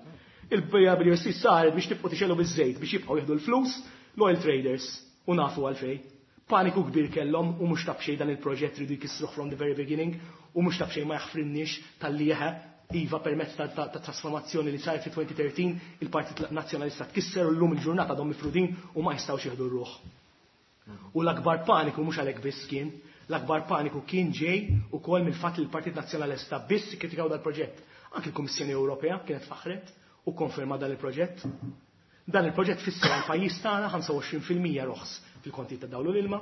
Il-B W S C saret biex tibqgħu tixegħlu biż-żejt biex jibqgħu jieħdu l-flus l-oil traders u nafu għalfejn. Paniku kbir kellhom u mhux ta' b'xejn dan il-proġett ridu jkissruh from the very beginning u mhux ta' b'xejn ma jaħfrinniex talli jeħe iva permezz ta', ta, ta trasformazzjoni li sar fi elfejn u tlettax il-Partit Nazzjonalista tkisser u llum il-ġurnata għadhom mifrudin u ma jistgħux jieħdu r-ruħ. U l-akbar paniku mhux għalhekk biss kien, l-akbar paniku kien ġej ukoll mill-fatt li l-Partit Nazzjonalista biss kritikaw dal-proġett. Anki l-Kummissjoni Ewropea kienet faħret u konferma dan il-proġett. Dan il-proġett fisser għal pajjiż tagħna ħamsa u għoxrin fil-mija roħs fil-konti ta' dawl u l-ilma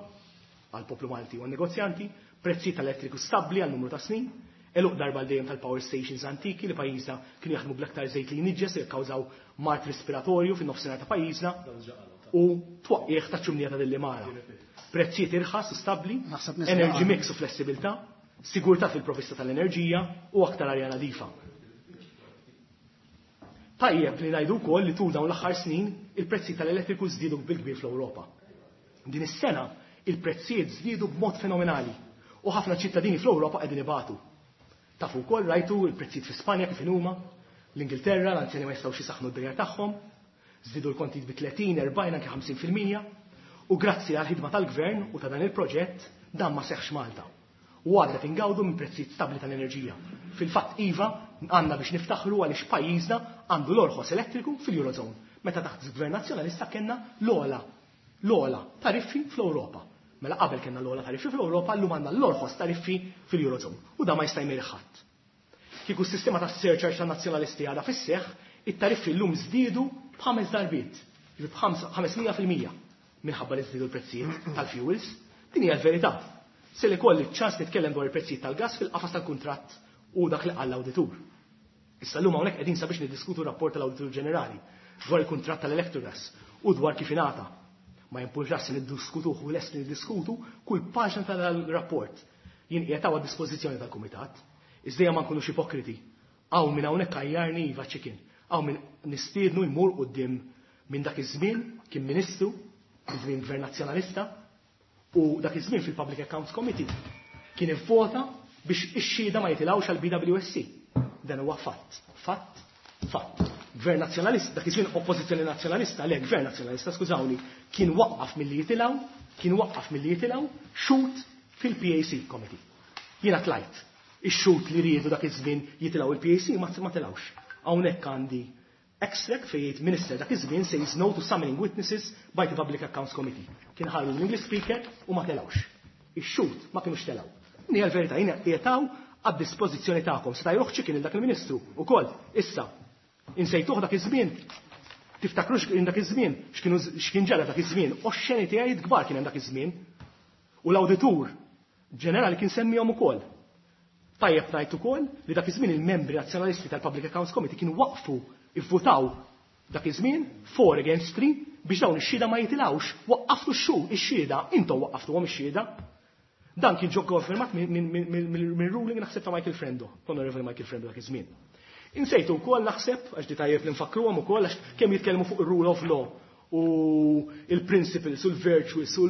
għal poplu Malti u għan-negozjanti, prezzi tal-elettriku stabbli għal numru ta' snin, għeluq darba għal dejjem tal-power stations antiki li pajjiżna kienu jaħdmu bl-aktar żejt li jniġġes li kkawżaw mard respiratorju fin-nofsinhar ta' pajjiżna u twaqqieħ ta' ċumnija ta' Delimara. Prezzijiet irħas u stabbli,
Naħseb nisma'
energy mix u flessibilità, sigurtà fil-provvista tal-enerġija u aktar arja nadifa. Tajjeb li ngħidu wkoll li tul dawn l-aħħar snin il-prezzi tal-elettriku żdiedu bil-kbir fl-Ewropa. Din is-sena il-prezzijiet żdiedu b'mod fenomenali u ħafna ċittadini fl-Ewropa qegħdin ibatu. Tafu wkoll rajtu il-prezzijiet fi Spanja kif huma, l-Ingilterra l-anzjani ma jistgħux jisaħħnu d-djar tagħhom, żdiedu l-kontijiet bi tletin, erbgħin, anke ħamsin fil-mija u grazzi għal ħidma tal-gvern u ta' dan il-proġett dan ma seħx Malta. U għadna tingawdu minn prezzijiet stabbli tal-enerġija. Fil-fatt iva għandna biex niftaħru għaliex pajjiżna għandu l-orħos elettriku fil-Eurozone. Meta taħt gvern nazzjonalista kellna l-ogħla l-ogħla tariffi fl-Ewropa. Mela qabel kellna l-ogħla tariffi fl-Ewropa, llum għandna l-orħos tariffi fil-Eurozone. U da ma jista' jmeri ħadd. Kieku s-sistema ta' surcharge ta' nazzjonalisti għadha fis-seħħ, it-tariffi llum żdiedu b'ħames darbiet, jiġifieri b'ħames mija fil-mija minħabba li żdiedu l-prezzijiet tal-fuels. Din hija l-verità. Se li kolli ċans nitkellem dwar il-prezzijiet tal-gas fil-qafas tal-kuntratt u dak li qal l-awditur. Issa llum hawnhekk qegħdin sabiex niddiskutu rapport tal-Awditur Ġenerali dwar il-kuntratt tal-Electrogas u dwar kif ingħata. Ma jimpurtax se niddiskutuh u lest niddiskutu kull paġna tal-rapport. Jien qiegħed hawn għad-dispożizzjoni tal-kumitat. Iżda ma nkunux ipokriti. Hawn minn hawnhekk għajjarni iva chicken. Hawn minn nistiednu jmur quddiem minn dak iż-żmien kien ministru, iż-żmien gvern nazzjonalista, u dak iż-żmien fil-Public Accounts Committee kien ivvota biex ix-xhieda ma jitilgħux għal B W S C. Dan huwa fatt, fatt, fatt. Gvern nazzjonalista, dak iż-żmien oppożizzjoni nazzjonalista, le gvern nazzjonalista, skużawni, kien waqqaf milli jitilgħu, kien waqqaf milli jitilgħu xhud fil-P A C Committee. Jiena tlajt. Ix-xhud li riedu dak iż-żmien jitilgħu il-P A C ma ma tilgħux. Hawnhekk għandi extract fejn jgħid minister dak iż-żmien says no to summoning witnesses by the Public Accounts Committee. Kien ħallu l-English speaker u ma telgħux. Ix-xhud ma kienux telgħu. Din hija l-verità, jiena qiegħed għad-dispożizzjoni tagħkom. Seta' jruħ chicken dak il-ministru ukoll. Issa, insejtuh dak iż-żmien. Tiftakru x'kien dak iż-żmien, x'kienu x'kien ġara dak iż-żmien, oxxenitajiet kbar kien hemm dak iż-żmien. U l-awditur ġenerali kien semmihom ukoll. Tajjeb ngħid ukoll li dak iż-żmien il-membri nazzjonalisti tal-Public Accounts Committee kienu waqfu ivvutaw dak iż-żmien four against three biex dawn ix-xhieda ma jitilgħux. Waqqaftu x-xu ix-xhieda, intom waqqaftuhom ix-xhieda. Dan kien ġo konfermat minn ruling naħseb ta' Michael Frendo, Honorable Michael Frendo dak iż-żmien. Insejtu wkoll naħseb, għax di tajjeb li nfakruhom ukoll għax kemm jitkellmu fuq ir-rule of law u il-principles u l-virtues u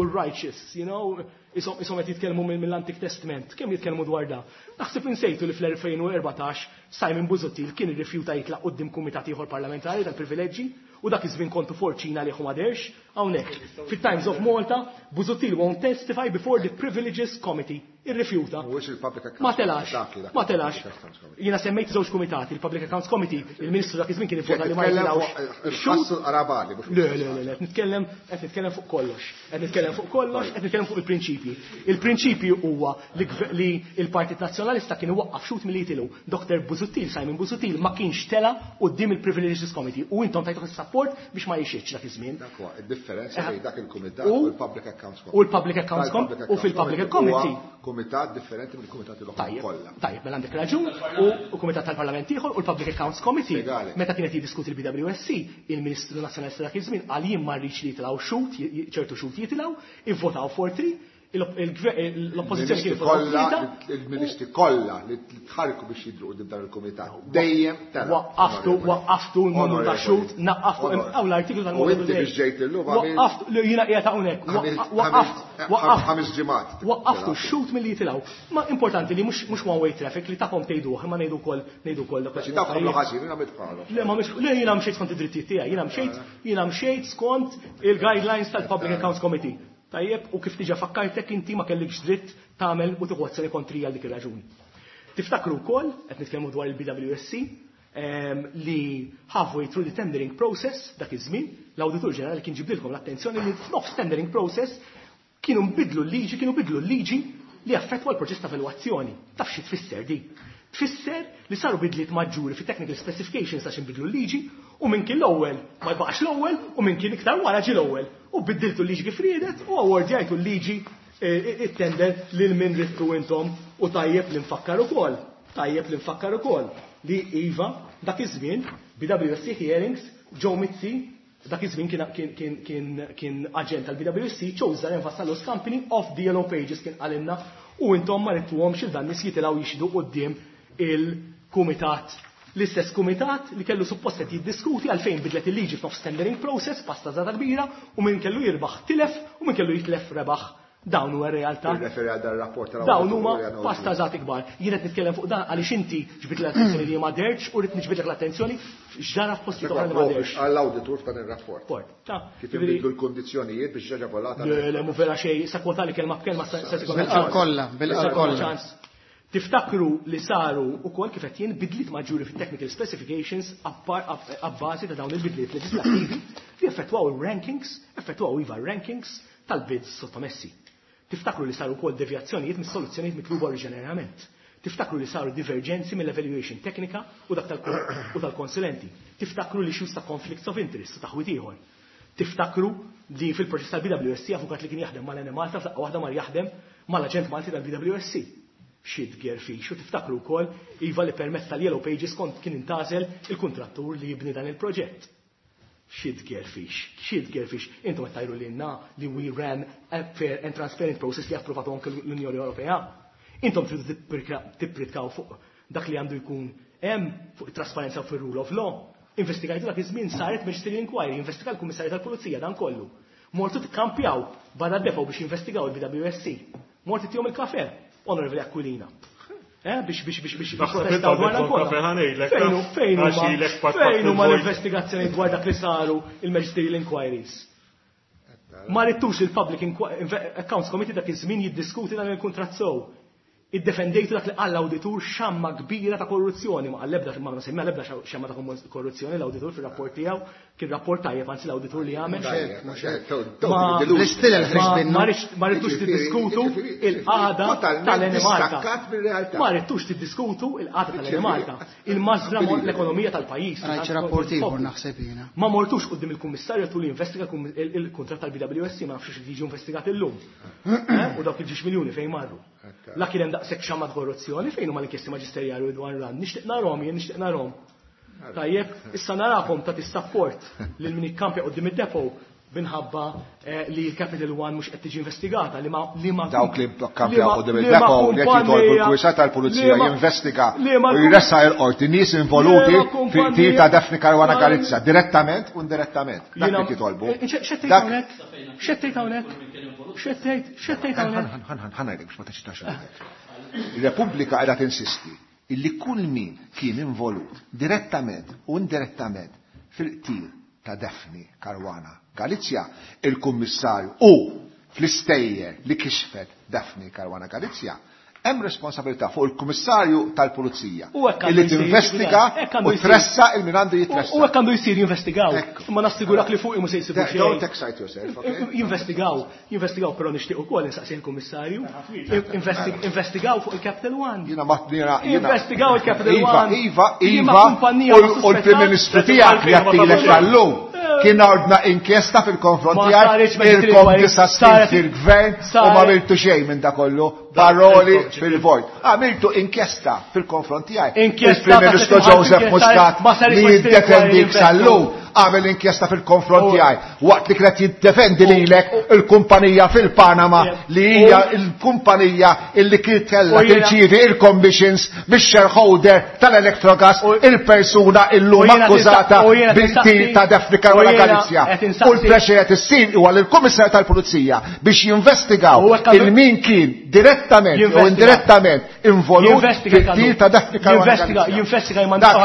l-righteous, you know, isom isom qed jitkellmu mill-Antik Testament, kemm jitkellmu dwar da. Naħseb insejtu li fl-elfejn u erbatax Simon Busuttil kien irrifjuta jitlaq quddiem kumitat ieħor parlamentari tal-privileġġi u dak iż-żmien kontu forċina li ma derx hawnhekk. Fit-Times of Malta, Busuttil won't testify before the Privileges Committee. Irrifjuta.
Mhuwiex il-Public Accounts
Ma telax,
Dak li dak
ma telax.
il-Public Accounts Committee.
Jiena semmejt żewġ kumitati, il-Public Accounts Committee, il-Ministru dak iż-żmien kien ivvota li ma
Titkellem
jitilgħux.
fuq il-ħassu l-qarabali, mhux
Le, le, le, le, qed nitkellem qed nitkellem fuq kollox. Qed nitkellem fuq kollox, qed nitkellem fuq il-prinċipji. Il-prinċipji huwa li gve- li il-Partit Nazzjonalista kien iwaqqaf xhud milli jitilgħu. Doktor Busuttil, Simon Busuttil ma kienx tela quddiem il-Privileges Committee u intom tajtuh is-support. tas-sapport biex ma jixitx dak iż-żmien.
Dak huwa id-differenza bejn dak il-kumitat u l-Public Accounts
Committee. U l-Public Accounts Committee u fil-Public Committee.
Kumitat differenti mill-kumitati l-oħra kollha.
Tajjeb, mela għandek raġun u kumitat tal-Parlament ieħor u l-Public Accounts Committee. Meta kienet jiddiskuti l-B W S C, il-Ministru Nazzjonalista dak iż-żmien qal jien ma rridx li jitilgħu xut, ċertu xut jitilgħu, ivvotaw for three, l-oppożizzjoni kien
kollha, il-ministri kollha li tħarku biex jidru quddiem dan il-kumitat. Dejjem tela.
Waqqaftu, waqqaftu n-numru ta' xut, naqqaftu hawn l-artiklu tal-Model.
U inti biex ġejt illum
għamil. Waqqaftu, jiena qiegħed hawnhekk. Waqqaft, waqqaft
ħames ġimgħat.
Waqqaftu x-xut milli jitilgħu. Ma importanti li mhux one way traffic li tagħhom tgħiduh, imma ngħidu wkoll ngħidu wkoll dak.
Xi tagħhom ħażin, jiena għamilt bħalhom.
Le ma mhix, le jiena mxejt skont id-drittijiet tiegħi, jiena mxejt, jiena mxejt skont il-guidelines tal-Public Accounts Committee. Tajjeb, u kif diġà fakkartek inti ma kellikx dritt tagħmel u tieħu azzjoni kontri għal dik ir-raġuni. Tiftakru wkoll, qed nitkellmu dwar il-B W S C, li halfway through the tendering process dak iż-żmien, l-Awditur Ġenerali kien ġibdilkom l-attenzjoni li f'nofs tendering process kienu nbidlu l-liġi, kienu bidlu l-liġi li affettwa l-proċess ta' evalwazzjoni. Taf xi tfisser di? Tfisser li saru bidliet maġġuri fi technical specifications għax inbidlu l-liġi u minn kien l-ewwel ma jbaqax l-ewwel u minn kien iktar wara ġi l-ewwel. U biddiltu l-liġi kif riedet u awardjajtu l-liġi it-tender lil min ridtu intom u tajjeb li nfakkar ukoll. Tajjeb li nfakkar ukoll li iva dak iż-żmien B W S C hearings Joe Mizzi dak iż-żmien kien, kien, kien, kien, kien aġent tal-B W S C chose Zaren Vassallo's Company of the Yellow Pages kien qalilna u intom ma ridtuhomx il dan nies jitilgħu jixhdu quddiem il-kumitat. L-istess kumitat li kellu suppost qed jiddiskuti għalfejn bidlet il-liġi f'nofs tendering process, pasta żgħata kbira, u min kellu jirbaħ tilef u min kellu jitlef rebaħ. Dawn huwa r-realtà.
Tirreferi għal dan ir-rapport tal-Awditur
Dawn huma
Ġenerali.
pasta żgħat ikbar. Jien qed nitkellem fuq dan għaliex inti ġbid l-attenzjoni li ma derx u rrid niġbidlek l-attenzjoni x'ġara f'postijiet oħra li ma derx.
Għall-awditur f'dan ir-rapport.
Rapport. Ta'
Kif
jiġifieri
inbidlu l-kondizzjonijiet biex ġaġa volata.
Le, le, mhu vera xejn, sa kwota li kelma b'kelma sa sa tkun
Bil-qal
ċans.
kollha, bil-qal
Sa tkun
kollha.
ċans. Tiftakru li saru wkoll kif qed jien bidliet maġġuri fit-technical specifications abbażi ta' dawn il-bidliet leġislattivi li effettwaw il-rankings, effettwaw iva rankings tal-bids sottomessi. Tiftakru li saru wkoll devjazzjonijiet mis-soluzzjonijiet mitluba oriġinarjament. Tiftakru li saru divergenzi mill-evaluation teknika u dak tal-, u tal-konsulenti. Tiftakru li issues ta' conflicts of interest u taħwit ieħor. Tiftakru li fil-proċess tal-B W S C avukat li kien jaħdem mal-N Malta f'daqqa waħda mar jaħdem mal-aġent Malti tal-B W S C. Xi tgerfix u tiftakru wkoll iva li permezz tal-Yellow Pages kont kien intażel il-kuntrattur li jibni dan il-proġett. Xi tgerfix, xi tgerfix. Intom qed tgħidu lilna li we ran a fair and transparent process li approvatu anke l-Unjoni Ewropea. Intom tridu tipprika-, tippritkaw fuq dak li għandu jkun hemm fuq it-trasparenza u fir-rule of law. Investigajtu dak iż-żmien saret Magisterial Inquiry, investiga l-Kummissarju tal-Pulizija dan kollu. Mortu tikkampjaw barra d-depo biex jinvestigaw il-B W S C. Mortu tihom il-kafe, Onorevoli Aquilina. Eh, biex, biex, biex, biex, biex
Naħseb
testaw
inti
dwar dan
għandek
kollha.
kafe ħanejlek,
Fejn hu,
taf,
fejn huma,
għax ilek pat pat
fejn huma
il-vojt.
l-investigazzjoni dwar dak li saru il-Magisterial Inquiries? Ma rittux il-Public Inqu-, Inve-, Accounts Committee dak iż-żmien jiddiskuti dan il-kuntratt sew. Iddefendejtu dak li qal l-awditur xamma kbira ta' korruzzjoni, ma qal l-ebda, ma semma l-ebda xa-, xamma ta' korruzzjoni l-awditur fir-rapport tiegħu, kien rapport tajjeb anzi l-awditur li għamel.
Mhux hekk, mhux hekk, to-, to-,
Ma-
delusion.
L-istil il-ħriġ
ma-
minnu.
ma rridx-, ma rridux
Jiġifieri,
tiddiskutu
jiġifieri,
il-qagħda
totalment
tal-N Malta.
distakkat mir-realtà.
Ma rridux tiddiskutu il-qagħda tal-N
Jiġifieri,
Malta. Il-mażra
unbelievable.
l-ekonomija tal-pajjiż.
Rajt xi rapport ieħor naħseb jiena.
Ma mortux quddiem il-kummissarju tul jinvestiga kum-, il-, il-kuntratt tal-B W S C, ma nafx jiġi investigat illum. Eh, u dawk il-ġiex miljuni fejn marru. La kien hemm daqshekk xamma korruzzjoni fejn huma l-inkjesti maġisterjali dwar ran. Nixtieq narhom jien, nixtieq narhom. Tajjeb, issa narakom ta' tissapport lil min ikkampja quddiem id-depo minħabba, eh, li l-Capital One mhux qed tiġi investigata, li ma, li ma
Dawk li
li
kkampjaw
ma-
quddiem
li ma
id-depo li qed jitolbu
kumpanija-
l-Kummissarju tal-Pulizija
li ma-
jinvestiga
li ma
u jressaq il-qorti nies involuti
li ma
fi
kumpanija-
qtil ta' Daphne Caruana
Ma-
Galizia, direttament u indirettament. Dak
Jiena-
li jitolbu.
Eh, xe-, x'qed tgħid
Dak-
hawnhekk? X'qed tgħid hawnhekk? X'qed tgħid? X'qed tgħid hawnhekk?
Ħan, ħan, ħan, ħan ngħidlek biex ma teċitax ruħek. Ir-Repubblika qiegħda tinsisti illi kull min kien involut direttament u indirettament fil-qtil ta' Daphne Caruana Galizia, il-kummissarju u fl-istejjer li kixfet Daphne Caruana Galizia, Hemm responsabilità fuq il-Kummissarju tal-Pulizija illi tinvestiga u tressa il min għandu jitressa.
U hekk għandu jsir jinvestigaw. Imma nassigurak li fuq mhux se jsibu xejn.
Don't excite yourself, okay?
Jinvestigaw, jinvestigaw però nixtieq ukoll insaqsi il-Kummissarju. Investigaw fuq il-Capital One.
Jiena ma jiena
Investigaw il-Capital One.
Iva, iva, iva, u l-Prim Ministru tiegħek li għattilek tal-lum kien ordna inkjesta fil-konfront tiegħek ilkom disa' snin fil-gvern u ma għamiltu xejn minn da kollu, paroli fil-vojt. Għamiltu inkjesta fil-konfront tiegħek.
Inkjesta
Il-Prim Ministru Joseph Muscat li jiddefendik sal-lum għamel inkjesta fil-konfront tiegħi waqt li kienet jiddefendi lilek il-kumpanija fil-Panama li hija il-kumpanija illi kien kellha tirċievi il-commissions mix-shareholder tal-Electrogas, il-persuna illum akkużata bil-qtil ta' Daphne Caruana Galizia. U l-pressure qed issir huwa lill-Kummissarju tal-Pulizija biex jinvestigaw il-min kien direttament u indirettament involut fil-qtil ta' Daphne Caruana Galizia.
Jinvestiga jmandaw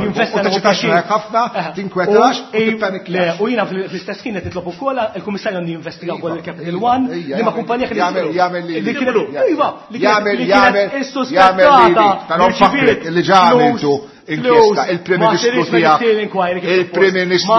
jinvestiga ħafna, tinkwetax.
Le, u jiena fl-istess ħin qed nitlob ukoll il-Kummissarju għandu jinvestiga wkoll il-Capital One li ma kumpanija kien
jagħmel
li kienet iva li
jagħmel jagħmel
issuspettata
jagħmel nfakrek li ġa għamiltu inkjesta il-Prim Ministru tiegħek il-Prim Ministru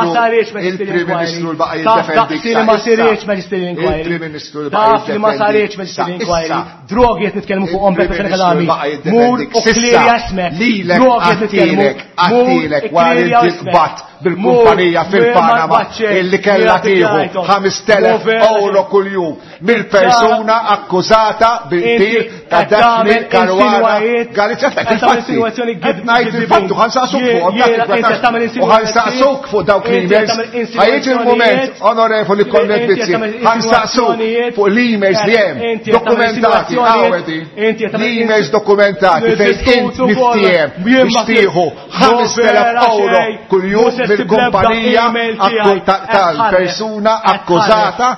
il-Prim Ministru l-baqa jiddefendik
ma saritx magisterial inquiry
il-Prim Ministru l-baqa
taf li ma saritx magisterial inquiry drogi qed nitkellmu fuqhom Beppe Fenech Adami mur u clear ismek drogi qed nitkellmu
għattilek wara li inti bil-kumpanija fil-Panama illi kellha tieħu ħamest elef euro kuljum mill-persuna akkużata bil-qtil ta' Daphne Caruana Galizia. Qed ngħid il-fattu ħansaqsuk fuq u ħansaqsuk fuq dawk l-emails. Ħajjiġi il-mument, onorevoli Konrad Mizzi, ħansaqsuk fuq l-emails li hemm dokumentati għawedi, l-emails dokumentati fejn int miftiehem biex tieħu ħamest elef euro kuljum mill-kumpanija tal-persuna akkużata.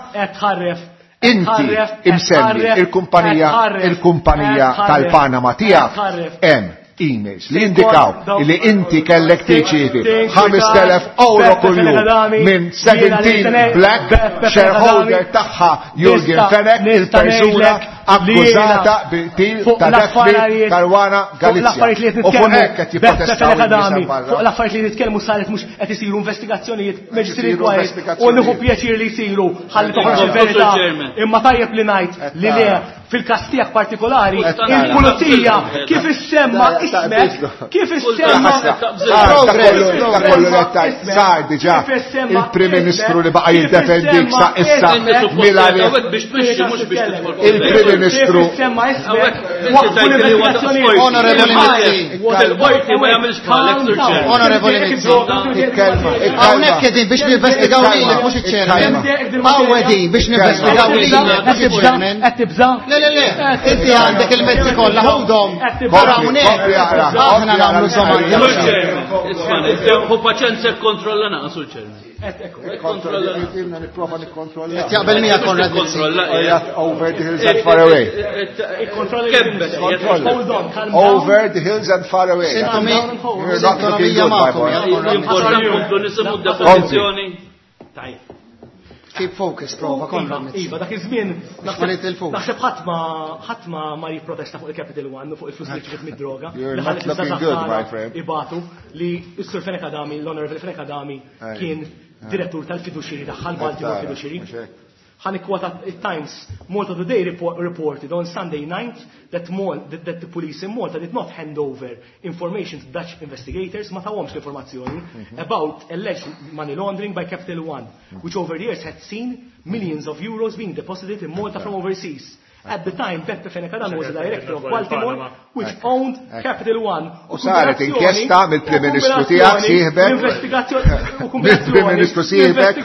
Inti imsemmi il-kumpanija il-kumpanija tal-Panama tiegħek hemm emails li indikaw li inti kellek tirċievi ħamest elef euro kuljum minn seventeen Black shareholder tagħha Jurgen Fenech, il-persuna akkużata bil-qtil ta' Daphne Caruana Galizia. U fuq hekk qed jipprotestaw
fuq l-affarijiet li nitkellmu saret mhux qed isiru investigazzjonijiet magisterial inquiry u nieħu pjaċir li jsiru ħalli toħroġ il-verità. Imma tajjeb li ngħid li le fil-każ tiegħek partikolari il-pulizija kif issemma ismek kif issemma
sar diġà il-Prim Ministru li baqa' jiddefendik sa issa mila il-Prim Ministru
Onorevoli Mizzi, hawnhekk qegħdin biex ninvestigaw lilek mhux iċ-chairman. Hawn qegħdin biex ninvestigaw lilek mhux iċ-chairman.
Qed tibża'?
Le le le, inti għandek il-mezzi kollha ħudhom. Barra hawnhekk aħna nagħmlu domandi.
Isma' hu paċenza kkontrolla naqas u chairman.
Ilna nipprova nikkontrolla.
Qed jaqbel miegħek Konrad Mizzi.
Over the hills and far away. Over the hills and far away. You're not looking good, my boy.
Importanti nkomplu nisimgħu d-depożizzjoni.
Keep focus, prova, Konrad Mizzi.
Iva, dak iż-żmien naħseb ħadd ma ħadd ma ma jipprotesta fuq il-Capital One u fuq il-flus li ġiet mid-droga.
You're not looking good, my friend.
Ibatu li s-Sur Fenech Adami, l-Honorable Fenech Adami kien direttur tal-fiduċiri tagħha l-Baltimore Fiduċiri. Ħa nikkwota Times Malta Today reported on Sunday night that, Mal that, that the police in Malta did not hand over information to Dutch investigators, ma tawhomx l-informazzjoni, about alleged money laundering by Capital One, which over the years had seen millions of euros being deposited in Malta from overseas. At the time, Beppe Fenech Adami was the director of Baltimore, which owned Capital One.
U saret inkjesta mill-Prim Ministru tiegħek sieħbek. Mill-Prim Ministru sieħbek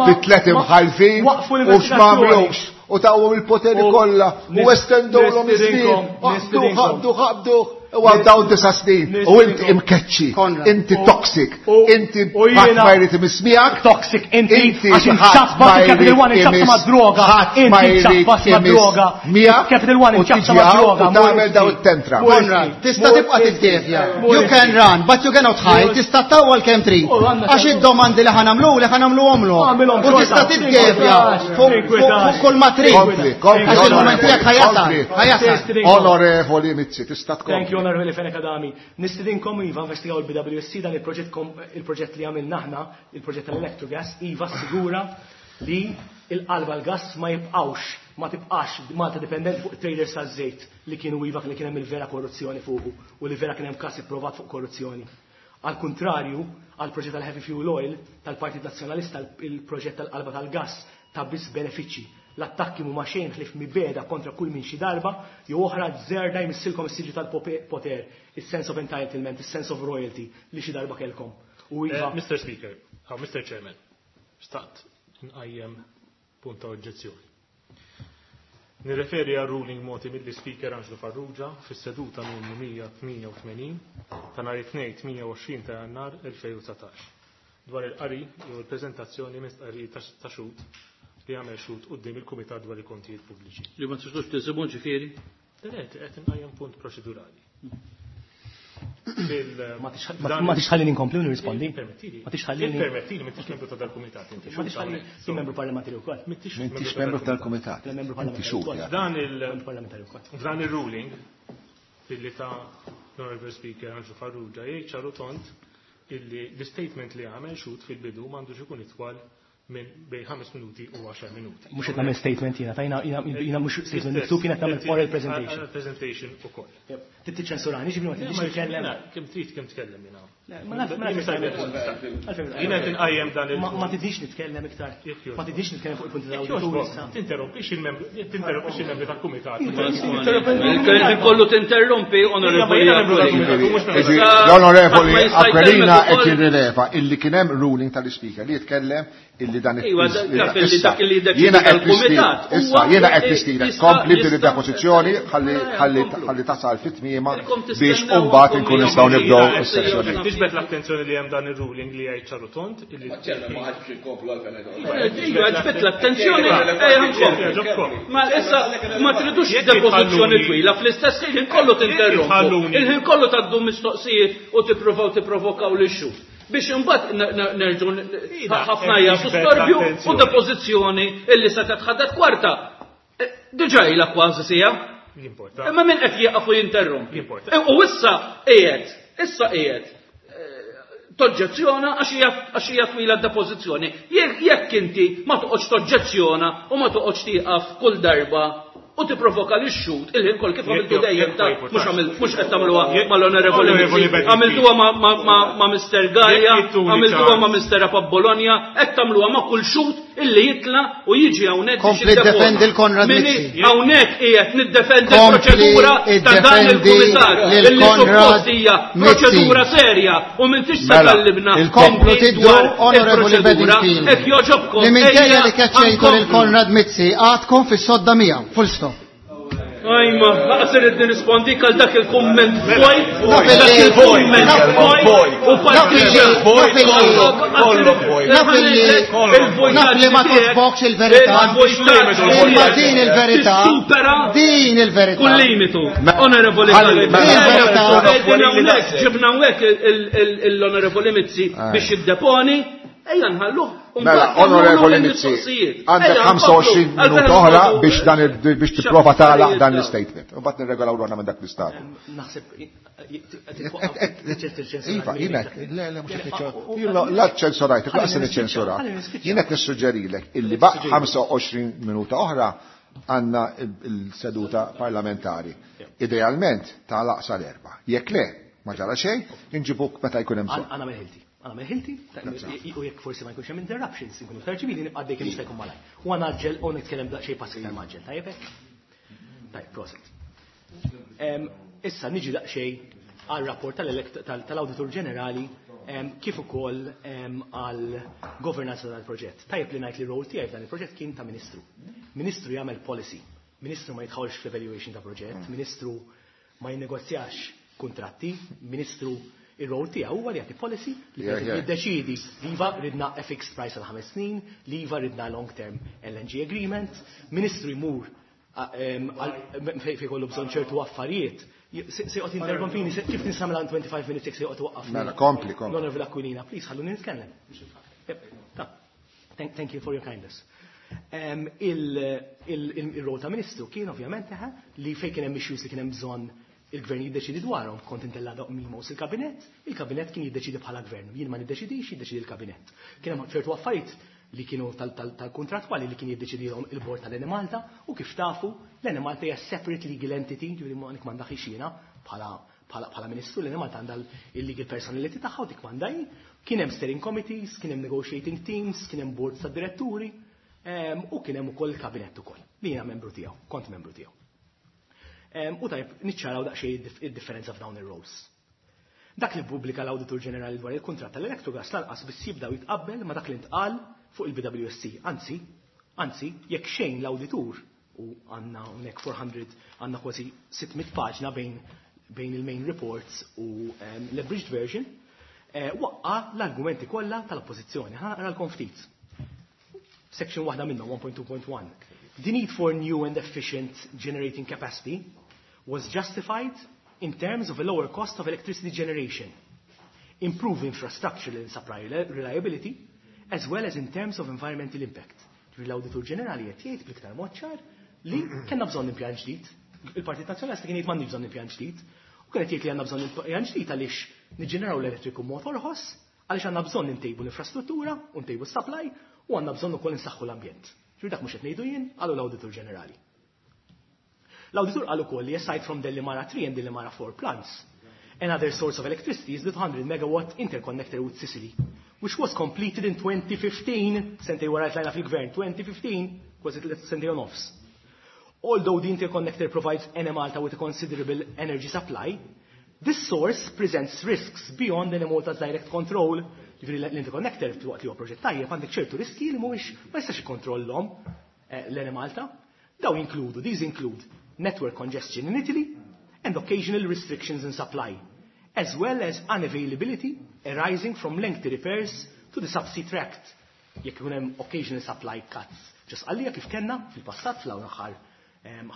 bi tliet imħalfin u x'm'għamlux u tawhom il-poteri kollha u estendewlhom iż-żmien. Ħabdu, ħabdu, ħabdu. U għal dawn disa' snin, u inti imkeċċi, inti toxic, inti ħadd ma jrid imiss miegħek.
Toxic, inti għax inċappa Capital One inċappa ma' droga, inti inċappa ma' droga, Capital One inċappa ma' droga.
U tagħmel daw it-tentra.
Konrad, tista' tibqa' tiddevja. You can run, but you cannot hide, tista' tawwal kemm trid. Għax id-domandi li ħa nagħmlu li ħa nagħmluhomlok. U tista' tiddevja fuq kull ma trid. Għax il-mument tiegħek ħa jasal, ħa jasal.
Onorevoli Mizzi, tista' tkompli.
Onorevoli Fenech Adami, nistidinkom iva investigaw il-B W S C dan il-proġett il-proġett li għamilna aħna, il-proġett tal-Electrogas, iva sigura li il-qalba l-gas ma jibqawx, ma tibqax Malta dipendenti fuq traders taż-żejt li kienu iva li kien hemm il-vera korruzzjoni fuqu u li vera kien hemm każ ipprovat fuq korruzzjoni. Al kontrarju, għal proġett tal-Heavy Fuel Oil tal-Partit Nazzjonalista, il-proġett tal-qalba tal-gas ta' biss benefiċċji. L-attakki mhuma xejn ħlief mibeda kontra kull min xi darba jew oħra żerda jmissilkom is-siġġu tal-poter, is-sense of entitlement, is-sense of royalty li xi darba kellkom. U iva.
Mister Speaker, oh, Mister Chairman, xtaqt nqajjem punt ta' oġġezzjoni. Nirreferi għal ruling moti mill-Speaker Angelo Farrugia fis-seduta numru mija tmienja u tmenin ta' nhar it-tnejn tmienja u għoxrin ta' Jannar elfejn u dsatax dwar il-qari jew il-preżentazzjoni minn stqarrija ta' xhud li għamel xhud quddiem il-Kumitat dwar il-Kontijiet Pubbliċi.
Li ma tistgħux tisibhom ġifieri?
Le, qed inqajjem punt proċedurali.
Ma tix ħallini nkompli u nirrispondi? Ma tix ħallini.
Permettili, m'intix membru ta' dal-kumitat inti.
Ma tix ħallini, jien membru parlamentari wkoll.
M'intix membru tal-kumitat. Inti xhud.
Dan il Dan il-ruling illi ta' l-Honorable Speaker Angelo Farrugia jgħid ċaru tont illi l-statement li għamel xhud fil-bidu m'għandux ikun itwal minn bejn ħames minuti u għaxar minuti.
Mhux qed nagħmel statement jiena, tajna jiena mhux statement miktub, jiena qed nagħmel oral presentation.
Presentation ukoll.
Trid tiċċensurani, ġifieri ma tridx nitkellem.
Kemm trid kemm tkellem jiena.
Ma naf ma
Jiena qed inqajjem dan il
Ma tidix nitkellem iktar. Ma tidix nitkellem fuq il-punti tal-awditur issa.
Tinterrompix il-membru, tinterrompix il-membri tal-kumitat.
Il kollu tinterrompi, onorevoli.
L-onorevoli Aquilina qed jirrileva illi kien hemm ruling tal-Ispeaker li jitkellem illi dan jiena qed nistiedek, issa jiena qed nistiedek kompli b'din id-depożizzjoni ħalli tasal fit-tmiema biex imbagħad inkun nistgħu nibdew is-sessjoni.
Tiġbed l-attenzjoni li hemm dan ir-ruling li jgħid ċaru tont illi
ma ħadx inkomplu għalfejn.
Iva, ġbed l-attenzjoni, ejja Ma issa ma tridux depożizzjoni twila, fl-istess ħin kollu tinterrompu. Il-ħin kollu tgħaddu mistoqsijiet u tippruvaw tipprovokaw lix-xhud. Biex imbagħad nerġgħu ħafna jagħtu storbju u depożizzjoni illi se titħaddet kwarta. Diġà ilha kważi sija. Imma min qed jieqaf u jinterrompi. U issa qiegħed, issa qiegħed toġġezzjona għax hija twila d-depożizzjoni. Jekk inti ma toqgħodx toġġezzjona u ma toqgħodx tieqaf kull darba u tipprovoka li x-xhud il-ħin kol kif għamiltu dejjem ta' mhux għamilt mhux qed tagħmluha mal-Onorevoli Mizzi, għamiltuha ma' Mister Gallia, għamiltuha ma' Mister Bologna, qed tagħmluha ma' kull xhud illi jitla' u jiġi hawnhekk biex
Kompli ddefendi l-Konrad Mizzi.
Hawnhekk qiegħed niddefendi l-proċedura ta' dan il-kumitat illi suppost hija proċedura serja u m'intix se tgħallimna
Komplu tiddu Onorevoli
Bedingfield. Hekk jogħġobkom.
Li minkejja li keċċejtu lil Konrad Mizzi għadkom fis-sodda miegħu, full stop.
Ajma, laqas irrid nirrispondik għal dak il-kumment vojt, dak il-kumment vojt, u partiġan.
Naf li ma togħġbokx il-verità, imma din il-verità, din il-verità.
Kull limitu, Onorevoli Galli. Ġibna hawnhekk l-Onorevoli Mizzi biex jiddeponi, ejja nħalluh.
Mela, Onorevoli Mizzi, għandek ħamsa u għoxrin minuta oħra biex dan biex tipprova tagħlaq dan l-statement. U mbagħad nirregolaw ruħna minn dak l-istat.
Naħseb
Iva, jiena le le mhux qed la ċensurajt, laqas niċċensura. Jien qed nissuġġerilek illi baq ħamsa u għoxrin minuta oħra għandna il-seduta parlamentari. Idealment tagħlaq sal-erba'. Jekk le, ma ġara xejn, inġibuk meta jkun hemm bżonn.
Għana ħilti. Għana meħilti, u jekk forsi ma jkunx hemm interruptions, inkunu iktar ċivili nibqa' dejjem jista' jkun malaj. U għana ġel u nitkellem daqsxejn pass iktar maġġel, tajjeb hekk? Tajjeb, proset. Issa niġi daqsxejn għal rapport tal-Awditur Ġenerali kif ukoll għal governanza tal-proġett. Tajjeb li ngħid li rol tiegħi f'dan il-proġett kien ta' ministru. Ministru jagħmel policy, ministru ma jidħolx fl-evaluation ta' proġett, ministru ma jinnegozjax
kuntratti, ministru ir-rol tiegħu huwa li jagħti policy li jiddeċiedi li iva ridna a fixed price għal ħames snin, li iva ridna long term L N G agreement, ministru jmur fejn kollu bżonn ċertu affarijiet. Se joqgħod interrompini, kif nisamla twenty-five minutes se joqgħod waqqafni.
Mela, kompli, kompli.
L-Onorevole Aquilina, please, ħalluni nitkellem. Thank you for your kindness. Il-rol ta' ministru kien ovvjament li fejn kien hemm issues li kien hemm bżonn il-gvern jiddeċidi dwarhom, kont intella memos il-kabinett, il-kabinett kien jiddeċidi bħala gvern. Jien ma niddeċidix, jiddeċidi il-kabinett. Kien hemm ċertu affarijiet li kienu tal-kontrattwali li kien jiddeċidihom il-bord tal-Enemalta u kif tafu l-Enemalta hija separate legal entity, ġifieri ma m'għandha jiena bħala bħala ministru, l-Enemalta għandha il-legal personality tagħha u dik m'għandha. Kien hemm steering committees, kien hemm negotiating teams, kien hemm boards ta' diretturi u kien hemm ukoll il-kabinett ukoll li jiena membru tiegħu, kont membru tiegħu. U tajb, niċċaraw daqsxejn id-differenza f'dawn ir-roles. Dak li pubblika l-Awditur Ġenerali dwar il-kuntratt tal-Electrogas lanqas biss jibdaw jitqabbel ma dak li ntqal fuq il-B W S C. Anzi, anzi, jekk xejn l-awditur u għandna hawnhekk four hundred, għandna kważi sitt mitt paġna bejn bejn il-main reports u um, l-abridged version, eh, waqqa l-argumenti kollha tal-oppożizzjoni. Ħa naqralkom ftit. Section waħda minnhom, one point two point one. The need for new and efficient generating capacity was justified in terms of a lower cost of electricity generation, improve infrastructure and supply reliability, as well as in terms of environmental impact. L-Awditur Ġenerali qed jgħid bl-iktar mod ċar li kellna bżonn impjant ġdid. Il-Partit Nazzjonalista kien jgħid m'għandniex bżonn impjant ġdid. U kien qed jgħid li għandna bżonn impjant ġdid għaliex niġġeneraw l-elettriku mod orħos, għaliex għandna bżonn intejbu l-infrastruttura u ntejbu s-supply u għandna bżonn ukoll insaħħu l-ambjent. Ġifieri dak mhux qed ngħidu jien, qalu l-Awditur Ġenerali. L-awditur qal ukoll li aside from the Delimara three and the Delimara four plants, another source of electricity is the two hundred megawatt interconnector with Sicily, which was completed in twenty fifteen, sentejn wara tlajna fil-gvern, twenty fifteen, kważi sentejn u nofs. Although the interconnector provides Enemalta with a considerable energy supply, this source presents risks beyond Enemalta's direct control. Ġifieri l-interconnector waqt li huwa proġett tajjeb għandek ċertu riski li mhuwiex ma jistax ikkontrollhom eh, l-Enemalta. Daw inkludu, these include network congestion in Italy and occasional restrictions in supply, as well as unavailability arising from lengthy repairs to the subsea tract. Jekk ikun hemm occasional supply cuts. Ġas għalija kif kellna fil-passat fl aħħar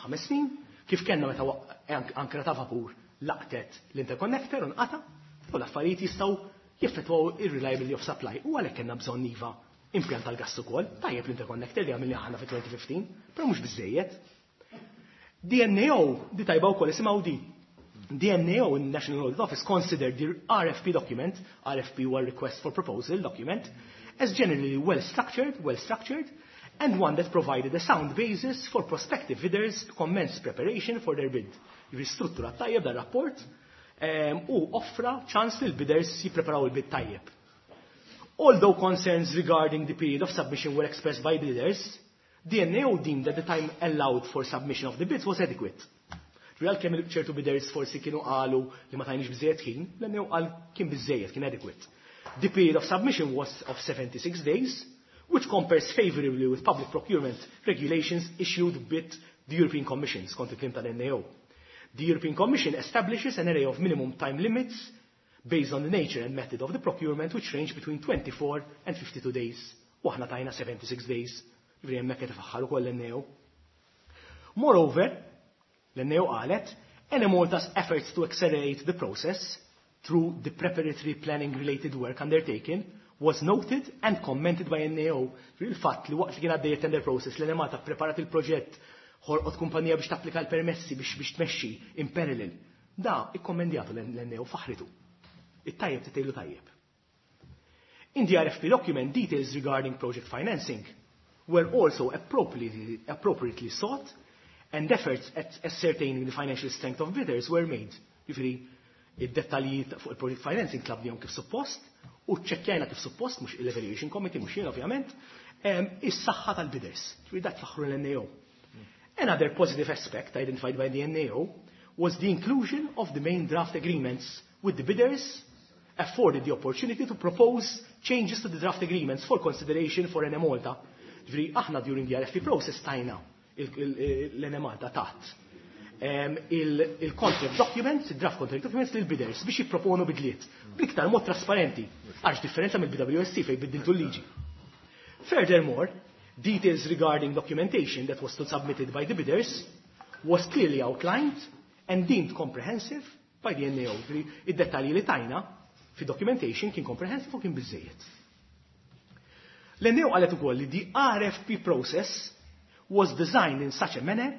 ħames snin, kif kellna meta ankra ta' vapur laqtet l-interconnector u nqata, u l-affarijiet jistgħu jeffettwaw ir-reliability of supply. U għalhekk kellna bżonn iva impjant tal-gas ukoll, tajjeb l-interconnector li għamilni aħna fi elfejn u ħmistax, però mhux biżejjed. The N A O, di tajba wkoll isimgħu di. The N A O, National Audit Office, considered the R F P document, R F P huwa Request for Proposal document, as generally well structured, well structured, and one that provided a sound basis for prospective bidders to commence preparation for their bid. Jiġifieri struttura tajjeb dar rapport um, u offra ċans li l-bidders jippreparaw il-bid tajjeb. Although concerns regarding the period of submission were expressed by bidders, the N A O deemed that the time allowed for submission of the bids was adequate. Real kemm ċertu bidders forsi kienu qalu li ma tajniex biżejjed ħin, l-N A O qal kien biżejjed, kien adequate. The period of submission was of seventy-six days, which compares favorably with public procurement regulations issued with the European Commission, skont il-kliem tal-N A O. The European Commission establishes an array of minimum time limits based on the nature and method of the procurement, which range between twenty-four and fifty-two days. U aħna tajna seventy-six days. Ġifieri hemmhekk qed ifaħħar ukoll l-N A O. Moreover, l-N A O qalet, Enemalta's efforts to accelerate the process through the preparatory planning related work undertaken was noted and commented by N A O. Il-fatt li waqt li kien għaddej tender process l-Enemalta preparat il-proġett, ħolqot kumpanija biex tapplika l-permessi biex biex tmexxi in parallel. Da ikkommendjatu l-N A O, faħritu. It-tajjeb titejlu tajjeb. In the R F P document, details regarding project financing were also appropriately, appropriately sought and efforts at ascertaining the financial strength of bidders were made. Jiġifieri, id-dettalji fuq il-project financing tlabnihom kif suppost u ċekkjajna kif suppost, mhux il-evaluation committee, mhux jien ovvjament, is-saħħa tal-bidders. Jiġifieri dak faħru l-N A O. Another positive aspect identified by the N A O was the inclusion of the main draft agreements with the bidders afforded the opportunity to propose changes to the draft agreements for consideration for Enemalta. Ġifieri, aħna during the R F P process tajna l-Enemalta tat il-contract documents, il-draft contract documents lil bidders biex jipproponu bidliet bl-iktar mod trasparenti, għax differenza mill-B W S C fejn biddiltu l-liġi. Furthermore, details regarding documentation that was submitted by the bidders was clearly outlined and deemed comprehensive by the N A O. Id-dettalji li tajna fi documentation kien comprehensive u kien biżejjed. L-N A O qalet ukoll li the R F P process was designed in such a manner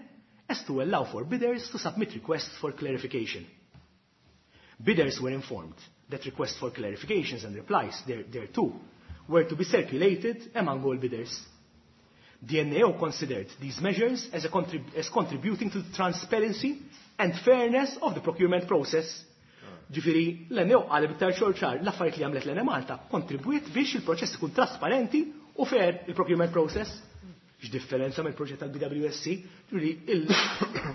as to allow for bidders to submit requests for clarification. Bidders were informed that requests for clarifications and replies there, thereto were to be circulated among all bidders. The N A O considered these measures as, a contrib as contributing to the transparency and fairness of the procurement process. Ġifieri, l-N A O qalet b'iktar ċar l-affarijiet li għamlet l-Enemalta kontribwiet biex il-proċess ikun trasparenti u fair, il-procurement process. X'differenza mill-proġett tal-B W S C, ġifieri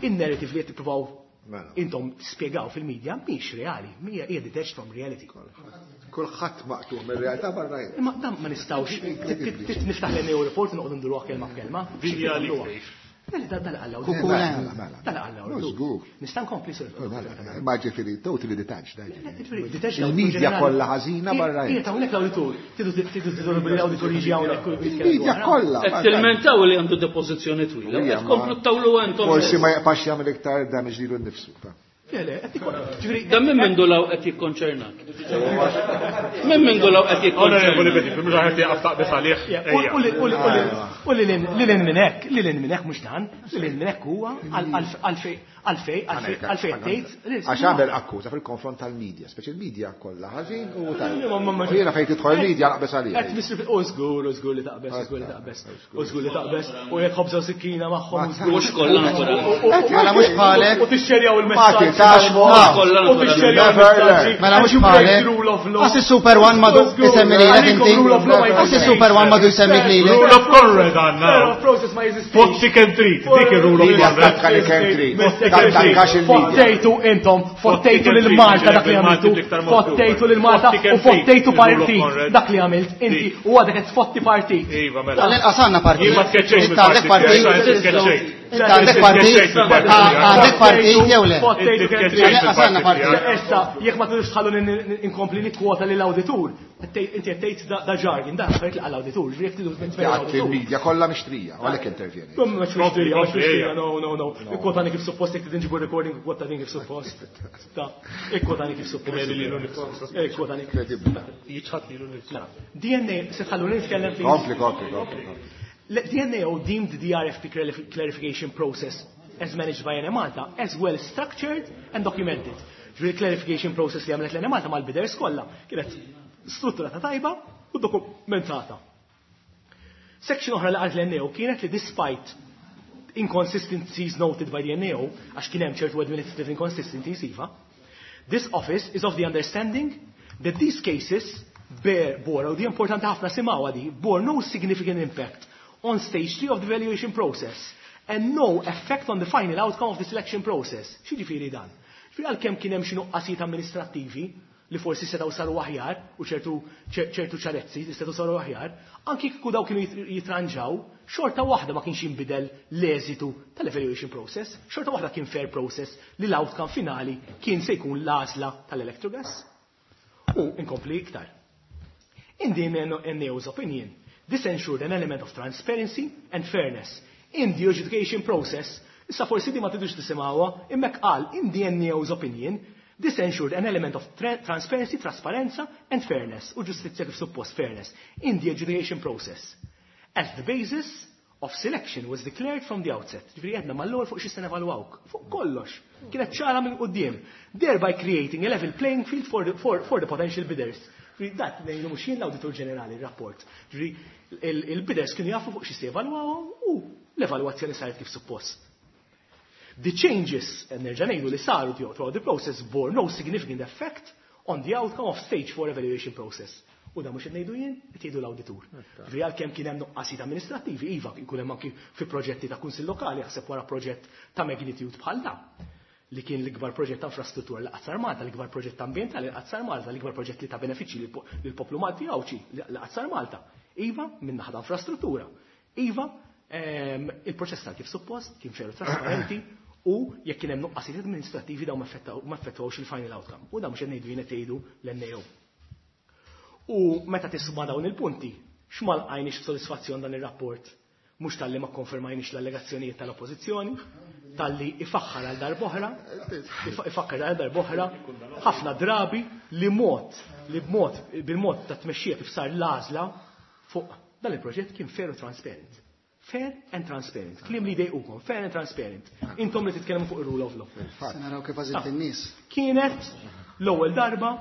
il-narrative li qed tippruvaw
Mela.
intom tispjegaw fil-medja mhix reali, mhija hija detached from reality.
Kulħadd maqtuħ mir-realtà barra jien.
Imma dan ma nistgħux niftaħ l-N A O report u noqogħdu nduruha kelma f'kelma.
Dinja li tgħix.
Dan qal
Kukuna.
Mela, mela.
Dan qal
No, żgur.
Nista' nkompli, sir?
Mela, ma ġifieri totally detached.
Ġifieri, detached.
Il-media kollha ħażina barra
Ija
jien.
ta' hawnhekk l-awditur. Tidu tidu tidu l-awditur jiġi hawnhekk u jitkellem
Il-media
dwarha.
kollha.
Qed tilmentaw li għandu depożizzjoni twila,
Ija,
qed
ma-
tkomplu tawlu intom.
Forsi ma jaqpax jagħmel iktar damage lilu nnifsu. ta.
Le, le, qed ikun- ġifieri,
Dan minn mindu law qed jikkonċernak. Minn mindu law qed
Onorevoli
jikkonċernak.
Petit, mhux ħadd jaqaf taqbes għalih.
Ja, U u li u li u li u li li lil minn hekk, li lil minn hekk mhux dan, li lil minn hekk huwa għalfej għalfej għalfej għalfej tgħid.
Għax għamel akkuża fil-konfront tal-media, speċi il-media kollha ħażin u tajjeb.
Ma- ma- ma-
U jiena fejn tidħol il-media naqbes għalija.
Qed misri u żgur, u żgur li taqbes, u żgur li taqbes, u żgur li taqbes, u jekk ħobża u sikkina magħhom, u żgur.
Mhux kollha naturalment.
Mela mhux bħalek.
U tixxerjaw
Ma
il-messaġġ.
titax
Ah.
Kollha
U tixxerjaw
Never
il-messaġġi.
Mela mhux
And you break
bħalek.
the rule of law.
Għas il-Super One madu isemmi lilek inti.
Għalikom rule of law ma
Għas il-Super One madu jsemmi lilek.
Rule of Conrad għandna.
Fair of process ma jeżistix.
Fotti kemm trid, dik ir-rule of
Media
Conrad.
tattakka li kemm trid. Tattakkax il-media.
Fottejtu intom, fottejtu lil Malta dak li għamiltu, fottejtu lil Malta u fottejtu partit dak li għamilt inti u għadek qed tfotti partit.
Iva, mela.
Tal-inqas għandna partit.
Jien ma tkeċċejx
Inti għandek
mill-partit.
partit.
Tkeċċejt.
Inti għandek partit. Għandek partit jew le?
Fottejtu kemm trid.
Tal-inqas għandna partit.
Issa, jekk ma tridux tħallu inkompli nikkwota lil awditur, inti qed tgħid da jargon, da affarijiet li għall-awditur, ġifieri jekk tridu
Jgħat il-media kollha mixtrija, u għalhekk intervjeni.
Mhux mixtrija, mhux mixtrija, no, no, no. Ikkwotani kif suppost, jekk trid nġibu recording, ikkwotani kif suppost. Ta, ikkwotani kif suppost. Ikkwotani.
Jiċħat lilu nnifsu.
Mela, D N A, se tħallu nitkellem please.
Kompli, kompli, kompli.
Le- D N A O deemed the R F P clarif- clarification process as managed by Enemalta as well structured and documented. Ġifieri clarification process li għamlet l-Enemalta mal-bidders kollha kienet strutturata tajba u dokumentata. Section oħra li qalet l-N A O kienet li despite inconsistencies noted by the N A O, għax kien hemm ċertu administrative inconsistencies iva, this office is of the understanding that these cases bear, bore, u di importanti ħafna simgħuha di, bore no significant impact on stage three of the evaluation process and no effect on the final outcome of the selection process. X'jiġifieri dan? Ġifieri għalkemm kien hemm xi nuqqasijiet amministrattivi li forsi setgħu saru aħjar u ċertu ċertu ċarezzi li setgħu saru aħjar, anki kieku daw kienu jit- jitranġaw, xorta waħda ma kienx jinbidel l-eżitu tal-evaluation process, xorta waħda kien fair process li l-outcome finali kien se jkun l-għażla tal-Electrogas. U inkompli iktar. In the N A O's opinion, this ensured an element of transparency and fairness in the adjudication process. Issa forsi di ma tidux tisimgħuha, imma qal in the N A O's opinion, this ensured an element of tra transparency, trasparenza and fairness, u ġustizzja kif suppost fairness, in the adjudication process. As the basis of selection was declared from the outset. Ġifieri għedna mal-ewwel fuq xi se nevalwawk. Fuq kollox. Kienet ċara minn quddiem. Thereby creating a level playing field for the, for, for the potential bidders. Ġifieri dat ngħidu mhux jien, l-Awditur Ġenerali r-rapport. Ġifieri il-bidders kienu jafu fuq xi se jevalwawhom u l-evalwazzjoni saret kif suppost. The changes, nerġa' ngħidu li saru throughout the process bore no significant effect on the outcome of stage four evaluation process. U da mhux qed ngħidu jien, qed jgħidu l-awditur. Ġifieri għalkemm kien hemm nuqqasijiet amministrattivi, iva jkun hemm anki fi proġetti ta' kunsill lokali, jaħseb wara proġett ta' magnitude bħal da li kien l-ikbar proġett ta' infrastruttura li qatt sar Malta, l-ikbar proġett ambjentali li qatt sar Malta, l-ikbar proġett li ta' benefiċċji lill-poplu Malti Għawdxi li qatt sar Malta. Iva, minn naħa ta' infrastruttura. Iva, ehm, il-proċess sar kif suppost, kien fair u trasparenti U jekk kien hemm nuqqasijiet amministrattivi dawn ma effettwawx il-final outcome. U dan mhux qed ngħidu jien qed tgħidu l-N A O. U meta tisma' dawn il-punti, x'ma lqajniex b'sodisfazzjon dan ir-rapport? Mhux talli ma konfermajniex l-allegazzjonijiet tal-Oppożizzjoni, talli ifaħħar għal darb'oħra, ifakkar għal darb'oħra, ħafna drabi li mod, li b'mod, bil-mod ta' tmexxija kif sar l-għażla fuq dan il-proġett kien fair u transparent. Fair and transparent. Kliem li dejqukom, fair and transparent. Intom li titkellmu fuq ir-rule of law.
Se naraw kif għażilt in-nies.
Kienet l-ewwel darba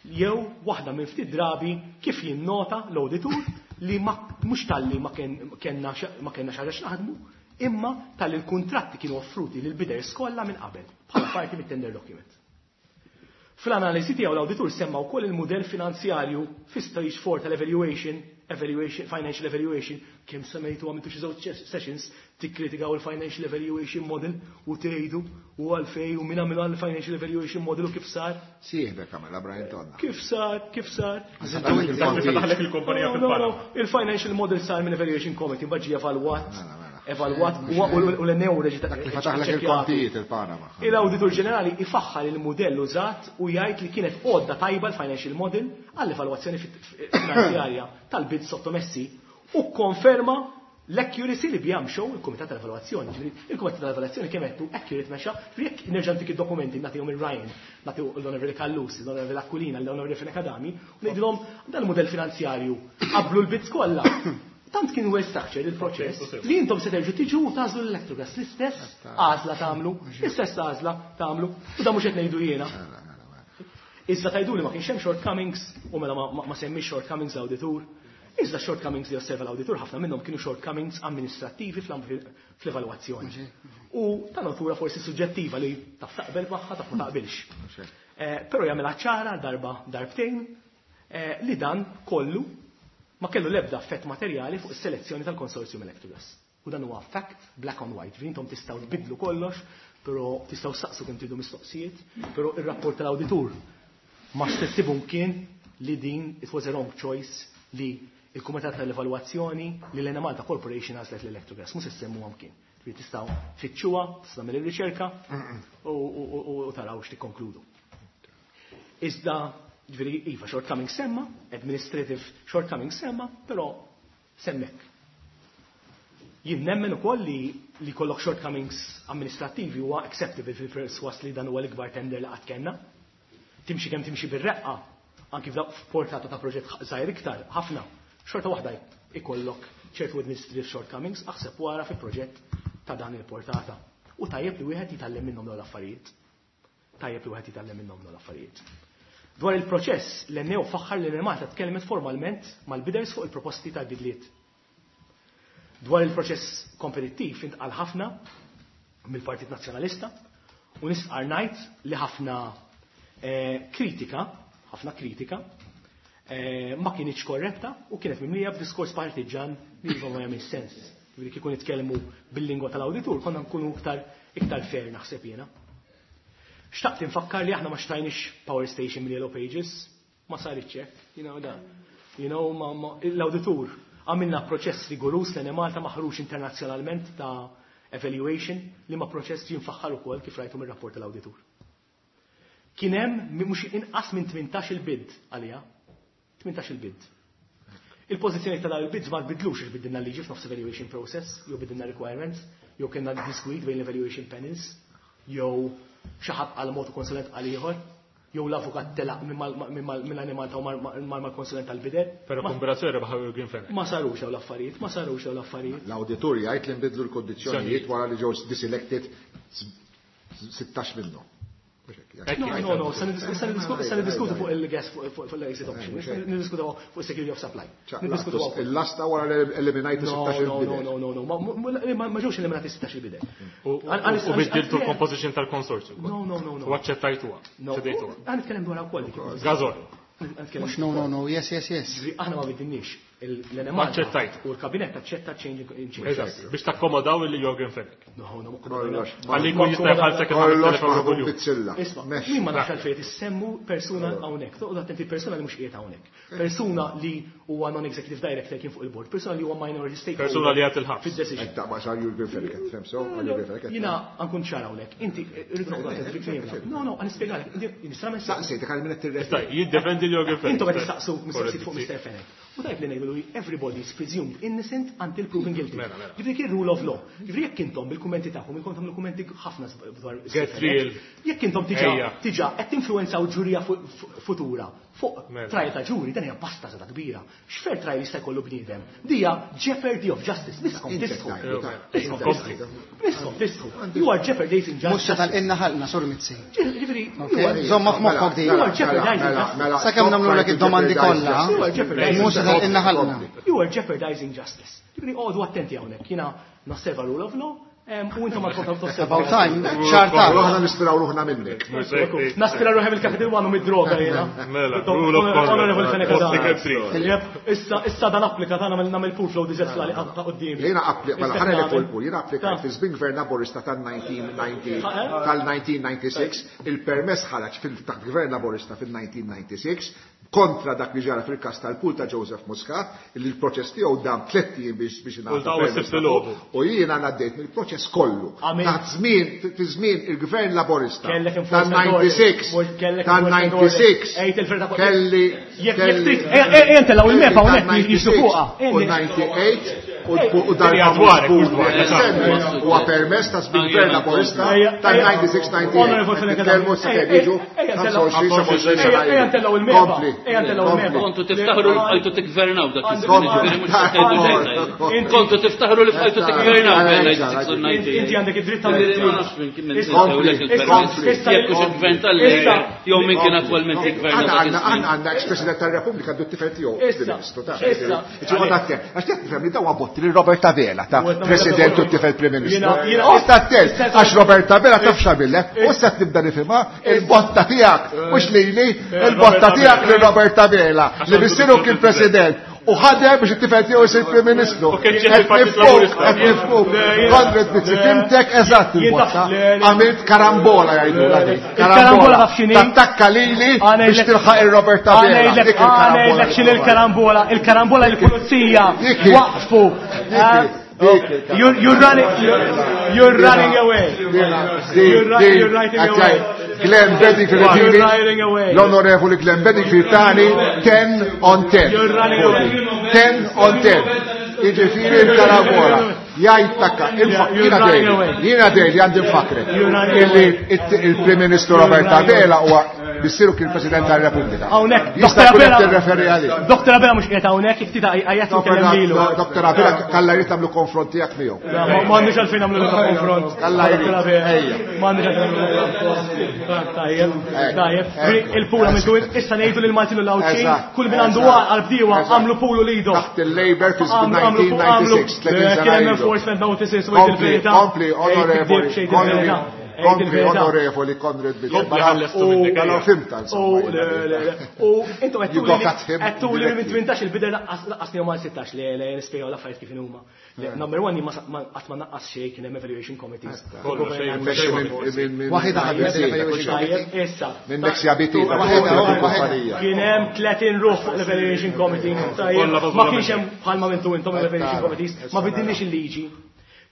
jew waħda minn ftit drabi kif jinnota l-awditur li mhux talli ma kellna ma kellna xi ħaġa x'naħdmu, imma talli l-kuntratti kienu offruti lil bidders kollha minn qabel bħala parti mit-tender document. Fl-analiżi tiegħu l-awditur semma wkoll il-mudell finanzjarju fi stage four tal-evaluation, evaluation, financial evaluation, kemm semmejtu għamiltu xi żewġ sessions tikkritikaw il-financial evaluation model u tgħidu u għalfej u min għamilha l-financial evaluation model u kif sar.
Sieħbek għamilha Brian Tonna.
Kif sar, kif sar.
Daħlek il-kumpanija
fil-panel. Il-financial model sar minn evaluation committee, mbagħad ġie evalwat. Evalwat u l-N A O reġi ta'
Dak li fetaħlek il-kontijiet il-Panama.
Il-Awditur Ġenerali ifaħħar il-mudell użat u jgħid li kienet għodda tajba l-financial model għall-evalwazzjoni finanzjarja tal-bid sottomessi u konferma l-accuracy li biha mxew il-Kumitat tal-Evalwazzjoni. Ġifieri, il-Kumitat tal-Evalwazzjoni kemm qed accurate mexa, ġifieri jekk nerġa' ntik id-dokumenti nagħtihom il-Ryan, nagħtihom l-Onorevoli Callus, l-Onorevoli Aquilina, l-Onorevoli Fenech Adami, u ngħidilhom dan il-mudell finanzjarju qablu l-bids kollha. Tant kien well structured il-proċess li intom se terġu tiġu u tagħżlu l-Electrogas, l-istess għażla tagħmlu, l-istess għażla tagħmlu, u dan mhux qed ngħidu jiena. Iżda tgħidu li ma kienx hemm shortcomings u mela ma, ma semmix shortcomings l-awditur. Iżda shortcomings li osserva l-awditur ħafna minnhom kienu shortcomings amministrattivi fl-evalwazzjoni. U ta' natura forsi suġġettiva li taf taqbel magħha, taf ma taqbilx. Eh, però jagħmilha ċara darba darbtejn, eh, li dan kollu ma kellu l-ebda effett materjali fuq is-selezzjoni tal-konsorzjum Electrogas. U dan huwa fact black on white. Ġifieri intom tistgħu tbidlu kollox, però tistgħu saqsu kemm tridu mistoqsijiet, però ir-rapport tal-awditur ma stessibhom kien li din it was a wrong choice li il-Kumitat tal-Evalwazzjoni li l-Enemalta Corporation għażlet l-Electrogas. Mhux se semmuhom kien. Ġifieri tistgħu tfittxuha, tistgħu tagħmel ir-riċerka u, u, u, u taraw x'tikkonkludu. Iżda, ġifieri, iva, shortcoming semma, administrative shortcoming semma, però semmek. Jien nemmen ukoll li, li kollok shortcomings amministrativi huwa acceptable fil-perswas li dan huwa l-ikbar tender li qatt kellna. Timxi kemm timxi bir-reqqa, anki f'portata ta' proġett żgħir iktar, ħafna, xorta waħda ikollok ċertu administrative shortcomings, aħseb wara fi proġett ta' dan il-portata. U tajjeb li wieħed jitgħallem minnhom dawn l-affarijiet. Tajjeb li wieħed jitgħallem minnhom dawn l-affarijiet. Dwar il-proċess, l-N A O faħħar li l-Enemalta tkellmet formalment mal-bidders fuq il-proposti tal-bidliet. Dwar il-proċess kompetittiv intqal ħafna mill-Partit Nazzjonalista u nistqar ngħid li ħafna, eh, kritika, ħafna kritika, eh, ma kienx korretta u kienet mimlija b'diskors partiġan li ma jagħmel sens. Ġifieri kieku nitkellmu bil-lingwa tal-awditur konna nkunu iktar, iktar fair naħseb jiena. Xtaqt infakkar li aħna ma xtrajniex power station mill Yellow Pages, ma saritx hekk, you know da. You know, ma, ma, l-awditur għamilna proċess rigorus l Malta maħruġ internazzjonalment ta' evaluation li ma proċess ġie mfaħħar ukoll kif rajtu mir-rapport tal-awditur. Kien hemm mhux inqas minn tmintax il-bid għalija. Tmintax il-bid. Il-pożizzjoni ta' dawn il-bids ma tbidlux għax bidilna liġi f'nofs evaluation process, jew bidilna requirements, jew kellna diskwit bejn l-evaluation panels, jew xi ħadd għal mod konsulent għal ieħor, jew l-avukat telaq minn Enemalta u mal-konsulent tal-bider.
Però
Ma-
kombinazzjoni rebaħ Green Fenech.
Ma sarux dawn l-affarijiet, ma sarux dawn l-affarijiet.
L-awditur jgħid li nbidlu l-kondizzjonijiet wara li ġew deselected sittax minnhom.
No, no, no, se niddiskutu fuq il-gas, fuq l-exit option, niddiskutu fuq security of supply. Niddiskutu fuq
Il-lasta wara li eliminajtu sittax
No, no,
il-bider.
no, no, no, ma, ma ġewx eliminati sittax il-bider.
U biddiltu l-composition tal-konsorzju.
No, no, no, no.
U aċċettajtuha.
No,
ċedejtuha.
għan nitkellem dwar ukoll dik.
Gazol.
Mhux no, no, no, yes, yes, yes.
Aħna ma biddilniex L-Enemalta u l-kabinett aċċetta change in change.
Eżatt, biex takkomodaw il Yorgen Fenech.
No, no,
Għalli jkun jista' jħallsek
Kollox maħdum bizzilla.
Isma', min ma nafx għalfejn issemmu persuna hawnhekk. Toqgħod attenti persuna li mhux qiegħed hawnhekk. Persuna li huwa non-executive director kien fuq il-board, persuna li huwa minority stakeholder.
Persuna li għad il-ħabs.
Fid-decision.
Qed taqbad għal Yorgen Fenech, qed tifhem sew għal Yorgen Fenech.
Jiena nkun ċar hawnhekk. Inti rridu noqgħod attenti fi kliemna. No, no, għan nispjegalek.
Saqsejtek għal min qed tirreferi.
Jiddefendi l-Yorgen Fenech.
Intom qed tistaqsu mistoqsijiet fuq Mister Fenech. U tajb li ngħidu li everybody is presumed innocent until proven guilty. Ġifieri kien rule of law. Ġifieri jekk intom bil-kummenti tagħkom, inkom tagħmlu kummenti ħafna dwar
Get real.
Jekk intom diġà diġà qed tinfluwenzaw ġurija futura fuq trial ta' ġuri, dan hija basta żgħata kbira. X'fair trial jista' jkollu bniedem? Dija jeopardy of justice. Niskom tisħu. Niskom tisħu. You are jeopardizing justice.
Mhux tal-inna ħalqna Sur Mizzi.
Ġifieri,
żomma f'moħħok di.
You are jeopardizing justice.
Sakemm nagħmlulek id-domandi kollha. Mhux tal-inna ħalqna.
You are jeopardizing justice. Ġifieri oqgħodu attenti hawnhekk. Jiena nosserva rule of law. U intom għadkom tosservaw.
About time, xarta.
Aħna nispiraw ruħna minnek.
Naspira ruħi mill-Capital One u mid-droga jiena.
Mela, rule of conduct.
Issa issa dan applika tagħna nagħmel pool flow diżess li ta' quddiem.
Jiena applika, mela ħana li pool, jiena applikajt fi żmien gvern Laburista tal-nineteen ninety-six, il-permess ħareġ fil-taħt gvern Laburista fil-nineteen ninety-six kontra dak li ġara fil-kas tal-pool ta' Joseph Muscat, li l-proċess tiegħu dam tliet ijiem biex biex ingħata. U jiena ngħaddejt mill-proċess kollu. Taħt żmien, fi żmien il-Gvern Laburista tal-ninety-six, tal-ninety-six, kelli
Ejja ntellgħu il-mepa hawnhekk jiġu fuqha.
U ninety-eight u dal-famuż huwa permess ta' żmien Gvern Laburista tal-ninety-six ninety-eight. Nitkellmu sakemm jiġu
Ejja ntellgħu il-mepa.
Kontu tiftaħru li bqajtu tiggvernaw dak iż-żmien, ġifieri mhux qed tgħidu xejn. Kontu tiftaħru li bqajtu tiggvernaw bejn ninety-six u ninety-eight.
Inti għandek id-dritt tagħmel
Ma nafx minn kien minn jekk hux il-gvern tal-Labour jew min kien attwalment jiggverna dak iż-żmien.
Għandna ex-President tar-Repubblika għandu t-tifel tiegħu Prim-Ministru ta' Ġifieri attent, għax qed nifhem li dawn botti lil Robert Abela ta' President u t-tifel Prim Ministru. Oqgħod attent għax Robert Abela taf x'għamillek, u issa tibda nifhimha il-botta tiegħek mhux lili, il-botta tiegħek lil Robert Abela li missieru kien President u ħadem biex it-tifel tiegħu jsir Prim Ministru. Qed nifhmuk, Konrad Mizzi, fimtek eżatt il-botta. Għamilt karambola jgħidulha dik.
Karambola taf x'inhi?
Tattakka lili biex tilħaq ir-Robert Abela.
Ngħidlek ngħidlek x'inhi l-karambola. Il-karambola l-pulizija waqfu. You're, you're running, you're, you're running away. You're, you're running away.
Glenn Bedingfield, l-onorevoli Glenn Bedingfield tani ten on ten. ten on ten. Jiġifieri l-karambola. Jgħid takka, jiena dejli, jiena dejli għandi nfakrek. Illi il-Prim Ministru Robert Abela huwa missieru kien President tar-Repubblika.
Hawnhekk,
Jista' jkun qed tirreferi għalih.
Doktor Abela mhux qiegħed hawnhekk, jekk tida għajjat tkellem lilu.
Doktor Abela kalla jrid tagħmlu konfront tiegħek miegħu.
M'għandniex għalfejn nagħmlu konfront.
Kalla jrid. Ejja.
M'għandniex għalfejn nagħmlu konfront. Tajjeb, tajjeb. Il-pula għamiltu issa ngħidu lil Maltin u l-Għawdxin, kull min għandu għal bdiewa għamlu pulu lido.
Taħt il-Labour fi żmien nineteen ninety-six, tletin sena ilu.
Enforcement notices u il-verità.
Kompli, onorevoli, kompli, onorevoli Konrad Mizzi. Mela fimta, insomma.
U intom qed tuli minn tmintax il-bider laqqasni u mal sittax li nispjegaw l-affarijiet kif huma. Number one, qatt ma naqqas xejn kien hemm evaluation committees.
Waħda ħadmet evaluation committee.
Issa.
Minn Nexia B T, kumpanija.
Kien hemm tletin ruħ fuq l-evaluation committee. Ma kienx hemm bħalma mintu intom l-evaluation committees, ma biddilniex il-liġi.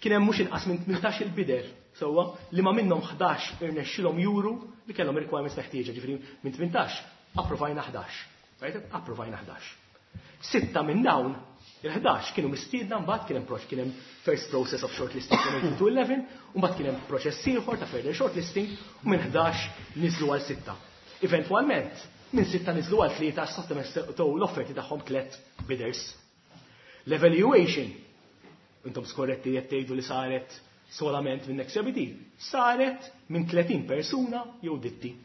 Kien hemm mhux inqas minn tmintax il-bider, sewwa, li ma minnhom ħdax irnexxilhom juru li kellhom requirements meħtieġa, ġifieri minn tmintax approvajna ħdax. Right? Approvajna ħdax. Sitta minn dawn il-ħdax kienu mistiedna mbagħad kien hemm proċ kien hemm first process of shortlisting from eighteen to eleven, u mbagħad kien hemm proċess ieħor ta' further shortlisting u minn ħdax niżlu għal sitta. Eventwalment, minn sitta niżlu għal tlieta sottomettew l-offerti tagħhom tliet bidders. L-evaluation, intom skorretti qed tgħidu li saret solament minn Nexia B T, saret minn tletin persuna jew ditti.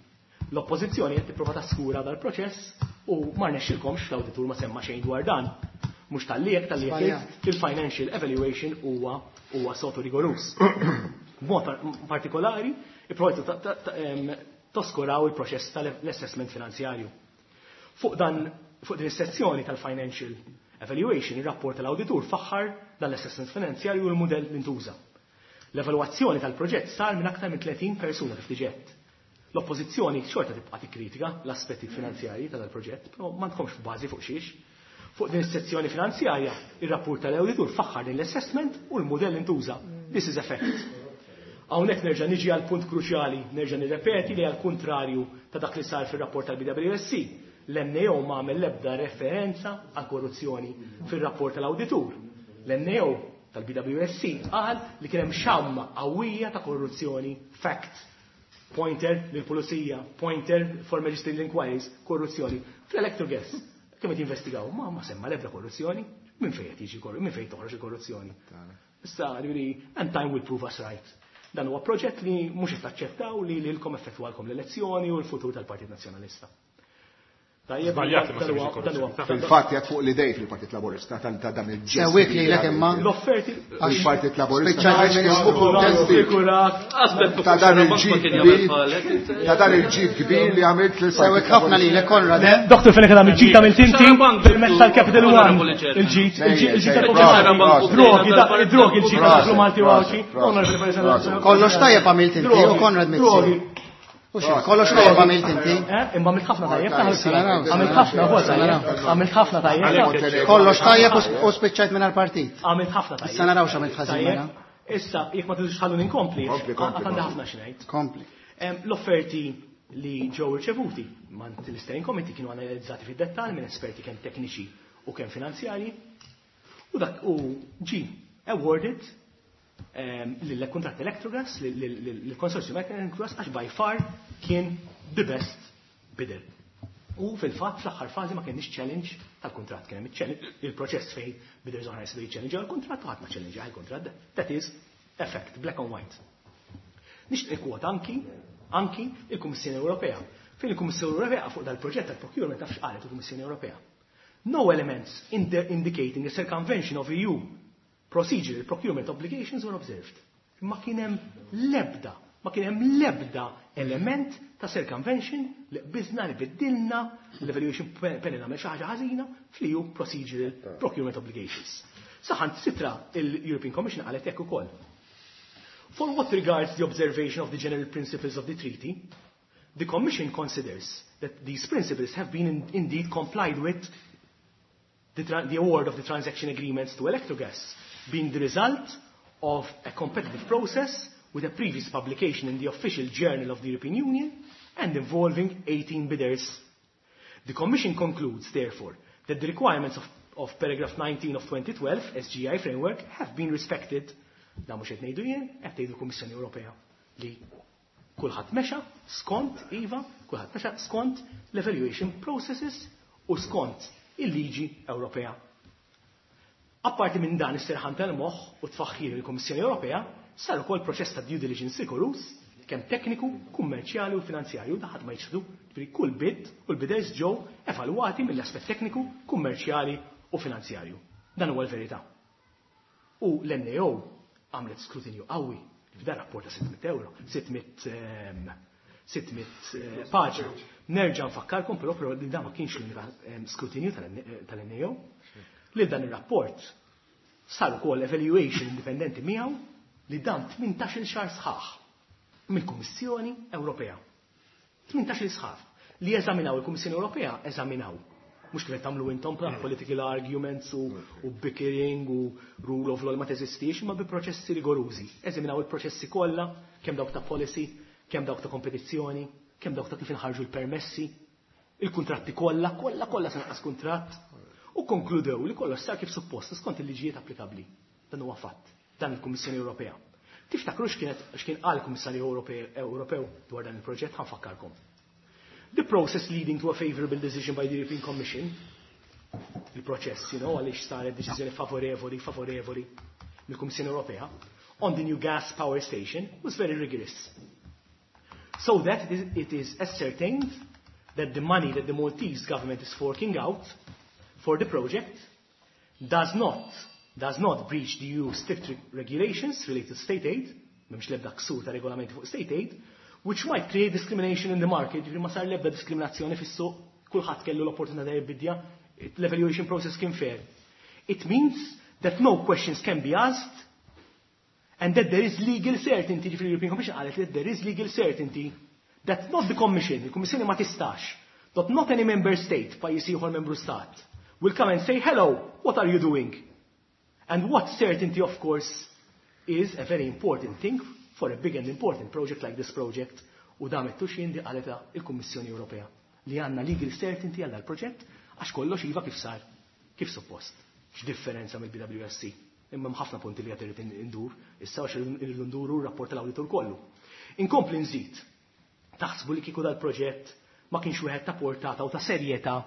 L-oppożizzjoni qed tipprova taskura dal-proċess u ma rnexxilkomx l-awditur ma semma xejn dwar dan. Mhux tal-li jekk tal-li jekk il-financial evaluation huwa huwa sotu rigorus. B'mod partikolari, ipprovajtu toskuraw il-proċess tal-assessment finanzjarju. Fuq dan, fuq din is-sezzjoni tal-financial Evaluation, ir-rapport tal-awditur faħħar dan l-assessment finanzjarju u l-mudell li ntuża. L-evalwazzjoni tal-proġett sar minn aktar minn tletin persuna kif diġett. L-oppożizzjoni xorta tibqa' tikkritika l-aspetti finanzjarji ta' dal-proġett, però m'għandkomx bażi fuq xiex. Fuq din is-sezzjoni finanzjarja, ir-rapport tal-awditur faħħar din l-assessment u l-mudell intuża. This is a fact. Hawnhekk nerġa' niġi għal punt kruċjali, nerġa' nirrepeti li għal kuntrarju ta' dak li sar fir-rapport tal-B W S C, l-N A O ma għamel l-ebda referenza għal korruzzjoni fir-rapport tal-awditur. L-N A O tal-B W S C qal li kien hemm xamma qawwija ta' korruzzjoni, fact. Pointer lill-pulizija, pointer for magisterial inquiries, korruzzjoni. Fl-Electrogas, kemm qed jinvestigaw, ma, ma semma l-ebda korruzzjoni, minn fejn qed jiġi korru-, minn fejn toħroġ il-korruzzjoni. Issa, ġifieri, and time will prove us right. Dan huwa proġett li mhux qed taċċettaw li lilkom effettwalkom l-elezzjoni u l-futur tal-Partit Nazzjonalista. Tajjeb,
Żbaljat li ma
dan huwa-
semmix il-korruzzjoni.
dan huwa-
Fil-fatt jgħid fuq l-idej fil-Partit Laburista tal-, ta' dan il-ġest.
Sewwik li lek imma.
L-offerti
Il-Partit Laburista.
Spiċċajt
Għax
minn
kienu
kuntesti.
Sikurat.
Aspett,
Ta' dan
ma
il-ġid
kien jagħmel
kbir.
bħalek, inti.
Ta' dan il-ġid kbir li għamilt lil
Sewwik ħafna lilek, Konrad, eh?
Doktor Fenech Adami, il-ġid għamilt inti
Xarabank
permezz tal-Capital One.
Onorevoli Chairman.
Il-ġid, il-ġid, il-ġid
Ejja,
tal-Capital
ejja,
One. Drogi, da-
prosit,
drogi, il-ġid
prosit,
tal-Malti u
prosit,
Għawdxi.
prosit,
Onorevoli President.
prosit.
Kollox tajjeb għamilt inti, u
Drogi,
Konrad Mizzi.
drogi.
U xi, kollox tajjeb għamilt inti.
Eh, imma għamilt ħafna tajjeb,
Tajjeb,
taħseb.
naraw,
Għamilt
naraw.
ħafna, huwa tajjeb. Għamilt ħafna tajjeb.
Kollox tajjeb u s-, u spiċċajt minn għall-partit.
Għamilt ħafna tajjeb.
Issa naraw x'għamilt ħażin
Tajjeb.
mela.
Issa, jekk ma tridux ħallu ninkompli,
Kompli, kompli,
għandi
kompli.
ħafna xi ngħid.
Kompli.
Em, L-offerti li ġew irċevuti mant l-Steering Committee kienu analizzati fid-dettall minn esperti kemm tekniċi u kemm finanzjarji. U dak u ġi awarded, em, lill-kuntratt Electrogas, lill-konsorzju Electrogas, għax by far kien the best bidder. U fil-fatt fl-aħħar fażi ma kienx challenge tal-kuntratt, kien hemm il-challenge, il-proċess fejn bidders oħra jistgħu jiċċellenġjaw il-kuntratt u ħadd ma challenge il-kuntratt. That is effect, black and white. Nixtieq kwota anki, anki il-Kummissjoni Ewropea. Fejn il-Kummissjoni Ewropea fuq dal-proġett tal-procurement taf x'qalet il-Kummissjoni Ewropea. No elements in the indicating a circumvention of E U procedural procurement obligations were observed. Ma kien hemm l-ebda, ma kien hemm l-ebda element ta' circumvention li qbiżna li biddilna l-evaluation panel għamel xi ħaġa ħażina fl-E U procedural procurement obligations. Saħan sitra il-European Commission qalet hekk ukoll. For what regards the observation of the general principles of the treaty, the Commission considers that these principles have been in, indeed complied with the, tra-, the award of the transaction agreements to Electrogas, being the result of a competitive process with a previous publication in the official journal of the European Union and involving eighteen bidders. The Commission concludes, therefore, that the requirements of, of paragraph nineteen of twenty twelve S G I framework have been respected. Da mhux qed ngħidu jien, qed tgħidu l-Kummissjoni Ewropea li kulħadd mexa skont iva, kulħadd mexa skont l-evaluation processes u skont il-liġi Ewropea. Apparti minn dan is-serħan tal-moħħ u tfaħħir il-Kummissjoni Ewropea, sar ukoll proċess ta' due diligence rigorus, kemm tekniku, kummerċjali u finanzjarju, da ħadd ma jiċħdu, ġifieri kull bid u l-biders ġew evalwati mill-aspett tekniku, kummerċjali u finanzjarju. Dan huwa l-verità. U l-N A O għamlet skrutinju qawwi f'dan rapport ta' sitt mitt euro, sitt mitt, ehm, sitt mitt, eh, paġna. Nerġa' nfakkarkom però, però li dan ma kienx l-unika, ehm, skrutinju tal-N A O, li dan ir-rapport sar ukoll evaluation indipendenti miegħu li dan tmintax-il xahar sħaħ mill-Kummissjoni Ewropea. Tmintax-il sħaħ li eżaminaw il-Kummissjoni Ewropea eżaminaw. Mhux kif qed tagħmlu intom bħala political arguments u, u bickering u rule of law li ma teżistix, imma bi proċessi rigorużi. Eżaminaw il-proċessi kollha, kemm dawk ta' policy, kemm dawk ta' kompetizzjoni, kemm dawk ta' kif inħarġu l-permessi, il-kuntratti kollha, kollha kollha se naqas kuntratt. U konkludew li kollox sar kif suppost skont il-liġijiet applikabbli. Dan huwa fatt, dan il-Kummissjoni Ewropea. Tiftakru x'kienet, x'kien qal il-Kummissarju Ewrope-, Ewropew dwar dan il-proġett, ħanfakkarkom. The process leading to a favorable decision by the European Commission, il-proċess, you know, għaliex saret deċiżjoni favorevoli, favorevoli mill-Kummissjoni Ewropea, on the new gas power station was very rigorous. So that it is, it is ascertained that the money that the Maltese government is forking out for the project does not, does not breach the E U strict regulations related to state aid, m'hemmx l-ebda ksur ta' regolamenti fuq state aid, which might create discrimination in the market. Ġifieri ma sar l-ebda diskriminazzjoni fis-suq, kulħadd kellu l-opportunità jibidja, l-evaluation process kien fair. It means that no questions can be asked and that there is legal certainty, ġifieri European Commission qalet that there is legal certainty that not the Commission, il-Kummissjoni ma tistax, that not any member state, pajjiż ieħor membru stat, will come and say, hello, what are you doing? And what certainty, of course, is a very important thing for a big and important project like this project, u damet tuxin di qaleta il-Kummissjoni Ewropea li għandna legal certainty għal dal-proġett għax kollox iva kif sar, kif suppost. X'differenza mill-B W S C. Imma ħafna punti li qed irid indur, issa għax irridu nduru r-rapport tal-awditur kollu. Inkompli nżid, taħsbu li kieku dal-proġett ma kienx wieħed ta' portata u ta' serjetà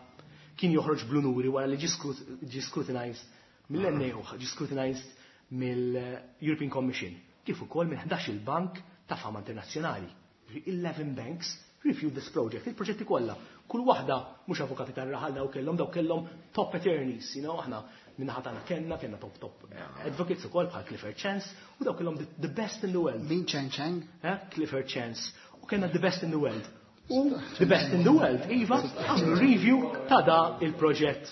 kien joħroġ bl-unuri wara li ġie scrutinized mill-N A O, ġie scrutinized mill-European Commission, kif ukoll minn ħdax il-bank ta' fama internazzjonali. eleven banks reviewed this project, il-proġetti kollha. Kull waħda mhux avukati tar-raħal daw kellhom, daw kellhom top attorneys, you know, aħna minnaħa tagħna kellna, kellna top top advocates ukoll bħal Clifford Chance, u daw kellhom the, the best in the world.
Min Cheng Cheng?
Eh? Clifford Chance. U kellna the best in the world. U the best in the world, iva, għamlu review ta' da il-proġett.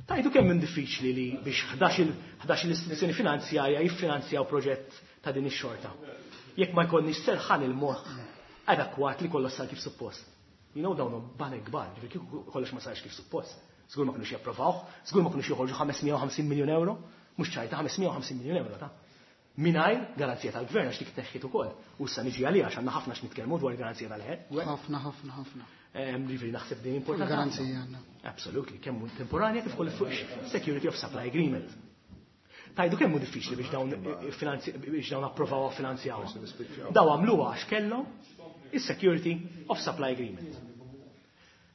Tajdu kemm minn diffiċli li biex ħdax il-istituzzjoni finanzjarja jiffinanzjaw proġett ta' din ix-xorta. Jekk ma jkollniex serħan il-moħħ adekwat li kollox sar kif suppost. You know, dawn banek kbar, ġifieri kieku kollox ma sarx kif suppost. Żgur ma kinux japprovawh, żgur ma kinux joħorġu ħames mija u ħamsin miljun euro, mhux ċajta ħames mija u ħamsin miljun euro ta' mingħajr garanzija tal-gvern għax dik teħħit ukoll. U issa niġi għalija għax għandna ħafna x'nitkellmu dwar garanzija tal-gvern.
Ħafna, ħafna, ħafna.
Ehm, ġifieri naħseb din importanti.
Garanzija għandna.
Absolutely, kemm temporanja kif ukoll fuq Security of Supply Agreement. Tajdu kemm hu diffiċli biex dawn finanzi-, biex dawn approvaw finanzjaw. Daw għamluha għax kellhom is-Security of Supply Agreement.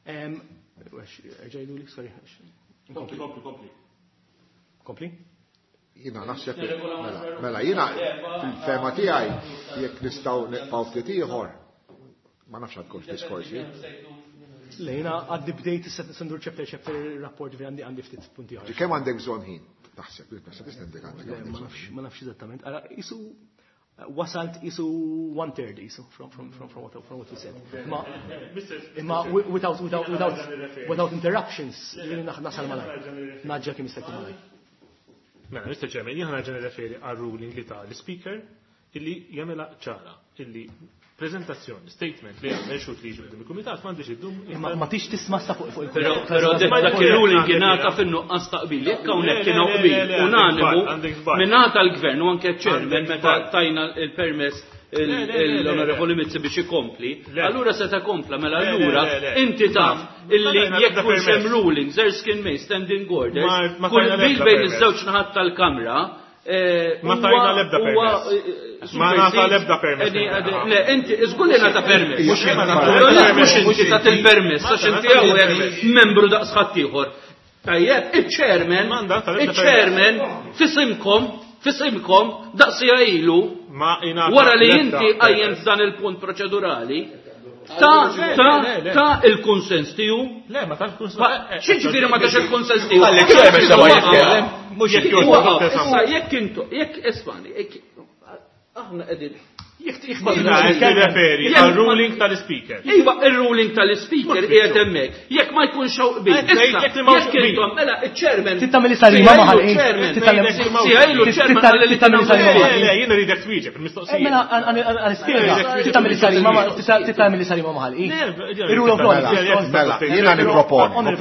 Ehm, Ġajdu li, sorry.
Kompli, kompli, kompli.
Kompli?
Jina naħseb li, mela, mela, jina fil-fema tiegħi jekk nistgħu nibqgħu ftit ieħor, ma nafx għad diskorsi.
Le, jina għaddi bdejt issa sendur chapter chapter rapport vi għandi għandi ftit punti oħra.
Kemm għandek bżonn ħin? Taħseb, naħseb tista' għandek għandek
Le, ma
bżonn.
nafx, ma nafx eżattament. Ara, isu wasalt isu one third isu from, from, from, from what, from what you said. Ma, imma without, without, without, without interruptions, li nasal malaj. Naġġa kemm jista' jkun malaj.
Mela, Mister Chairman, jien ħa nirreferi għal ruling li ta' l-speaker illi jagħmilha ċara illi prezentazzjoni, statement li għamel xut li jiġi quddiem il-kumitat m'għandix iddum.
Imma ma tix tisma' sa fuq fuq il-
Però, però dak ir-ruling jingħata fin-nuqqas ta' qbil. Jekk hawnhekk kien hawn qbil unanimu mingħata l-gvern u anke ċ-chairman meta tajna il-permess l-Onorevoli Mizzi biex ikompli, allura se ta' kompla, mela allura inti taf illi jekk kunx hemm rulings, Erskine May, standing orders, kull qbil bejn iż-żewġ naħat tal-Kamra,
Ma tajna l-ebda permess. Ma nata l-ebda permess.
Le, inti, żgur li nata permess. Mhux inti tagħti il-permess, għax inti hawnhekk membru daqs ħaddieħor. Tajjeb, iċ-chairman, iċ-chairman fisimkom, fisimkom daqsija ilu, wara li inti qajjem f'dan il-punt proċedurali, ta' ta' ta' il-kunsens tiegħu.
Le, ma tax kunsens.
X'jiġifieri ma tax il-kunsens tiegħu?
Għalli, ċermen se ma jitkellem. Mhux jekk
jogħġbok. Issa, jekk intu, jekk ismani, jekk aħna qegħdin
Jekk tirreferi għal ruling tal-speaker.
Iva, il-ruling tal-speaker qiegħed hemmhekk. Jekk ma jkunx hawn qbil. Issa, jekk intom, mela, iċ-chairman.
Tittamel isari ma maħal.
Tittamel chairman qal li
tittamel isari ma
Le, le, jiena rridek twieġeb il-mistoqsija.
Mela, għal-ispjega. Tittamel isari ma tittamel isari ma maħal. Il-rule of law.
Mela, jiena nipproponi.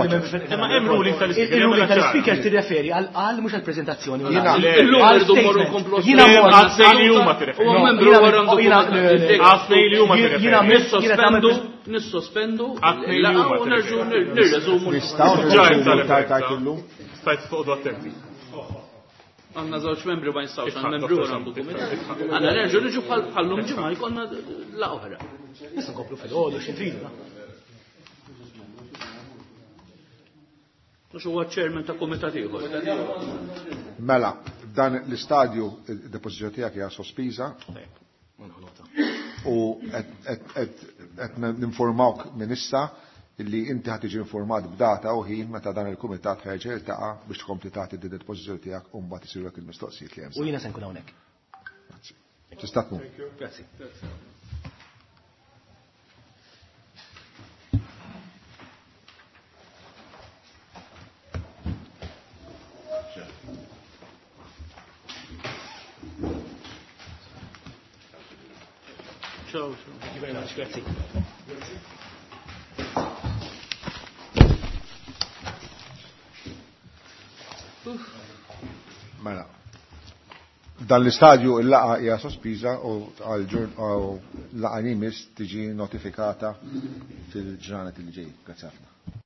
Imma hemm ruling tal-speaker.
Il-ruling tal-speaker tirreferi għal mhux għall-preżentazzjoni.
Illum irridu mmorru nkomplu.
Jiena
mor għal li huma tirreferi.
Huwa membru wara għandu
Jiena
nissospendu, nissospendu, u nerġu nirreżumu.
Nistgħu nirreżumu tard illum.
Stajt toqgħodu attenti.
Għandna żewġ membri ma jistgħux, għandna membru wara għandu kumitat. Għandna nerġu niġu bħallum ġimgħa jkollna la oħra.
Nistgħu nkomplu fil-ħodu xi tridu.
Mhux huwa chairman ta' kumitat ieħor.
Mela, dan l-istadju id-depożizzjoni tiegħek hija sospiża. U qed ninformawk minn issa illi inti ħad tiġi informat b'data u ħin meta dan il-kumitat ħerġa jiltaqa' biex tkompli tagħti din id-depożizzjoni tiegħek u mbagħad isirulek il-mistoqsijiet li hemm.
U jiena se nkun hawnhekk.
Grazzi. Tista' tmur.
Grazzi.
Thank you.
Ciao.
Thank you very much. Grazzi.
Mela. Dan l-istadju il-laqa hija sospiża u għal laqgħa li jmiss tiġi notifikata fil-ġranet li ġej. Grazzi ħafna.